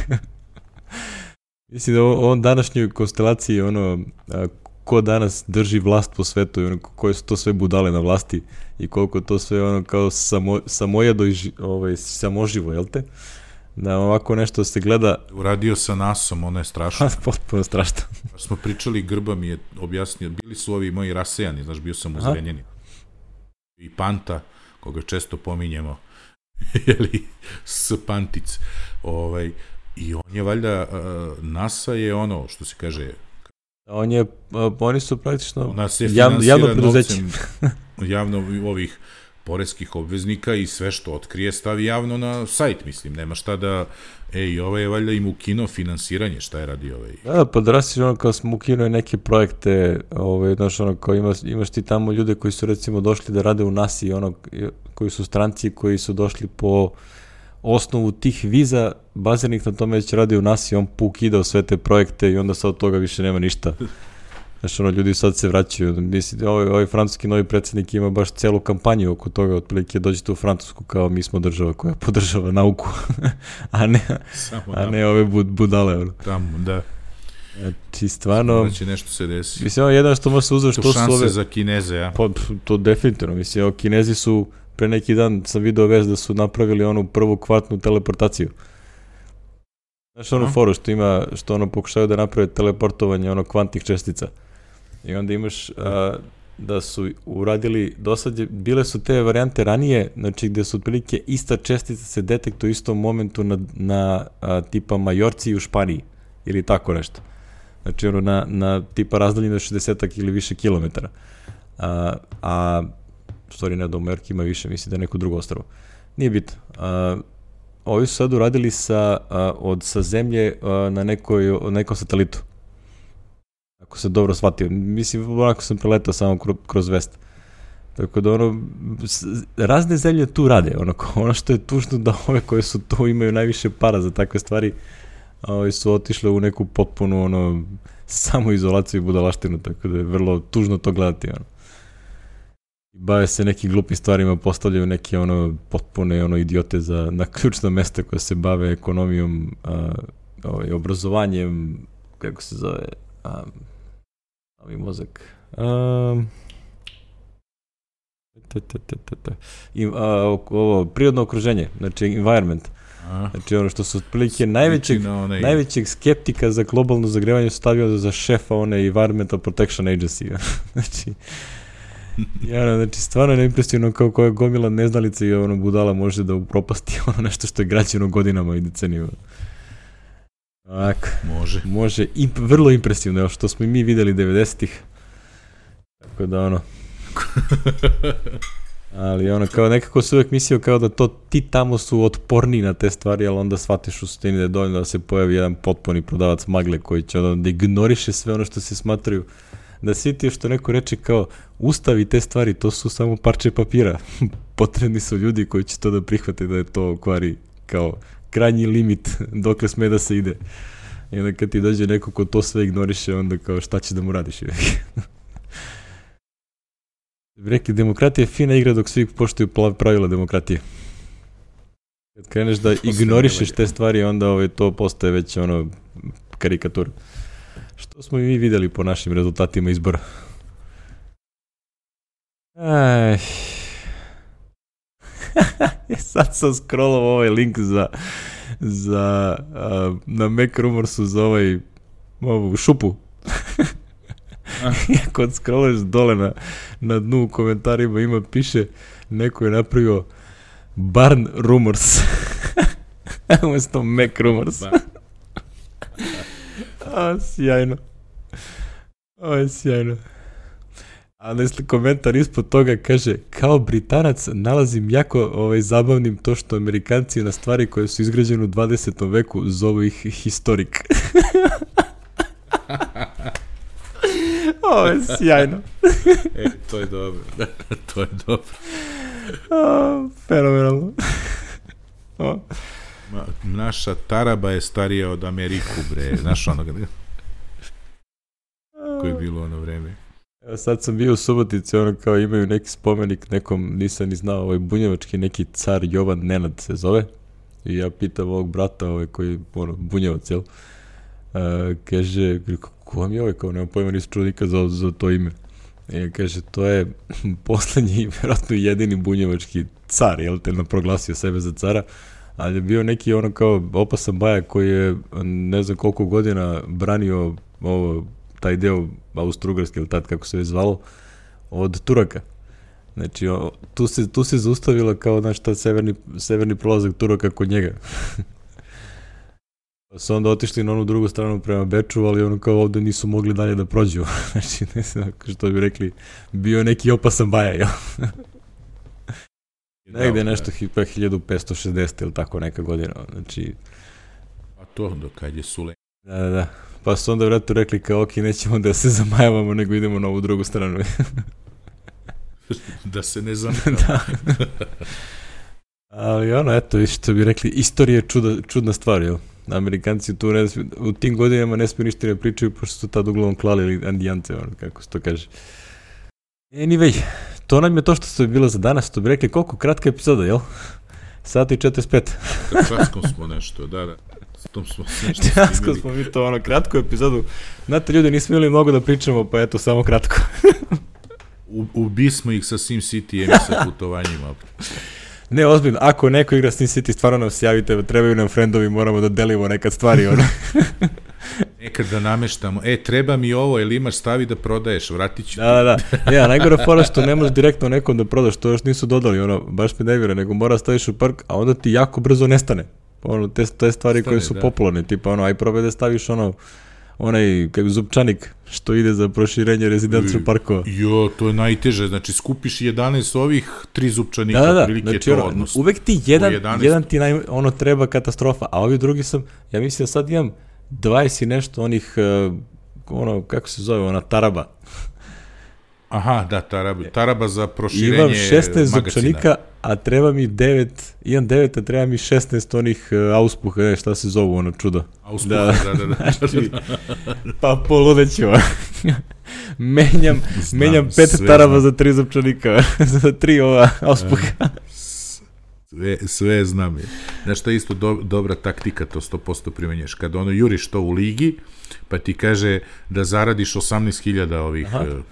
Mislim da u ovom današnjoj konstelaciji, ono, a, ko danas drži vlast po svetu i ono, koje su to sve budale na vlasti i koliko to sve ono kao samo, samojado i ovaj, samoživo, jel te? Da ovako nešto se gleda... Uradio sa nasom, ono je strašno. Potpuno strašno. Smo pričali, Grba mi je objasnio, bili su ovi moji rasejani, znaš, bio sam u Zrenjaninu. I Panta, koga često pominjemo, jeli, s Pantic. Ovaj, I on je valjda, uh, NASA je ono, što se kaže... On je, uh, oni su praktično jav, javno preduzeće. Javno ovih poreskih obveznika i sve što otkrije stavi javno na sajt, mislim, nema šta da, ej, ovaj je valjda im ukino finansiranje, šta je radi ovaj? Da, pa da rasiš ono kao smo ukinuo neke projekte, ovaj, znaš, ono kao imaš, imaš ti tamo ljude koji su recimo došli da rade u nasi, ono, koji su stranci, koji su došli po osnovu tih viza bazirnih na tome da će radi u nasi, on pukidao sve te projekte i onda sad od toga više nema ništa. Znaš, ono, ljudi sad se vraćaju. Mislim, ovaj, ovaj francuski novi predsjednik ima baš celu kampanju oko toga, otprilike dođete u Francusku kao mi smo država koja podržava nauku, a ne, a ne ove bud, budale. Ono. Tamo, da. Znači, stvarno... Da će nešto se desi. Mislim, ovo je jedan što može se uzeti što su ove... šanse za Kineze, ja? Pa, to definitivno. Mislim, evo, Kinezi su, pre neki dan sam video vez da su napravili onu prvu kvartnu teleportaciju. Znaš onu foru što ima, što ono pokušaju da naprave teleportovanje ono kvantnih čestica. I onda imaš a, da su uradili, dosad je, bile su te varijante ranije, znači gde su otprilike ista čestica se detektuje u istom momentu na, na a, tipa Majorci u Španiji ili tako nešto. Znači ono na, na tipa razdaljinu od šezdeset ili više kilometara. A, a stvari ne da u Majorki ima više, mislim da je neko drugo ostrvo. Nije bitno. A, ovi su sad uradili sa, a, od, sa zemlje a, na nekoj, nekom satelitu. Ako se dobro shvatio. Mislim, onako sam preletao samo kroz, kroz vest. Tako da ono, razne zemlje tu rade. Ono, ono što je tužno da ove koje su tu imaju najviše para za takve stvari, a ovi su otišle u neku potpunu ono, samoizolaciju i budalaštinu, tako da je vrlo tužno to gledati. Ono. Bave se nekim glupim stvarima, postavljaju neke ono potpune ono idiote za na ključna mesta koja se bave ekonomijom, a, ovaj, obrazovanjem, kako se zove, a, ovi mozak, a, te, te, te, te, te. I, a, ovo prirodno okruženje, znači environment. A, znači ono što su otprilike najvećeg, onaj... najvećeg skeptika za globalno zagrevanje stavio za šefa one Environmental Protection Agency. Znači ja, znači, stvarno je neimpresivno kao koja gomila neznalica i ono budala može da upropasti ono nešto što je građeno godinama i decenijama. Ovako. Može. Može. I vrlo impresivno, evo što smo i mi videli devedesetih. Tako da ono... ali ono, kao nekako se uvek mislio kao da to ti tamo su otporni na te stvari, ali onda shvatiš u suštini da je dovoljno da se pojavi jedan potpuni prodavac magle koji će onda da ignoriše sve ono što se smatraju. Da svi ti što neko reče kao ustavi te stvari, to su samo parče papira. Potrebni su ljudi koji će to da prihvate da je to kvari kao krajnji limit dokle sme da se ide. I onda kad ti dođe neko ko to sve ignoriše, onda kao šta će da mu radiš? Rekli, demokratija je fina igra dok svi poštuju pravila demokratije. Kad kreneš da ignorišeš te stvari, onda ovaj, to postaje već ono karikatura. Što smo i mi videli po našim rezultatima izbora. Aj. Sad sam scrollao ovaj link za, za uh, na Mac Rumorsu za ovaj ovu šupu. Kad scrollaš dole na, na dnu u komentarima ima, piše neko je napravio Barn Rumors. Umesto Mac Rumors. A, sjajno. Ovo je sjajno. A nesli komentar ispod toga kaže, kao Britanac nalazim jako ovaj, zabavnim to što Amerikanci na stvari koje su izgrađene u dvadesetom veku zovu ih historik. Ovo je sjajno. E, to je dobro. To je dobro. A, fenomenalno. O. Ma, naša taraba je starija od Ameriku, bre. Znaš onoga? Koje je bilo ono vreme. Evo sad sam bio u Subotici, ono kao imaju neki spomenik nekom, nisam ni znao, ovaj bunjevački neki car Jovan Nenad se zove. I ja pitam ovog brata ovaj, koji ono, bunjevac, jel? Uh, kaže, ko vam je ovaj, kao nema pojma, nisam čuo nikad za, za to ime. I kaže, to je poslednji, vjerojatno jedini bunjevački car, jel te, proglasio sebe za cara. Ali je bio neki ono kao opasan baja koji je ne znam koliko godina branio ovo, taj deo Austro-Ugarske ili tad kako se je zvalo od Turaka. Znači o, tu, se, tu se zaustavila kao znaš ta severni, severni prolazak Turaka kod njega. Pa su onda otišli na onu drugu stranu prema Beču, ali ono kao ovde nisu mogli dalje da prođu. Znači ne znam što bi rekli, bio neki opasan baja, jel? Negde je nešto hiljadu petsto šezdeset ili tako neka godina, znači... A to do kad je Sulejman. Da, da, da. Pa su onda vratno rekli kao, ok, nećemo da se zamajavamo, nego idemo na ovu drugu stranu. Da se ne zamajavamo. Da. Ali ono, eto, što bi rekli, istorija je čuda, čudna stvar, jel? Amerikanci tu ne, u tim godinama ne smiju ništa ne pričaju, pošto su tad uglavnom klali ili andijance, ono, kako se to kaže. Anyway, to nam je to što ste bilo za danas, to bi rekli koliko kratka epizoda, jel? Sat i četrdeset pet. Kratkom smo nešto, da, da. S tom smo nešto Kratko smo mi to, ono, kratku epizodu. Znate, ljudi, nismo imali mnogo da pričamo, pa eto, samo kratko. U, ubismo ih sa SimCity-em i sa putovanjima. Ne, ozbiljno, ako neko igra SimCity, stvarno nam se javite, trebaju nam friendovi, moramo da delimo nekad stvari, ono. Nekad da nameštamo, e, treba mi ovo, ili imaš stavi da prodaješ, vratit ću ti. Da, da, ja, najgore fora što ne možeš direktno nekom da prodaš, to još nisu dodali, ono, baš me ne vjera, nego mora staviš u park, a onda ti jako brzo nestane. Ono, te, te stvari Stane, koje su da. popularne, tipa, ono, aj probaj da staviš, ono, onaj, kako zupčanik, što ide za proširenje rezidencijskog parkova. Jo, to je najteže, znači skupiš jedanaest ovih, tri zupčanika, da, da, prilike znači, to ono, odnos. Uvek ti jedan, jedan ti naj, ono treba katastrofa, a ovi drugi sam, ja mislim da sad imam dvadeset i nešto onih, uh, ono, kako se zove, ona taraba. Aha, da, taraba, taraba za proširenje imam šesnaest magacina. Zupčanika, a treba mi devet, imam devet, a treba mi šesnaest onih uh, auspuha, ne, šta se zovu, ono čudo. Auspuha, da, da, da. da. Znači, pa poludeću. menjam, znam, menjam pet taraba znam. za tri zupčanika, za tri ova auspuha. Sve, sve znam je. Znaš šta je isto do, dobra taktika, to sto posto primenješ. Kada ono juriš to u ligi, pa ti kaže da zaradiš osamnaest hiljada ovih uh,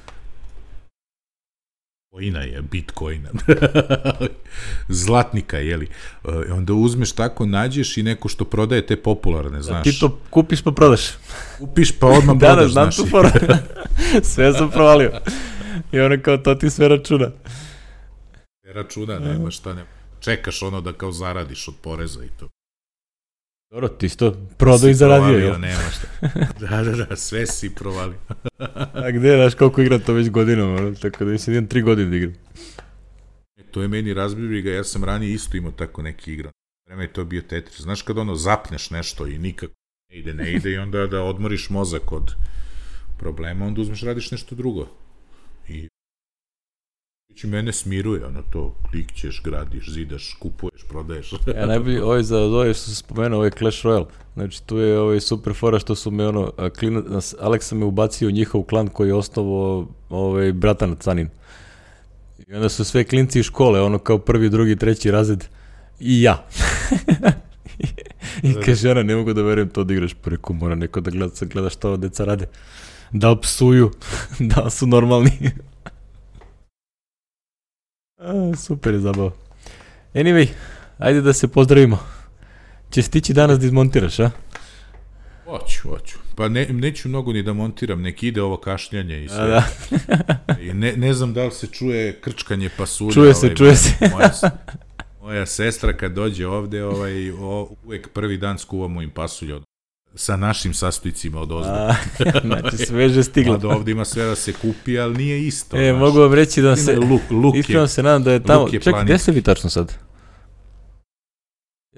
coina je, bitcoina. Zlatnika, jeli. Uh, onda uzmeš tako, nađeš i neko što prodaje te popularne, znaš. Ti to kupiš pa prodaš. Kupiš pa odmah da, prodaš, da, znam tu foru. Sve sam provalio. I ono kao to ti sve računa. Sve računa, nema šta nema. Čekaš ono da kao zaradiš od poreza i to. Dobro, ti isto prodao i zaradio, jel? Nema šta. Da, da, da, sve si provalio. A gde, znaš koliko igram to već godinom, ono, tako da mislim, idem tri godine da igram. E, to je meni razbibriga, ja sam ranije isto imao tako neki igran. Vreme je to bio Tetris. Znaš kad ono zapneš nešto i nikako ne ide, ne ide i onda da odmoriš mozak od problema, onda uzmeš, radiš nešto drugo. I Znači, mene smiruje, ono to, klikćeš, gradiš, zidaš, kupuješ, prodaješ. Ja, najbolji, ovaj za ovaj što se spomenuo, ovaj Clash Royale, znači tu je ovaj super fora što su me ono, klina, Aleksa me ubacio u njihov klan koji je osnovao ovaj bratan Canin. I onda su sve klinci iz škole, ono kao prvi, drugi, treći razred i ja. I kaže, ona, ne mogu da verujem to da igraš, pa reku, mora neko da gleda, gleda šta ovo deca rade. Da li psuju, da li su normalni. A, super je zabava. Anyway, ajde da se pozdravimo. Će stići danas da izmontiraš, a? Hoću, hoću. Pa ne, neću mnogo ni da montiram, nek ide ovo kašljanje i sve. A, da. I ne, ne znam da li se čuje krčkanje pasulja. Čuje se, ovaj, čuje moja, se. Moja, moja sestra kad dođe ovde, ovaj, o, uvek prvi dan skuvamo im pasulje od, sa našim sastojcima od ozda. Znači sveže stiglo. Da ovde ima sve da se kupi, ali nije isto. E, znaš, mogu vam reći da se, luk, luk iskreno se nadam da je tamo, je čekaj, gde ste vi tačno sad?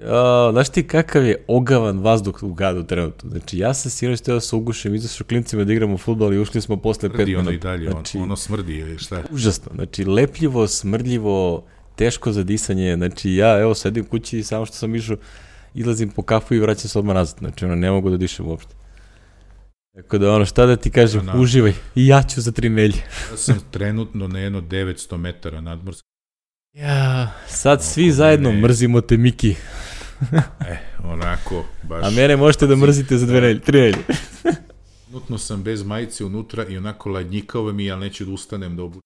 Ja, znaš ti kakav je ogavan vazduh u gradu trenutno. Znači ja sam sinoć teo da se ugušim, izašao klincima da igramo fudbal i ušli smo posle pet minuta. Ono i dalje, znači, ono, ono smrdi ili šta? Užasno, znači lepljivo, smrdljivo, teško za disanje, znači ja evo sedim kući i samo što sam išao, izlazim po kafu i vraćam se odmah nazad, znači ono ne mogu da dišem uopšte. Tako da ono šta da ti kažem, na, uživaj i ja ću za tri nelje. Ja sam trenutno na jedno devetsto metara nadmorska. Ja, sad svi Oko zajedno ne... mrzimo te Miki. E, onako, baš... A mene možete da mrzite za dve nelje, tri nelje. Trenutno sam bez majice unutra i onako ladnjikao mi, ali neću da ustanem da obučem.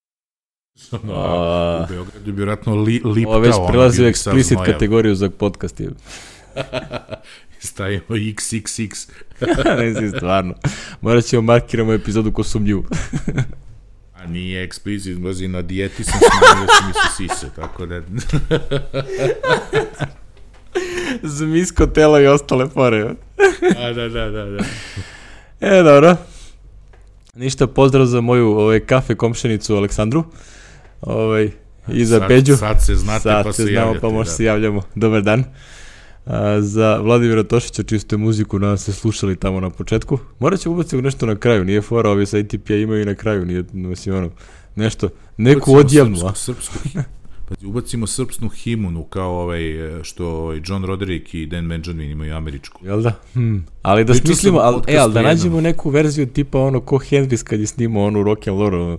No, a... u Beogradu bi vjerojatno li, liptao. Ovo već prelazi u eksplicit kategoriju za podcast. Stavimo iks iks iks. Ne si stvarno. Morat ćemo markiramo epizodu ko sumnjivu. A nije eksplicit, mlazi na dijeti sam smanjio da su mi se sise, tako da... Zmijsko telo i ostale fore. A, da, da, da, da. E, dobro. Ništa, pozdrav za moju ovaj, kafe komšenicu Aleksandru. Ovaj, i za sad, Peđu. Sad se znate sad pa se se znamo, javljate. pa možda da. se javljamo. Dobar dan. A, za Vladimira Tošića, čisto je muziku, nadam se slušali tamo na početku. Morat ćemo ubaciti nešto na kraju, nije fora, ovi sa A T P-a imaju i na kraju, nije, mislim, ono, nešto, neku odjavnu. Srpsku, srpsku, pa ubacimo srpsku himunu, kao ovaj, što ovaj John Roderick i Dan Benjamin imaju američku. Jel da? Hmm. Ali da smislimo, al, e, ali da nađemo neku verziju tipa ono ko Hendrix kad je snimao onu rock and roll, ono,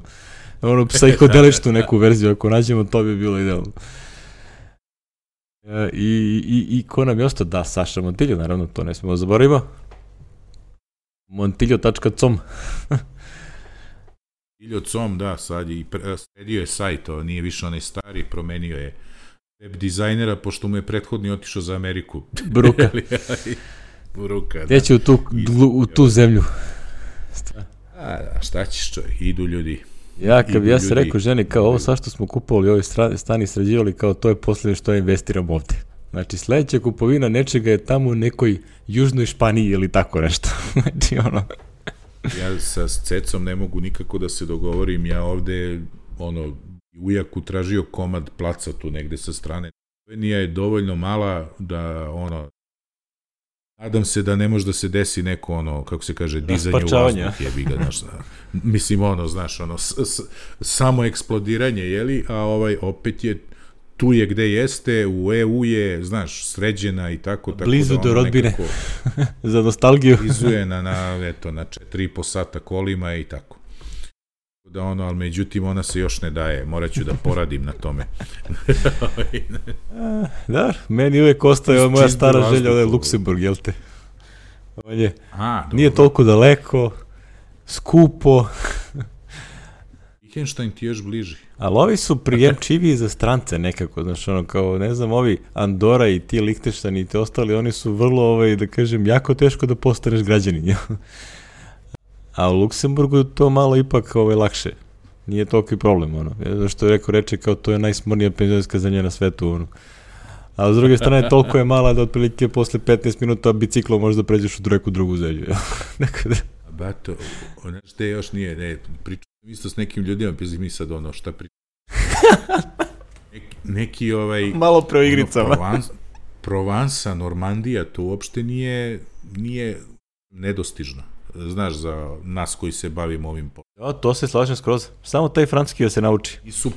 ono psihodeličnu neku verziju, ako nađemo to bi bilo idealno. E, I, i, i ko nam je ostao? Da, Saša Montillo, naravno, to ne smemo zaboravimo. Montillo tačka com. Montillo tačka com, da, sad je i pre, sredio je sajt, to nije više onaj stari, promenio je web dizajnera, pošto mu je prethodni otišao za Ameriku. Bruka. Bruka, da. Gdje u tu, u tu zemlju. A, da, šta ćeš čovjek, idu ljudi. Ja, kad bi ja se rekao ženi, kao ovo sad što smo kupovali, ovi stani sređivali, kao to je posljednje što ja investiram ovde. Znači, sledeća kupovina nečega je tamo u nekoj južnoj Španiji ili tako nešto. Znači, ono... Ja sa Cecom ne mogu nikako da se dogovorim, ja ovde, ono, ujaku tražio komad placa tu negde sa strane. Slovenija je dovoljno mala da, ono, nadam se da ne može da se desi neko, ono, kako se kaže, dizanje u vazduh, jebi ga, znaš, mislim, ono, znaš, ono, s, s, samo eksplodiranje, jeli, a ovaj, opet je, tu je gde jeste, u E U je, znaš, sređena i tako, tako blizu da do rodbine, za nostalgiju. Blizu je na, na, eto, na četiri i po sata kolima i tako. Da ono, ali međutim, ona se još ne daje, morat ću da poradim na tome. Da, meni uvek ostaje moja stara želja, ovo je Luksemburg, jel te? On je, A, nije toliko daleko, skupo. Lichtenstein ti još bliži. Ali ovi su prijemčiviji za strance nekako, znaš, ono, kao, ne znam, ovi Andora i ti Lichtenstein i te ostali, oni su vrlo, ovaj, da kažem, jako teško da postaneš građanin, jel? A u Luksemburgu to malo ipak ovaj, lakše. Nije toliki problem, ono. Zato što je rekao, reče kao to je najsmornija penzionerska zemlja na svetu, ono. A s druge strane, toliko je mala da otprilike posle petnaest minuta biciklom možda pređeš u neku drugu zemlju. Nekada. Bato, ono što je još nije, ne, pričam isto s nekim ljudima, pa mi sad ono, šta pričam. Neki, neki ovaj... Malo pre o igricama. Ono, Provence, Provansa, Normandija, to uopšte nije, nije nedostižno. Znaš, za nas koji se bavimo ovim poslom. Ja, to se slažem skroz. Samo taj francuski da se nauči. I su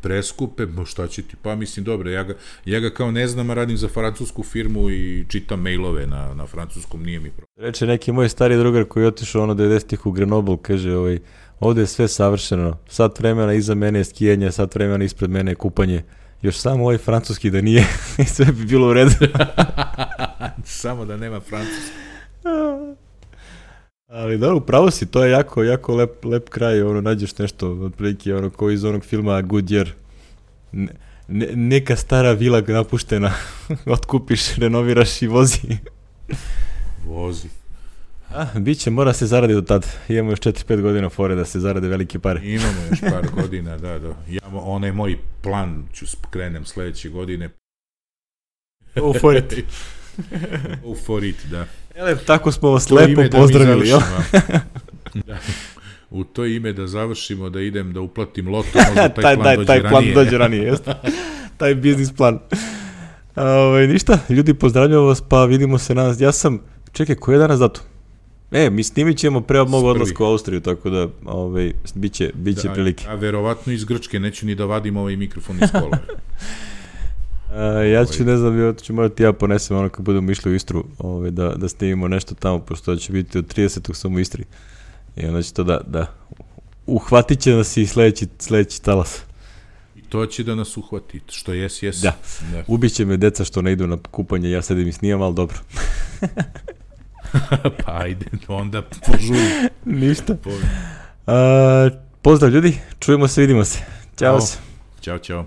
preskupe, šta će ti, pa mislim, dobro, ja ga, ja ga kao ne znam, radim za francusku firmu i čitam mailove na, na francuskom, nije mi problem. Reče neki moj stari drugar koji je otišao ono devedesetih u Grenoble, kaže, ovaj, ovde je sve savršeno, sat vremena iza mene je skijanje, sat vremena ispred mene je kupanje, još samo ovaj francuski da nije, i sve bi bilo u redu. Samo da nema francuski. Ali da, upravo si, to je jako, jako lep, lep kraj, ono, nađeš nešto, otprilike, ono, kao iz onog filma Goodyear, ne, ne, neka stara vila napuštena, otkupiš, renoviraš i vozi. Vozi. A, bit će, mora se zaradi do tad, imamo još četiri pet godina fore da se zarade velike pare. Imamo još par godina, da, da, ja, onaj moj plan, ću krenem sledeće godine. Go for it. Go for it, da. Ele, tako smo vas lepo pozdravili, jel? Da. U to ime da završimo, da idem da uplatim loto, možda taj, taj plan daj, dođe taj ranije. Taj plan dođe ranije, jeste? Taj biznis plan. Ove, ništa, ljudi, pozdravljamo vas, pa vidimo se danas. Ja sam, čekaj, koji je danas datum? E, mi snimit ćemo pre mog odlaska u Austriju, tako da, ove, bit će, bit će da, prilike. A verovatno iz Grčke, neću ni da vadim ovaj mikrofon iz kola. Uh, ja ću, ne znam, ja ću morati ja ponesem ono kad budemo išli u Istru, ovaj, da, da snimimo nešto tamo, pošto će biti od tridesetog sam u Istri. I onda će to da, da uhvatit će nas i sledeći, sledeći talas. I to će da nas uhvati, što jes, jes. Da, da. Ubiće me deca što ne idu na kupanje, ja sedim i snimam, ali dobro. Pa ajde, onda požuri. Ništa. Uh, pozdrav ljudi, čujemo se, vidimo se. Ćao se. Ćao, ćao.